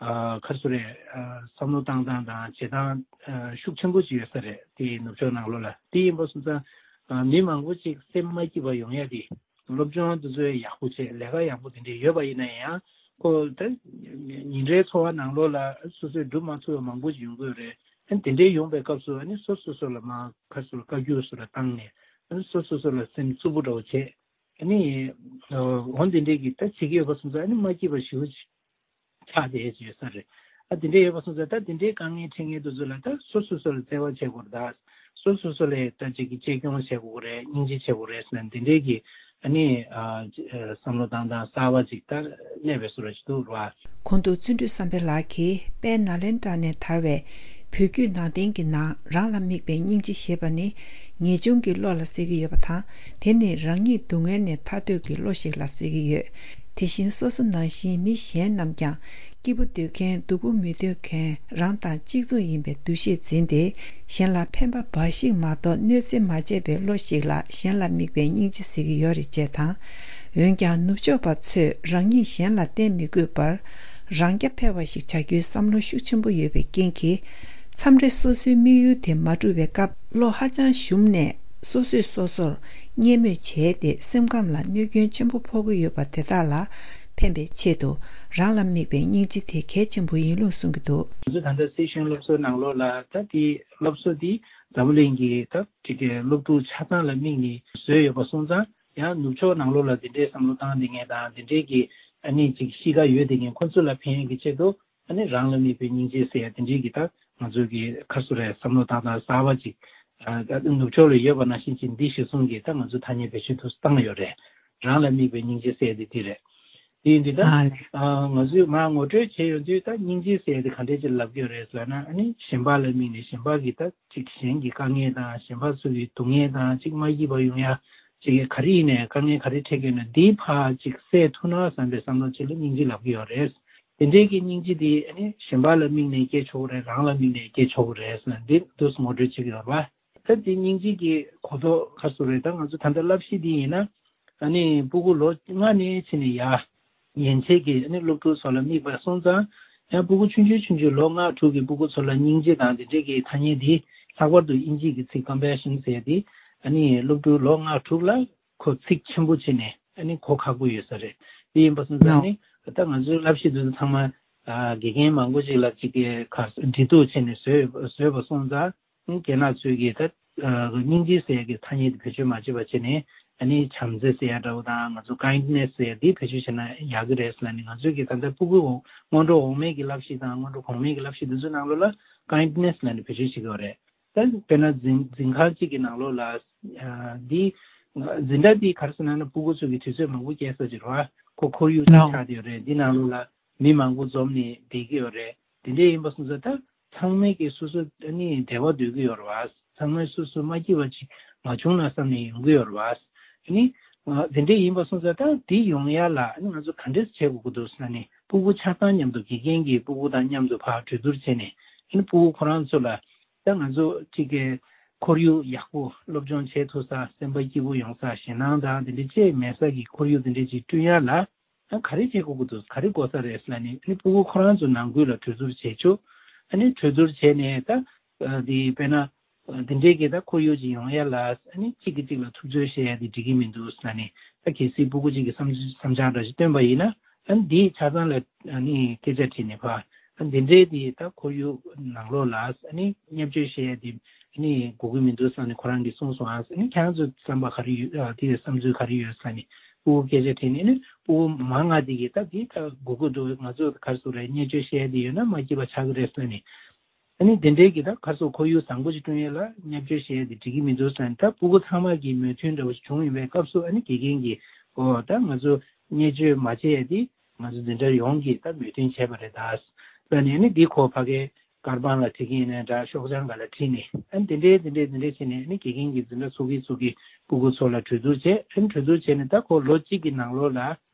ཨ་ག་རེ་ཟེར་རེད། ཨ་བསམ་བློ་བཏང་སྟངས་དང་བྱེད་སྟངས་ཨ་ཤུགས་ཆེན་པོ་ཅིག་ཡོད་ས་རེད། དེ་ནུབ་ཕྱོགས་ནང་ལོགས་ལ་དེ་ཡིན་པ་སོང་ཙང་ཨ་མི་མང་པོ་ཅིག་སེམས་མ་སྐྱིད་པ་ཡོང་ཡ་དེ། སློབ་སྦྱོང་དེ་ཚོ་ཡག་པོ་བྱས་ལས་ཀ་ཡག་པོ་དེ་འདྲས་ཡོད་པ་ཡིན་ན་ཡང་ཁོ་ད་ཉིན་རེའི་འཚོ་བ་ནང་ལོགས་ལ་སོ་སོས་སྒྲུབ་མ་ཐུབ་པ་མང་པོ་ཞིག་ཡོང་གི་ཡོད་རེད། ཨ་ནི་དེ་འདྲས་ཡོང་པའི་སྐབས་སུ་ཨ་ནི་སོ་སོ་སོ་ལ་མར་ཁ་སོ་བཀའ་བཀྱོན་སོ་ལ་བཏང་ནས་ཨ་ནི་སོ་སོ་སོ་ལ་སེམས་རྩུབ་པོ་འདྲ་བོ་བྱས། ཨ་ནི་འོ་འདི་འདྲས་ཀྱི་ད་བྱེད་ཀྱི་ཡོད་པ་སོང་ཙང་ཨ་ནི་མ་སྐྱིད་པ་ཞེ་པོ་ཅིག་ཆགས་བསྡད་ཡོད་ས་རེད། ཨ་དེ་འདྲས་ཡོད་པ་སོང་ཙང་ད་དེ་འདྲའི་དཀའ་ངལ་འཕྲད་མཁན་དེ་ཚོ་ལ་ད་སོ་སོ་སོ་ལ་བརྩེ་བ་བྱེད་དགོས་རེད་ད། སོ་སོ་སོ་ལ་ད་ཅིག་གི་གཅེས་སྐྱོང་བྱེད་དགོས་རེད། སྙིང་རྗེ་བྱེད་དགོས་རེད་ཟེར་ན་དེ་འདྲའི་གི་ཨ་ནི་ཨ་བསམ་བློ་བཏང་སྟངས་གསར་བ་ཅིག་ད་སླེབས་པའི་བཟོ་འདྲ་ཅིག་འདུག་ར། གོང་དུ་བརྩོན་འགྲུས་བསམ་འཕེལ་ལགས་ཀྱིས་དཔལ་ནཱ་ལེནྡྲ་ནས་དར་བའི་བོད་བརྒྱུད་ནང་བསྟན་གྱི་ནང་རང་ལ་དམིགས་པའི་སྙིང་རྗེ་ཞེས་པ་ནི་ངེས་འབྱུང་གི་བློ་ལ་ཟེར་གྱི་ཡོད་པ་དང་། དེ་ནི་རང་ཉིད་སྡུག་བསྔལ་ནས་ཐར་འདོད་ཀྱི་བློ་ཞིག་ལ་ཟེར་གྱི་ཡོད། དེ་བཞིན་སོ་སོ་ནང་བཞིན་མི་གཞན་རྣམས་ཀྱང་སྐྱིད་པོ་འདོད་མཁན་སྡུག་པོ་མི་འདོད་མཁན་རང་དང་གཅིག་མཚུངས་ཡིན་པའི་འདུ་ཤེས་འཛིན་ཏེ་གཞན་ལ་ཕན་པ་འབའ་ཞིག་མ་གཏོགས་གནོད་འཚེ་མ་བྱས་པའི་བློ་ཞིག་ལ་གཞན་ལ་དམིགས་པའི་སྙིང་རྗེ་ཟེར་གྱི་ཡོད་རེད་ཅེས་དང་། འོན་ཀྱང་ནུབ་ཕྱོགས་པ་ཚོས་རང་ཉིད་གཞན་ལ་བརྟེན་མི་དགོས་པར་རང་རྐྱ་འཕེར་བ་ཞིག་བྱ་རྒྱུའི་བསམ་བློ་ཤུགས་ཆེན་པོ་ཡོད་པའི་རྐྱེན་གྱིས། མཚམས་རེ་སོ་སོའི་དམིགས་ཡུལ་དེ་མ་འགྲུབ་པའི་སྐབས་བློ་ཧ་ཅང་ཞུམ་ནས་སོ་སོས་སོ་སོར་བརྙས་སྨོད་བྱས་ཏེ་སེམས་ཁམས་ལ་གནོད་སྐྱོན་ཆེན་པོ་ཕོག་གི་ཡོད་པ་དེ་དག་ལ་ཕན་པའི་ཆེད་དུ་རང་ལ་དམིགས་པའི་སྙིང་རྗེ་དེ་གལ་ཆེན་པོ་ཡིན་ལུགས་གསུང་གི་འདུག་ང་ཚོ་ད་ལྟ་སི་ཤན་སློབ་གསོའི་ནང་ལོགས་ལ་ད་དེ་སློབ་གསོ་དེ་འཛམ་བུ་གླིང་གི་ད་ཅིག་གི་སློབ་ཕྲུག་ཆ་ཚང་ལ་དམིགས་ནས་བཟོས་ཡོད་པ་སོང་ཙང་ཡང་ནུབ་ཕྱོགས་ནང་ལོགས་ལ་དེ་འདྲའི་བསམ་བློ་བཏང་བསྡད་མཁན་དང་དེ་འདྲའི་གི་ཨ་ནི་ཅིག་གཤིས་ཀ་ཡོད་བསྡད་མཁན་ཁོ་ཚོ་ལ་ཕན་ཡོན་གྱི་ཆེད་དུ། ཨ་ནི་རང་ལ་དམིགས་པའི་སྙིང་རྗེ་ཟེར་ཡ་དེ་འདྲའི་གི་ད་ང་ཚོ་གི་ཁ་སོ་རེ་བསམ་བློ་བཏང་སྟངས་གསར་བ་ཅིག་ཨ་ད་ནུབ་ཕྱོགས་ལ་ཡོད་པ་ནང་བཞིན་ཅིག་འདི་གཞིར་བཟུང་གི་ད་ང་ཚོ་ཐ་སྙད་བེད་སྤྱོད་དུ་བཏང་ཡོད་རེད། རང་ལ་དམིགས་པའི་སྙིང་རྗེ་ཟེར་ཡ་དེ་འདི་རེད། དེ་ཡིན་དུས་ད་ཨ་ང་ཚོས་མར་ངོ་སྤྲོད་བྱས་ཡོང་དུས་ད་སྙིང་རྗེ་ཟེར་ཡ་དེ་ག་འདྲས་ཅིག་ལབ་ཀྱི་ཡོད་རེད་ཟེར་ན་ཨ་ནི་གཞན་པ་ལ་དམིགས་ནས་གཞན་པ་གི་ད་ཅིག་གཞན་གྱི་དཀའ་ངལ་དང་གཞན་པ་ཚོ་གི་སྡུག་བསྔལ་དང་ཅིག་མ་སྐྱིད་པ་ཡོང་ཡ་ཅིག་ག་རེ་ཡིན་ནའི་དཀའ་ངལ་ག་རེ་འཕྲད་ཀྱི་ཡོད་ན་འདི་ཕར་ཅིག་སེལ་ཐུབ་ན་བསམ་པའི་བསམ་བློ་ཅིག་ལ་སྙིང་རྗེ་ལབ་ཀྱི་ཡོད་རེད། དེ་འདྲའི་གི་སྙིང་རྗེ་དེ་ཨ་ནི་གཞན་པ་ལ་དམིགས་ནས་སྐྱེ་ཆོག་གི་རེད། རང་ལ་དམིགས་ནས་སྐྱེ་ཆོག་གི་རེད་ཟེར་ན་འདི་འདུག་སེ་ངོ་སྤྲོད་བྱེད་ཀྱི་ཡོད་རེད་བ། ད་དེ་སྙིང་རྗེ་གི་གོ་རྟོགས་ག་རེ་ཟེར་རེད། ད་ང་ཚོ་ད་ལྟ་བསླབ་གཞི་འདི་ཡིན་ན་ཨ་ནི་སྤུ་གུ་ལོ་ལྔ་ནས་ཕྱིན་ནས་ཡར་ཡན་ཆད་ཀྱི་ཨ་ནི་སློབ་ཕྲུག་ཚོ་ལ་དམིགས་པ་སོང་ཙང་ཡང་སྤུ་གུ་ཆུང་ཆུང་ཆུང་ཆུང་ལོ་ལྔ་དྲུག་གི་སྤུ་གུ་ཚོ་ལ་སྙིང་རྗེ་དང་དེ་འདྲའི་གི་ཐ་སྙད་འདི་ལྷག་པར་དུ་དབྱིན་ཇི་གི་ཚིག་compassion ཟེར་ཡ་འདི་ཨ་ནི་སློབ་ཕྲུག་ལོ་ལྔ་དྲུག་ལ་ཁོ་ཚིག་ཆེན་པོ་བྱས་ནས་ཨ་ནི་གོ་ཁག་པོ་ཡོད་ས་རེད། དེ་ཡིན་པ་སོང་ཙང་ཨ་ནི་ད་ང་ཚོའི་བསླབ་གཞི་འདི་ཚོ་ཚང་མ་ཨ་དགེ་རྒན་མང་པོ་ཅིག་ལ་ཅིག་གི་ཁར་འབྲེལ་གཏུག་བྱས་ནས་བཟོས་བཟོས་པ་སོང་ཙང་ཨ་ནི་རྒན་ལགས་ཚོས་ཀྱིས་ད་ཨ་སྙིང་རྗེ་ཟེར་ཡ་གི་ཐ་སྙད་དེ་བེད་སྤྱོད་མ་བྱེད་པ་བྱས་ནས་ཨ་ནི་བྱམས་བརྩེ་ཟེར་ཡ་འདྲ་བོ་དང་ང་ཚོ་kindness ཟེར་ཡ་འདི་བེད་སྤྱོད་བྱས་ན་ཡག་གི་རེད་ཟེར་ལབ་ནས་ང་ཚོས་ཀྱིས་ད་ལྟ་སྤུ་གུ་འོ་སྔོན་འགྲོ་འོག་མའི་གི་བསླབ་གཞི་དང་སྔོན་འགྲོ་གོང་མའི་གི་བསླབ་གཞི་འདི་ཚོའི་ནང་ལོགས་ལ་kindness ལབ་ནས་བེད་སྤྱོད་བྱེད་ཀྱི་ཡོད་རེད། ད་དཔེར་ན་འཛིན་འཛིན་ཁང་གཅིག་གི་ནང་ལོགས་ལ་ཨ་འདི་འཛིན་གྲྭ་འདི་ག་རེ་ཟེར་ན་ན་སྤུ་གུ་ཚོ་གི་དུས་ཚོད་མང་པོ་སྐྱེལ་ས་ཅིག་རེད་བ། ཁོ་ཁོར་ཡུག་ཅིག་ཆགས་བསྡད་ཡོད་རེད། འདི་ནང་ལོགས་ལ་མི་མང་པོ་འཛོམས་ནས་བསྡད་ཀྱི་ཡོད་རེད། དེ་འདྲས་ཡིན་པ་སོང་ཙང་ད་ཚང་མས་ཀྱི་སོ་སོ་ཨ་ནི་བདེ་བ་འདོད་ཀྱི་ཡོད་རེད་བ། ཚང་མས་སོ་སོ་མ་སྐྱིད་པ་ཅིག་མ་བྱུང་ན་བསམ་ནས་ཡོང་གི་ཡོད་རེད་བ། ཨ་ནི་དེ་འདྲས་ཡིན་པ་སོང་ཙང་ད་འདི་ཡོང་ཡ་ལ་ཨ་ནི་ང་ཚོ་ག་འདྲས་བྱེད་དགོས་ཀྱི་འདུག་ཟེར་ན་ནི་སྤུ་གུ་ཆ་ཚང་མཉམ་དུ་དགེ་རྒན་གྱིས་སྤུ་གུ་དང་མཉམ་དུ་ཕར་གྲོས་བསྡུར་བྱས་ནས་ཨ་ནི་སྤུ་གུ་ཁོ་རང་ཚོ་ལ་ད་ང་ཚོ་གཅིག་གི་ ཁོར་ཡུག་ཡག་པོ་སློབ་སྦྱོང་བྱེད་ཐུབ་ས། སེམས་པ་སྐྱིད་པོ་ཡོང་ས། ཞེད་སྣང་དང་དེ་འདྲ་ཅིག་མེད་ས་གི་ཁོར་ཡུག་དེ་འདྲ་ཅིག་བསྐྲུན་ཡ་ལ། ཨ་ག་རེ་བྱེད་དགོས་ཀྱི་འདུག་ག་རེ་དགོས་ས་རེད་ལབ་ནས། ཨ་ནི་སྤུ་གུ་ཁོ་རང་ཚོ་ནང་ཁུལ་ལ་གྲོས་བསྡུར་བྱེད་ཆོག་ཨ་ནི་གྲོས་བསྡུར་བྱས་ནས་ད་ཨ་དེ་དཔེར་ན་ཨ་དེ་འདྲའི་གི་ད་ཁོར་ཡུག་ཅིག་ཡོང་ཡ་ལ། ཨ་ནི་གཅིག་གིས་གཅིག་ལ་ཐུབ་ཚོད་བྱེད་ཡ་དེ་འགྲིག་གི་མི་འདུག་ལབ་ནས། ད་གལ་སྲིད་སྤུ་གུ་གཅིག་གིས་བསམ་བསམ་འཆར་འདྲ་ཞིག་བཏོན་པ་ཡིན་ན། ཨ་ནི་དེའི་ཆ་ཚང་ལ་ཨ་ནི་སྐད་ཆ་དྲིས་ནས་ཕར། ཨ་ནི་དེ་འདྲའི་དེ་ད་ཁོར་ཡུག་ནང་ལོགས་ལ་ཨ་ནི་བརྙས་བཅོས་བྱེད་ཡ་དེ་ཨ་ནི་དགོས་ཀྱི་མི་འདུག་ལབ་ནས་ཁོ་རང་གིས་གསུངས་སོང་། ཨ་ནི་ཁྱེད་རང་ཚོའི་བསམ་པ་ག་རེ་ཡོད། ཨ་དེ་བསམ་ཚུལ་ག་རེ་ཡོད་ལབ་ནས། སྤུ་གུ་སྐད་ཆ་དྲིས་ནས་ནི། སྤུ་གུ་མང་ང་དེ་གིས་ད་དེ་ད་དགོས་ཀྱི་འདུག་ང་ཚོ་ག་རེ་ཟེར་དགོས་རེད། བརྙས་བཅོས་བྱེད་ཡ་དེ་ཡོད་ན་མ་སྐྱིད་པ་ཆགས་ཀྱི་རེད་ཟེར་ནས། ཨ་ནི་དེ་འདྲའི་གི་ད་ག་རེ་ཟེར། ཁོར་ཡུག་བཟང་པོ་ཞིག་བསྐྲུན་ཡ་ལ་བརྙས་བཅོས་བྱེད་ཡ་དེ་འགྲིག་གི་མི་འདུག་ཟེར་ནས། ད་སྤུ་གུ་ཚང་མ་གི་མོས་མཐུན་འདྲ་བོ་ཞིག་བྱུང་ཡོད་པའི་སྐབས་སུ། ཨ་ནི་དགེ་རྒན་གྱིས་ཨོ་ད་ང་ཚོ་བརྙས་བཅོས་མ་བྱེད་ཡ་དེ་ང་ཚོ་འཛིན་གྲྭ་ཡོངས་ཀྱིས་ད་མོས་མཐུན་བྱས་པ་རེད་ད་ཟེར་ནས། ཨ་ནི་འདི་ཁོ་ཕ་གིའི་ཀར་པན་ལ་བྲིས་ཀྱི་ཡིན་ན་འདྲ། ཤོག་བྱང་སྒང་ལ་བྲིས་ནས། ཨ་ནི་དེ་འདྲའི་དེ་འདྲའི་དེ་འདྲའི་བྱས་ནས། ཨ་ནི་དགེ་རྒན་གྱིས་འཛིན་གྲྭ་ཚོགས་ཀྱིས་ཚོགས་ཀྱིས་སྤུ་གུ་ཚོ་ལ་གྲོས་བསྡུར་བྱས། ཨ་ནི་གྲོས་བསྡུར་བྱས་ནས་ད་ཁོ་ལོ་གཅིག་གི་ནང་ལོགས་ལ་ཨ་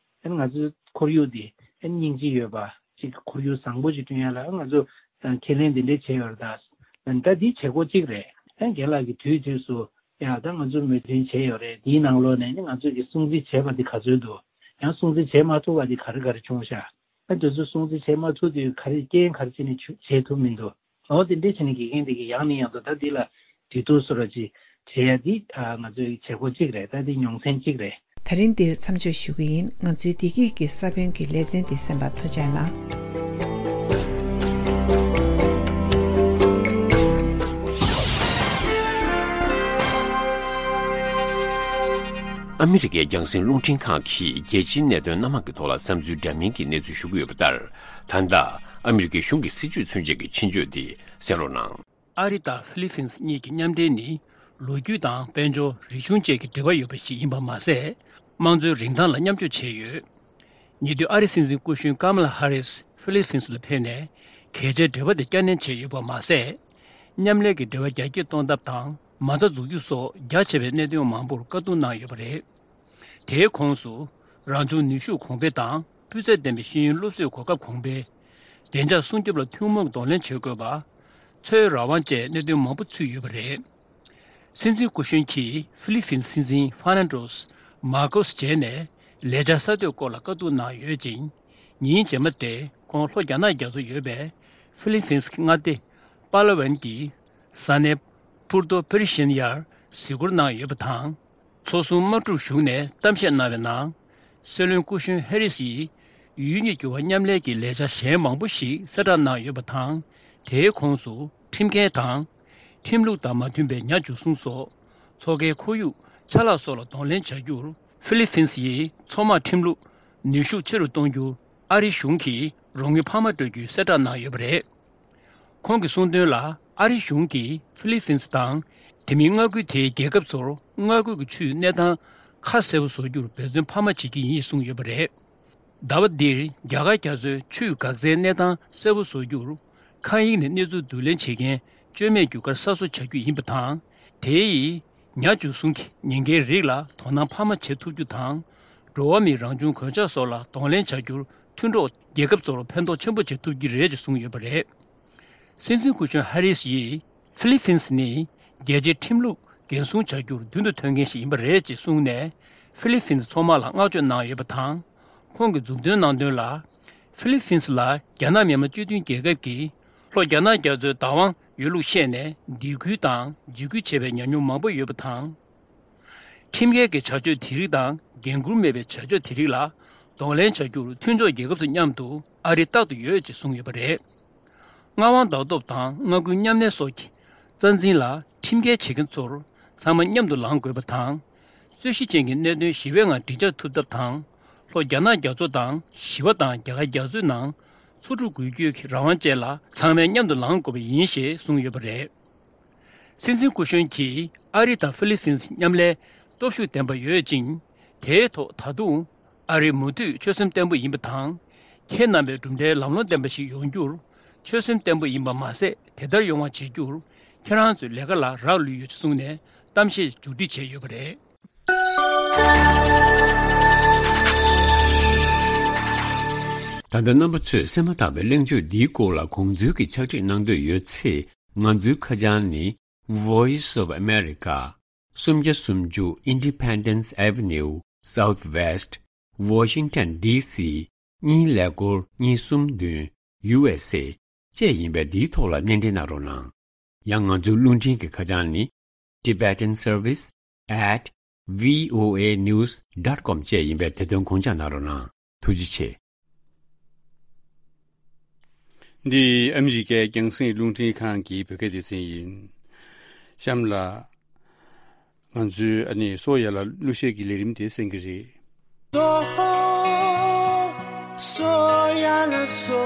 ནི་ང་ཚོའི་ཁོར་ཡུག་འདི་ཨ་ནི་སྙིང་རྗེ་ཡོད་པ་ཅིག་ཁོར་ཡུག་བཟང་པོ་ཅིག་བསྐྲུན་ཡ་ལ་ང་ཚོ་ཁས་ལེན་འདི་འདྲ་བྱས་ཡོད་རེད་ད། ད་འདི་བྱེད་སྒོ་གཅིག་རེད། ཨ་ནི་རྒན་ལགས་ཀྱིས་དུས་དུས་སུ་ཡ་ད་ང་ཚོ་མོས་མཐུན་བྱས་ཡོད་རེད། འདིའི་ནང་ལོགས་ནས་ནི་ང་ཚོ་གིས་སྲུང་བརྩི་བྱས་པ་འདི་ག་ཚོད་འདུག་ཡང་སྲུང་བརྩི་བྱེད་མ་ཐུབ་པ་འདི་ག་རེ་ག་རེ་བྱུང་ཤག་ཨ་དེ་ཚོ་སྲུང་བརྩི་བྱེད་མ་ཐུབ་དུས་ག་རེ་རྐྱེན་ག་རེ་བྱས་ནས་བྱུ་བྱེད་ཐུབ་མི་འདུག་འོ་དེ་འདྲས་བྱས་ནས་དགེ་རྒན་དེ་གིས་ཡང་ནས་ཡང་དུ་ད་འདི་ལ་དུས་ཐུག་སོ་ར་ཅིག་བྱེད་ཡ་འདི་ཨ་ང་ཚོའི་བྱེད་སྒོ་གཅིག་རེད། ད་འདི་མྱོང་ཚན་གཅིག་རེད། ད་རིང་འདིར་མཚམས་འཇོག་ཞུ་གི་ཡིན། ང་ཚོའི་བདེ་སྐྱིད་ཀྱི་ས་བོན་གྱི་ལེ་ཚན་འདི་གསན་པར་ཐུགས་རྗེ་གནང་། ཨ་མི་རི་ཀའི་རྒྱང་སྲིང་རླུང་འཕྲིན་ཁང་གིས་རྒྱལ་སྤྱིའི་གནད་དོན་སྣ་མང་གི་ཐོག་ལ་བསམ་ཚུལ་འདྲ་མིན་གྱི་གནས་ཚུལ་ཞུ་གི་ཡོད་པ་ལྟར། ད་ལྟ་ཨ་མི་རི་ཀའི་གཞུང་གི་སྲིད་བྱུས་མཚོན་བྱེད་ཀྱི་ཆེད་བརྗོད་དེ་གསན་རོགས་གནང་། ཨ་རི་དང་ཧྥི་ལི་ཕིན་སི་གཉིས་ཀྱི་མཉམ་འབྲེལ་ནི་ལོ་རྒྱུས་དང་དཔལ་འབྱོར། རིག་གཞུང་བཅས་ཀྱི་འབྲེལ་བ་ཡོད་པ་ཞིག་ཡིན་པ་མ་ཟད། དམངས་གཙོའི་རིན་ཐང་ལ་མཉམ་སྤྱོད་བྱས་ཡོད། ཉེ་དུས་ཨ་རིའི་སྲིད་འཛིན་སྐུ་གཞོན་ཀ་མ་ལ་ཧ་རིས་ཧྥི་ལི་ཕིན་སི་ལ་ཕེབས་ནས་གལ་ཆེའི་འབྲེལ་བ་དེ་བསྐྱར་ནན་བྱས་ཡོད་པ་མ་ཟད། མཉམ་ལས་ཀྱི་འབྲེལ་བ་རྒྱ་སྐྱེད་གཏོང་ཐབས་དང་མ་རྩ་འཛུགས་རྒྱུ་སོགས་རྒྱ་ཆེ་བའི་གནད་དོན་མང་པོར་བཀའ་བསྡུར་གནང་ཡོད་པ་རེད། དེའི་ཁོངས་སུ་རང་བྱུང་ནུས་ཤུགས་གོང་འཕེལ་དང་སྤུས་ཚད་ལྡན་པའི་ཤེས་ཡོན་སློབ་གསོའི་གོ་སྐབས་གོང་འཕེལ། བདེ་འཇགས་སྲུང་སྐྱོབ་ལ་ཐུན་མོང་གདོང་ལེན་བྱེད་དགོས་པ། འཚོ་བའི་རང་དབང་བཅས་གནད་དོན་མང་པོ་ཚུད་ཡོད་པ་རེད། སྲིད་འཛིན་སྐུ་གཞོན་གྱིས་ཧྥི་ལི་ཕིན་སྲིད་འཛིན་ཧྥ་ནན་ཏོས་མཱ་ཀོས་མཇལ་ནས་ལས་འཆར་གསར་གཏོད་སྐོར་ལ་བཀའ་བསྡུར་གནང་ཡོད་ཅིང་། ཉིན་རྗེས་མ་དེ་ཁོང་ལྷོ་རྒྱ་ནག་རྒྱ་མཚོ་ཡོད་པའི་ཧྥི་ལི་ཕིན་སི་མངའ་སྡེ་པ་ལ་ཝན་གྱི་ས་གནས་པུར་ཏོ་ཕེ་རི་ཤན་ཡར་གཟིགས་སྐོར་གནང་ཡོད་པ་དང་། ཚོགས་ཟུར་དམག་འཁྲུག་གཞུང་ནས་གཏམ་བཤད་གནང་བའི་ནང་། སྲིད་བློན་སྐུ་གཞོན་ཧེ་རི་སི་ཡིས་ཡུལ་གཉིས་བརྒྱུད་པ་མཉམ་ལས་ཀྱི་ལས་འཆར་གཞན་མང་པོ་ཞིག་གསལ་བསྒྲགས་གནང་ཡོད་པ་དང་། དེའི་ཁོངས་སུ་ཁྲིམས་འགལ་དང་། ཁྲིམས་ལུགས་དང་མ་མཐུན་པའི་ཉ་འཇུ་བཟུང་སོགས། མཚོ་ཁའི་ཁོར་ཡུག་ཆ་ལག་སོགས་ལ་གདོང་ལེན་བྱ་རྒྱུར་ཧྥི་ལི་ཕིན་སི་ཡི་མཚོ་དམག་ཁྲིམས་ལུགས་ནུས་ཤུགས་ཆེ་རུ་གཏོང་རྒྱུར་ཨ་རིའི་གཞུང་གིས་རོགས་དངུལ་འཕར་མ་སྤྲོད་རྒྱུའི་གསལ་བསྒྲགས་གནང་ཡོད་པ་རེད། ཁོང་གིས་གསུངས་དོན་ལ། ཨ་རིའི་གཞུང་གིས་ཧྥི་ལི་ཕིན་སི་དང་དེ་མིན་མངའ་ཁུལ་དེའི་རྒྱལ་ཁབ་ཚོར་མངའ་ཁུལ་གྱི་ཆུའི་གནས་སྟངས་ཁ་གསལ་པོ་བཟོ་རྒྱུར་འབད་བརྩོན་འཕར་མ་བྱེད་ཀྱི་ཡིན་གསུངས་ཡོད་པ་རེད། ཟླ་བ་འདིར་རྒྱ་གར་རྒྱ་མཚོའི་ཆུའི་འགག་རྩའི་གནས་སྟངས་གསལ་པོ་བཟོ་རྒྱུར། མཁའ་དབྱིངས་ནས་གནས་ཚུལ་བསྡུ་ལེན་བྱེད་མཁན་བཅོས་མའི་རྒྱུ་སྐར་གསར་བཟོ་བྱ་རྒྱུ་ཡིན་པ་དང་། དེ་ཡིས་ཉ་འཇུ་བཟུང་གི་ཉེན་ཁའི་རིགས་ལ་དོ་སྣང་འཕར་མ་བྱེད་ཐུབ་རྒྱུ་དང་། འགྲོ་བ་མིའི་རང་བྱུང་གོད་ཆག་སོགས་ལ་གདོང་ལེན་བྱ་རྒྱུར་མཐུན་གྲོགས་རྒྱལ་ཁབ་ཚོར་ཕན་ཐོགས་ཆེན་པོ་བྱེད་ཐུབ་ཀྱི་རེད་ཅེས་གསུངས་ཡོད་པ་རེད། སྲིད་འཛིན་སྐུ་གཞོན་ཧ་རིས་ཡིས། ཧྥི་ལི་ཕིན་སི་ནི་རྒྱལ་སྤྱིའི་ཁྲིམས་ལུགས་འགན་སྲུང་བྱ་རྒྱུར་མདུན་དུ་ཐོན་མཁན་ཞིག་ཡིན་པ་རེད་ཅེས་གསུངས་ནས། ཧྥི་ལི་ཕིན་སི་མཚོ་དམག་ལ་བསྔགས་བརྗོད་གནང་ཡོད་པ་དང་། ཁོང་གིས་མཛུབ་སྟོན་གནང་དོན་ལ། ཧྥི་ལི་ཕིན་སི་ལ་རྒྱ་ནག་མི་དམངས་སྤྱི་མཐུན་རྒྱལ་ཁབ་ཀྱིས་ལྷོ་རྒྱ་ནག་རྒྱ་མཚོའི་བདག་དབང་ཡོད་ལུགས་བཤད་ནས་སྡིགས་སྐུལ་དང་འཇིགས་སྐུལ་བྱས་པའི་ཉམས་མྱོང་མང་པོ་ཡོད་པ་དང་། ཁྲིམས་འགལ་གྱི་བྱ་སྤྱོད་དེ་རིགས་དང་འགན་འཁུར་མེད་པའི་བྱ་སྤྱོད་དེ་རིགས་ལ་གདོང་ལེན་བྱ་རྒྱུར་མཐུན་ཕྱོགས་རྒྱལ་ཁབ་ཚོ་མཉམ་དུ་ཨ་རི་རྟག་ཏུ་ཡོད་ཅེས་གསུངས་ཡོད་པ་རེད། མངའ་དབང་ལྡན་སྟོབས་དང་མངའ་ཁུལ་མཉམ་གནས་སོགས་ཀྱི་རྩ་འཛིན་ལ་ཁྲིམས་འགལ་བྱེད་མཁན་ཚོར་ཚང་མ་མཉམ་དུ་ལངས་དགོས་པ་དང་། རྩོད་གཞི་ཅན་གྱི་གནད་དོན་ཞི་བའི་ངང་འགྲིག་འཇགས་ཐུབ་ཐབས་དང་། ལྷོ་རྒྱ་ནག་རྒྱ་མཚོ་དང་ཞི་བ་དང་རྒྱ་གར་རྒྱ་མཚོའི་ནང་མཚོ་གྲུ་འགུལ་སྐྱོད་ཀྱི་རང་དབང་བཅས་ལ་ཚང་མས་མཉམ་དུ་ལངས་དགོས་པ་ཡིན་ཞེས་གསུངས་ཡོད་པ་རེད། སྲིད་འཛིན་སྐུ་གཞོན་གྱིས་ཨ་རི་དང་ཧྥི་ལི་ཕིན་སི་མཉམ་ལས་སྟོབས་ཤུགས་ལྡན་པ་ཡོད་ཅིང་། དེའི་ཐོག་ད་དུང་ཨ་རི་མུ་མཐུད་ཆོད་སེམས་བརྟན་པོ་ཡིན་པ་དང་། ཁྱེད་རྣམ་པའི་གྲུབ་འབྲས་ལམ་ལྷོང་ལྡན་པ་ཞིག་ཡོང་རྒྱུར་ཆོད་སེམས་བརྟན་པོ་ཡིན་པ་མ་ཟད། དེ་ལྟར་ཡོང་བ་བྱེད་རྒྱུར་ཁྱེད་རང་ཚོའི་ལས་ཀ་ལ་རག་ལུས་ཡོད་ཅེས་གསུངས་ནས་གཏམ་བཤད་མཇུག་སྒྲིལ་བྱས་ཡོད་པ་རེད། ད་ལྟ་རྣམ་པ་ཚོས་གསན་མ་ཐག་པའི་གླེང་བརྗོད་འདིའི་སྐོར་ལ་དགོངས་ཚུལ་གྱི་ཕྱག་བྲིས་གནང་འདོད་ཡོད་ཚེ། ང་ཚོའི་ཁ་བྱང་ནི། Voice of America, སུམ་བརྒྱ་སུམ་ཅུ་Independence Avenue Southwest, Washington D C གཉིས་ཀླད་ཀོར་གཉིས་གསུམ་བདུན། U S A བཅས་ཡིན་པས། འདིའི་ཐོག་ལ་སྣེ་འདྲེན་གནང་རོགས་གནང་། ཡང་ང་ཚོའི་རླུང་འཕྲིན་གྱི་ཁ་བྱང་ནི། Tibetan Service at V O A news dot com བཅས་ཡིན་པས། དེ་དོན་དགོངས་འཇགས་གནང་རོགས་གནང་། ཐུགས་རྗེ་ཆེ། འདི་ཨ་མི་རི་ཀའི་རྒྱང་སྲིང་རླུང་འཕྲིན་ཁང་གི་བོད་སྐད་སྡེ་ཚན་ཡིན། གཤམ་ལ་ང་ཚོའི་ཨ་ནི་སོ་ཡ་ལ་གླུ་གཞས་ཀྱི་ལས་རིམ་དེ་གསན་གྱི་རེད། སོ་ཡ་ལ་སོ།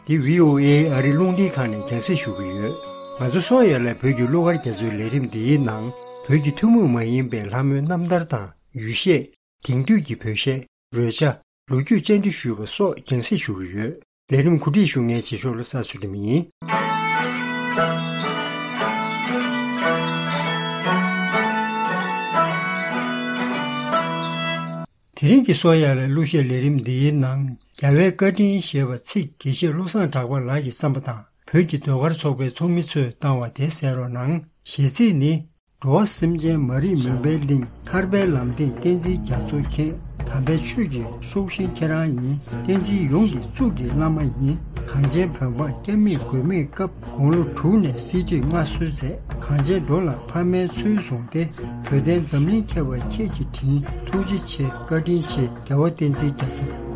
འདི་V O A ཨ་རི་རླུང་འཕྲིན་ཁང་ནས་རྒྱང་སྲིང་ཞུ་གི་ཡོད། ང་ཚོ་སོ་ཡ་ལ་བོད་ཀྱི་གླུ་གར་རྒྱ་མཚོའི་ལས་རིམ་འདིའི་ནང་བོད་ཀྱི་ཐུན་མོང་མ་ཡིན་པའི་ལྷ་མོའི་རྣམ་ཐར་དང་ཡུལ་གཞས། དེང་དུས་ཀྱི་བོད་གཞས། རོལ་ཆ། ལོ་རྒྱུས་བཅར་འདྲི་ཞུས་པ་སོགས་རྒྱང་སྲིང་ཞུ་གི་ཡོད། ལས་རིམ་གོ་སྒྲིག་ཞུ་མཁན་རྗེས་ཕྱོགས་བློ་བཟང་ཚུལ་ཁྲིམས་ཡིན། དེ་རིང་གི་སོ་ཡ་ལ་གླུ་གཞས་ལས་རིམ་འདིའི་ནང་རྒྱལ་བའི་བཀའ་དྲིན་ཞེས་པ་ཚིག་དགེ་བཤེས་བློ་བཟང་གྲགས་པ་ལགས་ཀྱི་བསམ་པ་དང་བོད་ཀྱི་ཟློས་གར་ཚོགས་པའི་ཚོགས་མི་ཚོས་བཏང་བ་དེ་གསན་རོགས་གནང་། གཞས་ཚིག་ནི། འགྲོ་བ་སེམས་ཅན་མ་རིག་མུན་པའི་གླིང་། ཐར་པའི་ལམ་སྟེང་བསྟན་འཛིན་རྒྱ་མཚོ་མཁྱེན། དམ་པའི་ཆོས་ཀྱི་སྲོག་ཤིང་ཁྱེད་རང་ཡིན། བསྟན་འཛིན་ཡོངས་ཀྱི་གཙུག་གི་བླ་མ་ཡིན། གངས་ཅན་བོད་འབངས་སྐྱབས་མེད་མགོན་མེད་སྐབས། དགུང་ལོ་དྲུག་ནས་གསེར་ཁྲིར་མངའ་གསོལ་མཛད། གངས་ཅན་འགྲོ་ལ་ཕ་མའི་ཚུལ་བཟུང་སྟེ། བོད་དོན་འཛམ་གླིང་ཁྱབ་པར་ཁྱེད་ཀྱི་དྲིན། ཐུགས་རྗེ་ཆེ་བཀའ་དྲིན་ཆེ་རྒྱལ་བ་བསྟན་འཛིན་རྒྱ་མཚོ།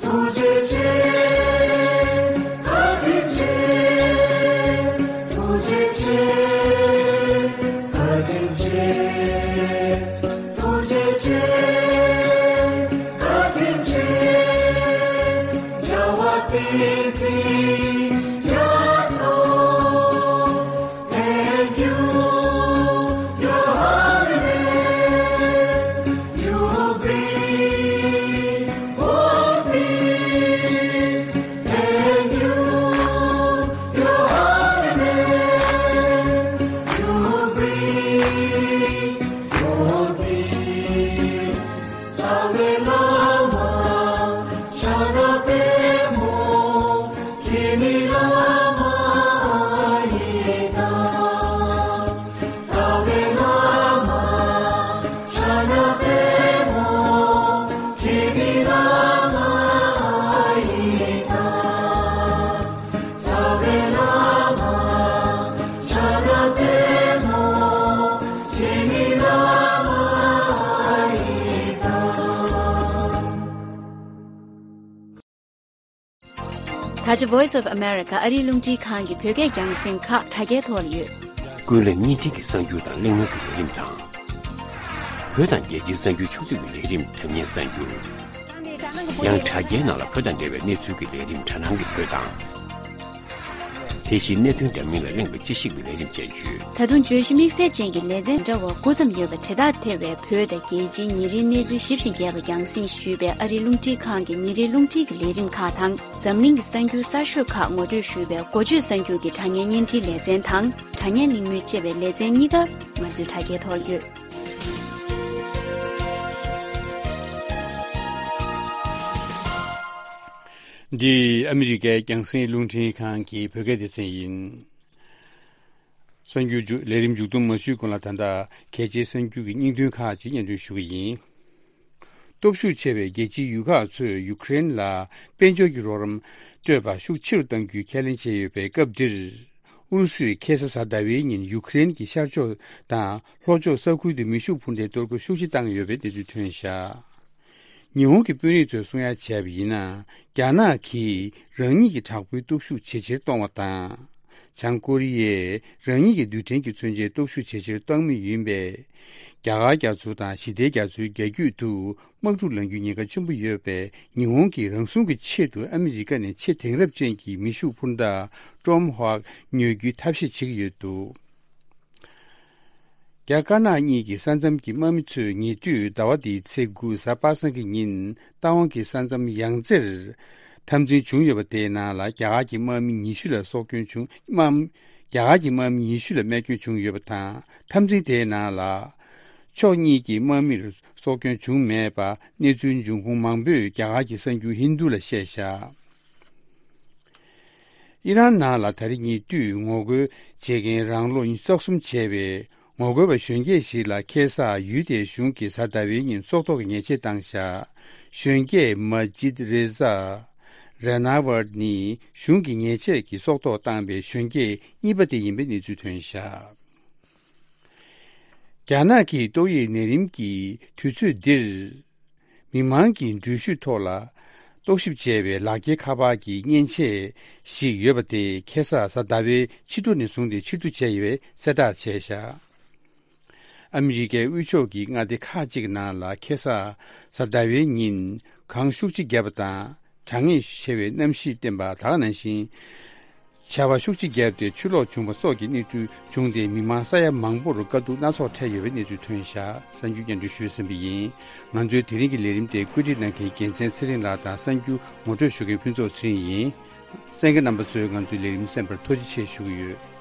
ཐུགས་རྗེ་ཆེ། བཀའ་དྲིན་ཆེ། ཐུགས་རྗེ་ཆེ། བཀའ་དྲིན་ཆེ། ཐུགས་རྗེ་ཆེ། བཀའ་དྲིན་ཆེ། རྒྱལ་བ་བསྟན་འཛིན་རྒྱ་མཚོ། Thank you, Your Holiness. You bring world peace. Thank you, Your Holiness. You bring world peace. རྩ་བའི་བླ་མ་ཤ་ན་པདྨོ། ཁྱེད་ནི་བླ་མ་ཡིན་ན། རྩ་བའི་བླ་མ་ཤ་ན་པདྨོ། ཁྱེད་ནི་བླ་མ་ཡིན་ན། རྩ་བའི་བླ་མ་ཤ་ན་པདྨོ། ཁྱེད་ནི་བླ་མ་ཡིན་ན། ད་ཆ་Voice of America ཨ་རིའི་རླུང་འཕྲིན་ཁང་གི་བོད་སྐད་རྒྱང་སྲིང་ཁག་དྲ་རྒྱའི་ཐོག་ལ་ཡོད། ཀུན་གླེང་བརྙན་འཕྲིན་གྱི་གསར་འགྱུར་དང་གླེང་མོལ་གྱི་ལས་རིམ་དང་། བོད་དང་རྒྱལ་སྤྱིའི་གསར་འགྱུར་ཕྱོགས་བསྡུས་ཀྱི་ལས་རིམ་དྲ་བརྙན་གསར་འགྱུར། ཡང་དྲ་རྒྱའི་ནང་ལ་བོད་དང་འབྲེལ་བའི་གནས་ཚུལ་གྱི་ལས་རིམ་དྲ་སྣང་གི་བོད་དང་། དེ་བཞིན་གནད་དོན་འདྲ་མིན་ལ་གླེང་བའི་དཔྱད་ཞིབ་ཀྱི་ལས་རིམ་བཅས་ཡོད། ད་དུང་བརྗོད་གཞི་དམིགས་བསལ་ཅན་གྱི་ལེ་ཚན་འདྲ་བ་དགུ་ཙམ་ཡོད་པ་དེ་དག་ཐེ་བའི་བོད་དང་རྒྱལ་སྤྱིའི་ཉིན་རེའི་གནས་ཚུལ་ཞིབ་ཅིང་རྒྱས་པ་རྒྱང་སྲིང་ཞུས་པའི་ཨ་རིའི་རླུང་འཕྲིན་ཁང་གི་ཉིན་རེའི་རླུང་འཕྲིན་གྱི་ལས་རིམ་ཁག་དང་། འཛམ་གླིང་གི་གསར་འགྱུར་གསར་ཤོས་ཁག་ངོ་སྤྲོད་ཞུས་པའི་འགོ་བརྗོད་གསར་འགྱུར་གྱི་དྲ་བརྙན་བརྙན་འཕྲིན་ལེ་ཚན་དང་། དྲ་བརྙན་གླེང་མོལ་ཅེས་པའི་ལེ་ཚན་གཉིས་ཀ་ང་ཚོའི་དྲ་རྒྱའི་ཐོག་ཡོད། འདི་ཨ་མི་རི་ཀའི་རྒྱང་སྲིང་རླུང་འཕྲིན་ཁང་གི་བོད་སྐད་སྡེ་ཚན་ཡིན། གསར་འགྱུར་མཇུག་ལས་རིམ་མཇུག་བསྡོམས་མ་ཞུས་གོང་ལ། ད་ལྟ་གལ་ཆེའི་གསར་འགྱུར་གྱི་སྙིང་དོན་ཁག་ཅིག་སྙན་སྒྲོན་ཞུ་གི་ཡིན། སྟོབས་ཤུགས་ཆེ་བའི་རྒྱལ་སྤྱིའི་ཡུལ་ཁག་ཚོས་ཡུ་ཀེ་རེན་ལ་དཔལ་འབྱོར་གྱི་རོགས་རམ་སྤྲོད་པ་ཤུགས་ཆེ་རུ་གཏང་རྒྱུའི་ཁས་ལེན་བྱས་ཡོད་པའི་སྐབས་འདིར། ཨུ་རུ་སུས་ཁ་སང་གཟའ་ཟླ་བའི་ཉིན་ཡུ་ཀེ་རེན་གྱི་ཤར་ཕྱོགས་དང་ལྷོ་ཕྱོགས་ས་ཁུལ་དུ་མེ་ཤུགས་འཕུར་མདའི་གཏོར་རྒོལ་ཤུགས་ཆེ་བཏང་ཡོད་པའི་གནས་ཚུལ་ཐོན་བཞག་ཉི་ཧོང་གི་དཔོན་རིགས་ཚོས་གསུང་ཡ་བྱས་པ་ཡིན་ན། རྒྱ་ནག་གིས་རང་ཉིད་ཀྱི་དྲག་པོའི་སྟོབས་ཤུགས་ཇེ་ཆེར་གཏོང་བ་དང་། བྱང་ཀོ་རི་ཡས་རང་ཉིད་ཀྱི་རྡུལ་ཕྲན་གྱི་མཚོན་ཆའི་སྟོབས་ཤུགས་ཇེ་ཆེར་གཏོང་མུས་ཡིན་པས། རྒྱ་གར་རྒྱ་མཚོ་དང་ཞི་བདེའི་རྒྱ་མཚོའི་རྒྱ་རྒྱུད་དུ་དམག་འཁྲུག་ལངས་རྒྱུའི་ཉེན་ཁ་ཆེན་པོ་ཡོད་པས། ཉི་ཧོང་གིས་རང་སྲུང་གི་ཆེད་དུ་ཨ་མི་རི་ཀ་ནས་ཆེས་དེང་རབས་ཅན་གྱི་མེ་ཤུགས་འཕུར་མདའ་ཀྲོམ་ཧོག་ཉོ་རྒྱུའི་ཐབས་ཤེས་བྱེད་ཀྱི་ཡོད་འདུག་རྒྱ་དཀར་ནག་གཉིས་ཀྱི་ས་མཚམས་ཀྱི་དམག་མི་ཚོས་ཉེ་དུས་ཟླ་བ་འདིའི་ཚེས་དགུ་གཟའ་པ་སངས་ཀྱི་ཉིན་རྟ་དབང་གི་ས་མཚམས་ཡང་རྩེར་འཐབ་འཛིང་བྱུང་ཡོད་པ། དེའི་ནང་ལ་རྒྱ་གར་གྱི་དམག་མི་ཉི་ཤུ་ལ་སྲོག་སྐྱོན་བྱུང་། དམག་རྒྱ་གར་གྱི་དམག་མི་ཉི་ཤུ་ལ་རྨས་སྐྱོན་བྱུང་ཡོད་པ་དང་། འཐབ་འཛིང་དེའི་ནང་ལ་ཕྱོགས་གཉིས་ཀྱི་དམག་མིར་སྲོག་སྐྱོན་བྱུང་མེད་པ་གནས་ཚུལ་འབྱུང་ཁུངས་མང་པོས་རྒྱ་གར་གྱི་གསར་འགྱུར་ཧིན་རྡུ་ལ་བཤད་བཞག་ཨི་རན་ནང་ལ་ད་རེས་ཉེ་དུས་ངོ་རྒོལ་བྱེད་མཁན་རང་ལོ་ཉི་ཤུ་རྩ་གསུམ་བྱས་པའི་ངོ་རྒོལ་བ་གཞོན་སྐྱེས་ཤིག་ལ་ཁ་སང་ཡུལ་དེའི་གཞུང་གིས་གཟའ་ཟླ་བའི་ཉིན་སྲོག་ཐོག་གི་ཉེས་ཆད་བཏང་བཞག་གཞོན་སྐྱེས་མ་ཇིད་རེ་ཟ་ར་ན་ཝར་ནི་གཞུང་གིས་ཉེས་ཆད་ཀྱི་སྲོག་ཐོག་བཏང་པའི་གཞོན་སྐྱེས་གཉིས་པ་དེ་ཡིན་པའི་གནས་ཚུལ་ཐོན་བཞག་རྒྱ་ནག་གིས་ཏོག་དབྱིབས་ནད་རིམས་ཀྱི་དུས་ཚོད་འདིར། མི་མང་གི་འགྲུལ་བཞུད་ཐོག་ལ་རྟོག་ཞིབ་བྱས་པའི་ལག་འཁྱེར་ཁ་པར་གྱི་མཉེན་ཆས་ཤིག་ཡོད་པ་དེ་ཁ་སང་གཟའ་ཟླ་བའི་ཕྱི་དྲོ་ནས་བཟུང་སྟེ་ཕྱིར་བསྡུ་བྱས་ཡོད་པའི་གསལ་བསྒྲགས་བྱས་བཞག་ཨ་མི་རི་ཀའི་དབུས་ཕྱོགས་ཀྱི་མངའ་སྡེ་ཁག་ཅིག་ནང་ལ་ཁ་སང་གཟའ་ཟླ་བའི་ཉིན་གངས་ཤུགས་ཆེ་བརྒྱབ་པ་དང་། གྲང་ངར་ཆེ་བའི་གནམ་གཤིས་བསྟན་པ་དག་ནང་བཞིན། ཆར་པ་ཤུགས་ཆེ་བརྒྱབ་སྟེ་ཆུ་ལོག་བྱུང་བ་སོགས་ཀྱི་གནས་ཚུལ་བྱུང་སྟེ། མི་མང་ས་ཡ་མང་པོར་དཀའ་སྡུག་སྣ་ཚོགས་འཕྲད་ཡོད་པའི་གནས་ཚུལ་ཐོན་བཞག་གསར་འགྱུར་སྙན་སྒྲོན་ཞུས་ཟིན་པ་ཡིན། ང་ཚོའི་དེ་རིང་གི་ལས་རིམ་དེ་བཀོད་སྒྲིག་གནང་མཁན་རྒྱལ་མཚན་ཚེ་རིང་ལགས་དང་། གསར་འགྱུར་ངོ་སྤྲོད་ཞུ་མཁན་ཕུན་ཚོགས་ཚེ་རིང་ཡིན། གསན་མཁན་རྣམ་པ་ཚོས་ང་ཚོའི་ལས་རིམ་གསན་པར་ཐུགས་རྗེ་ཆེ་ཞུ་གི་ཡོད།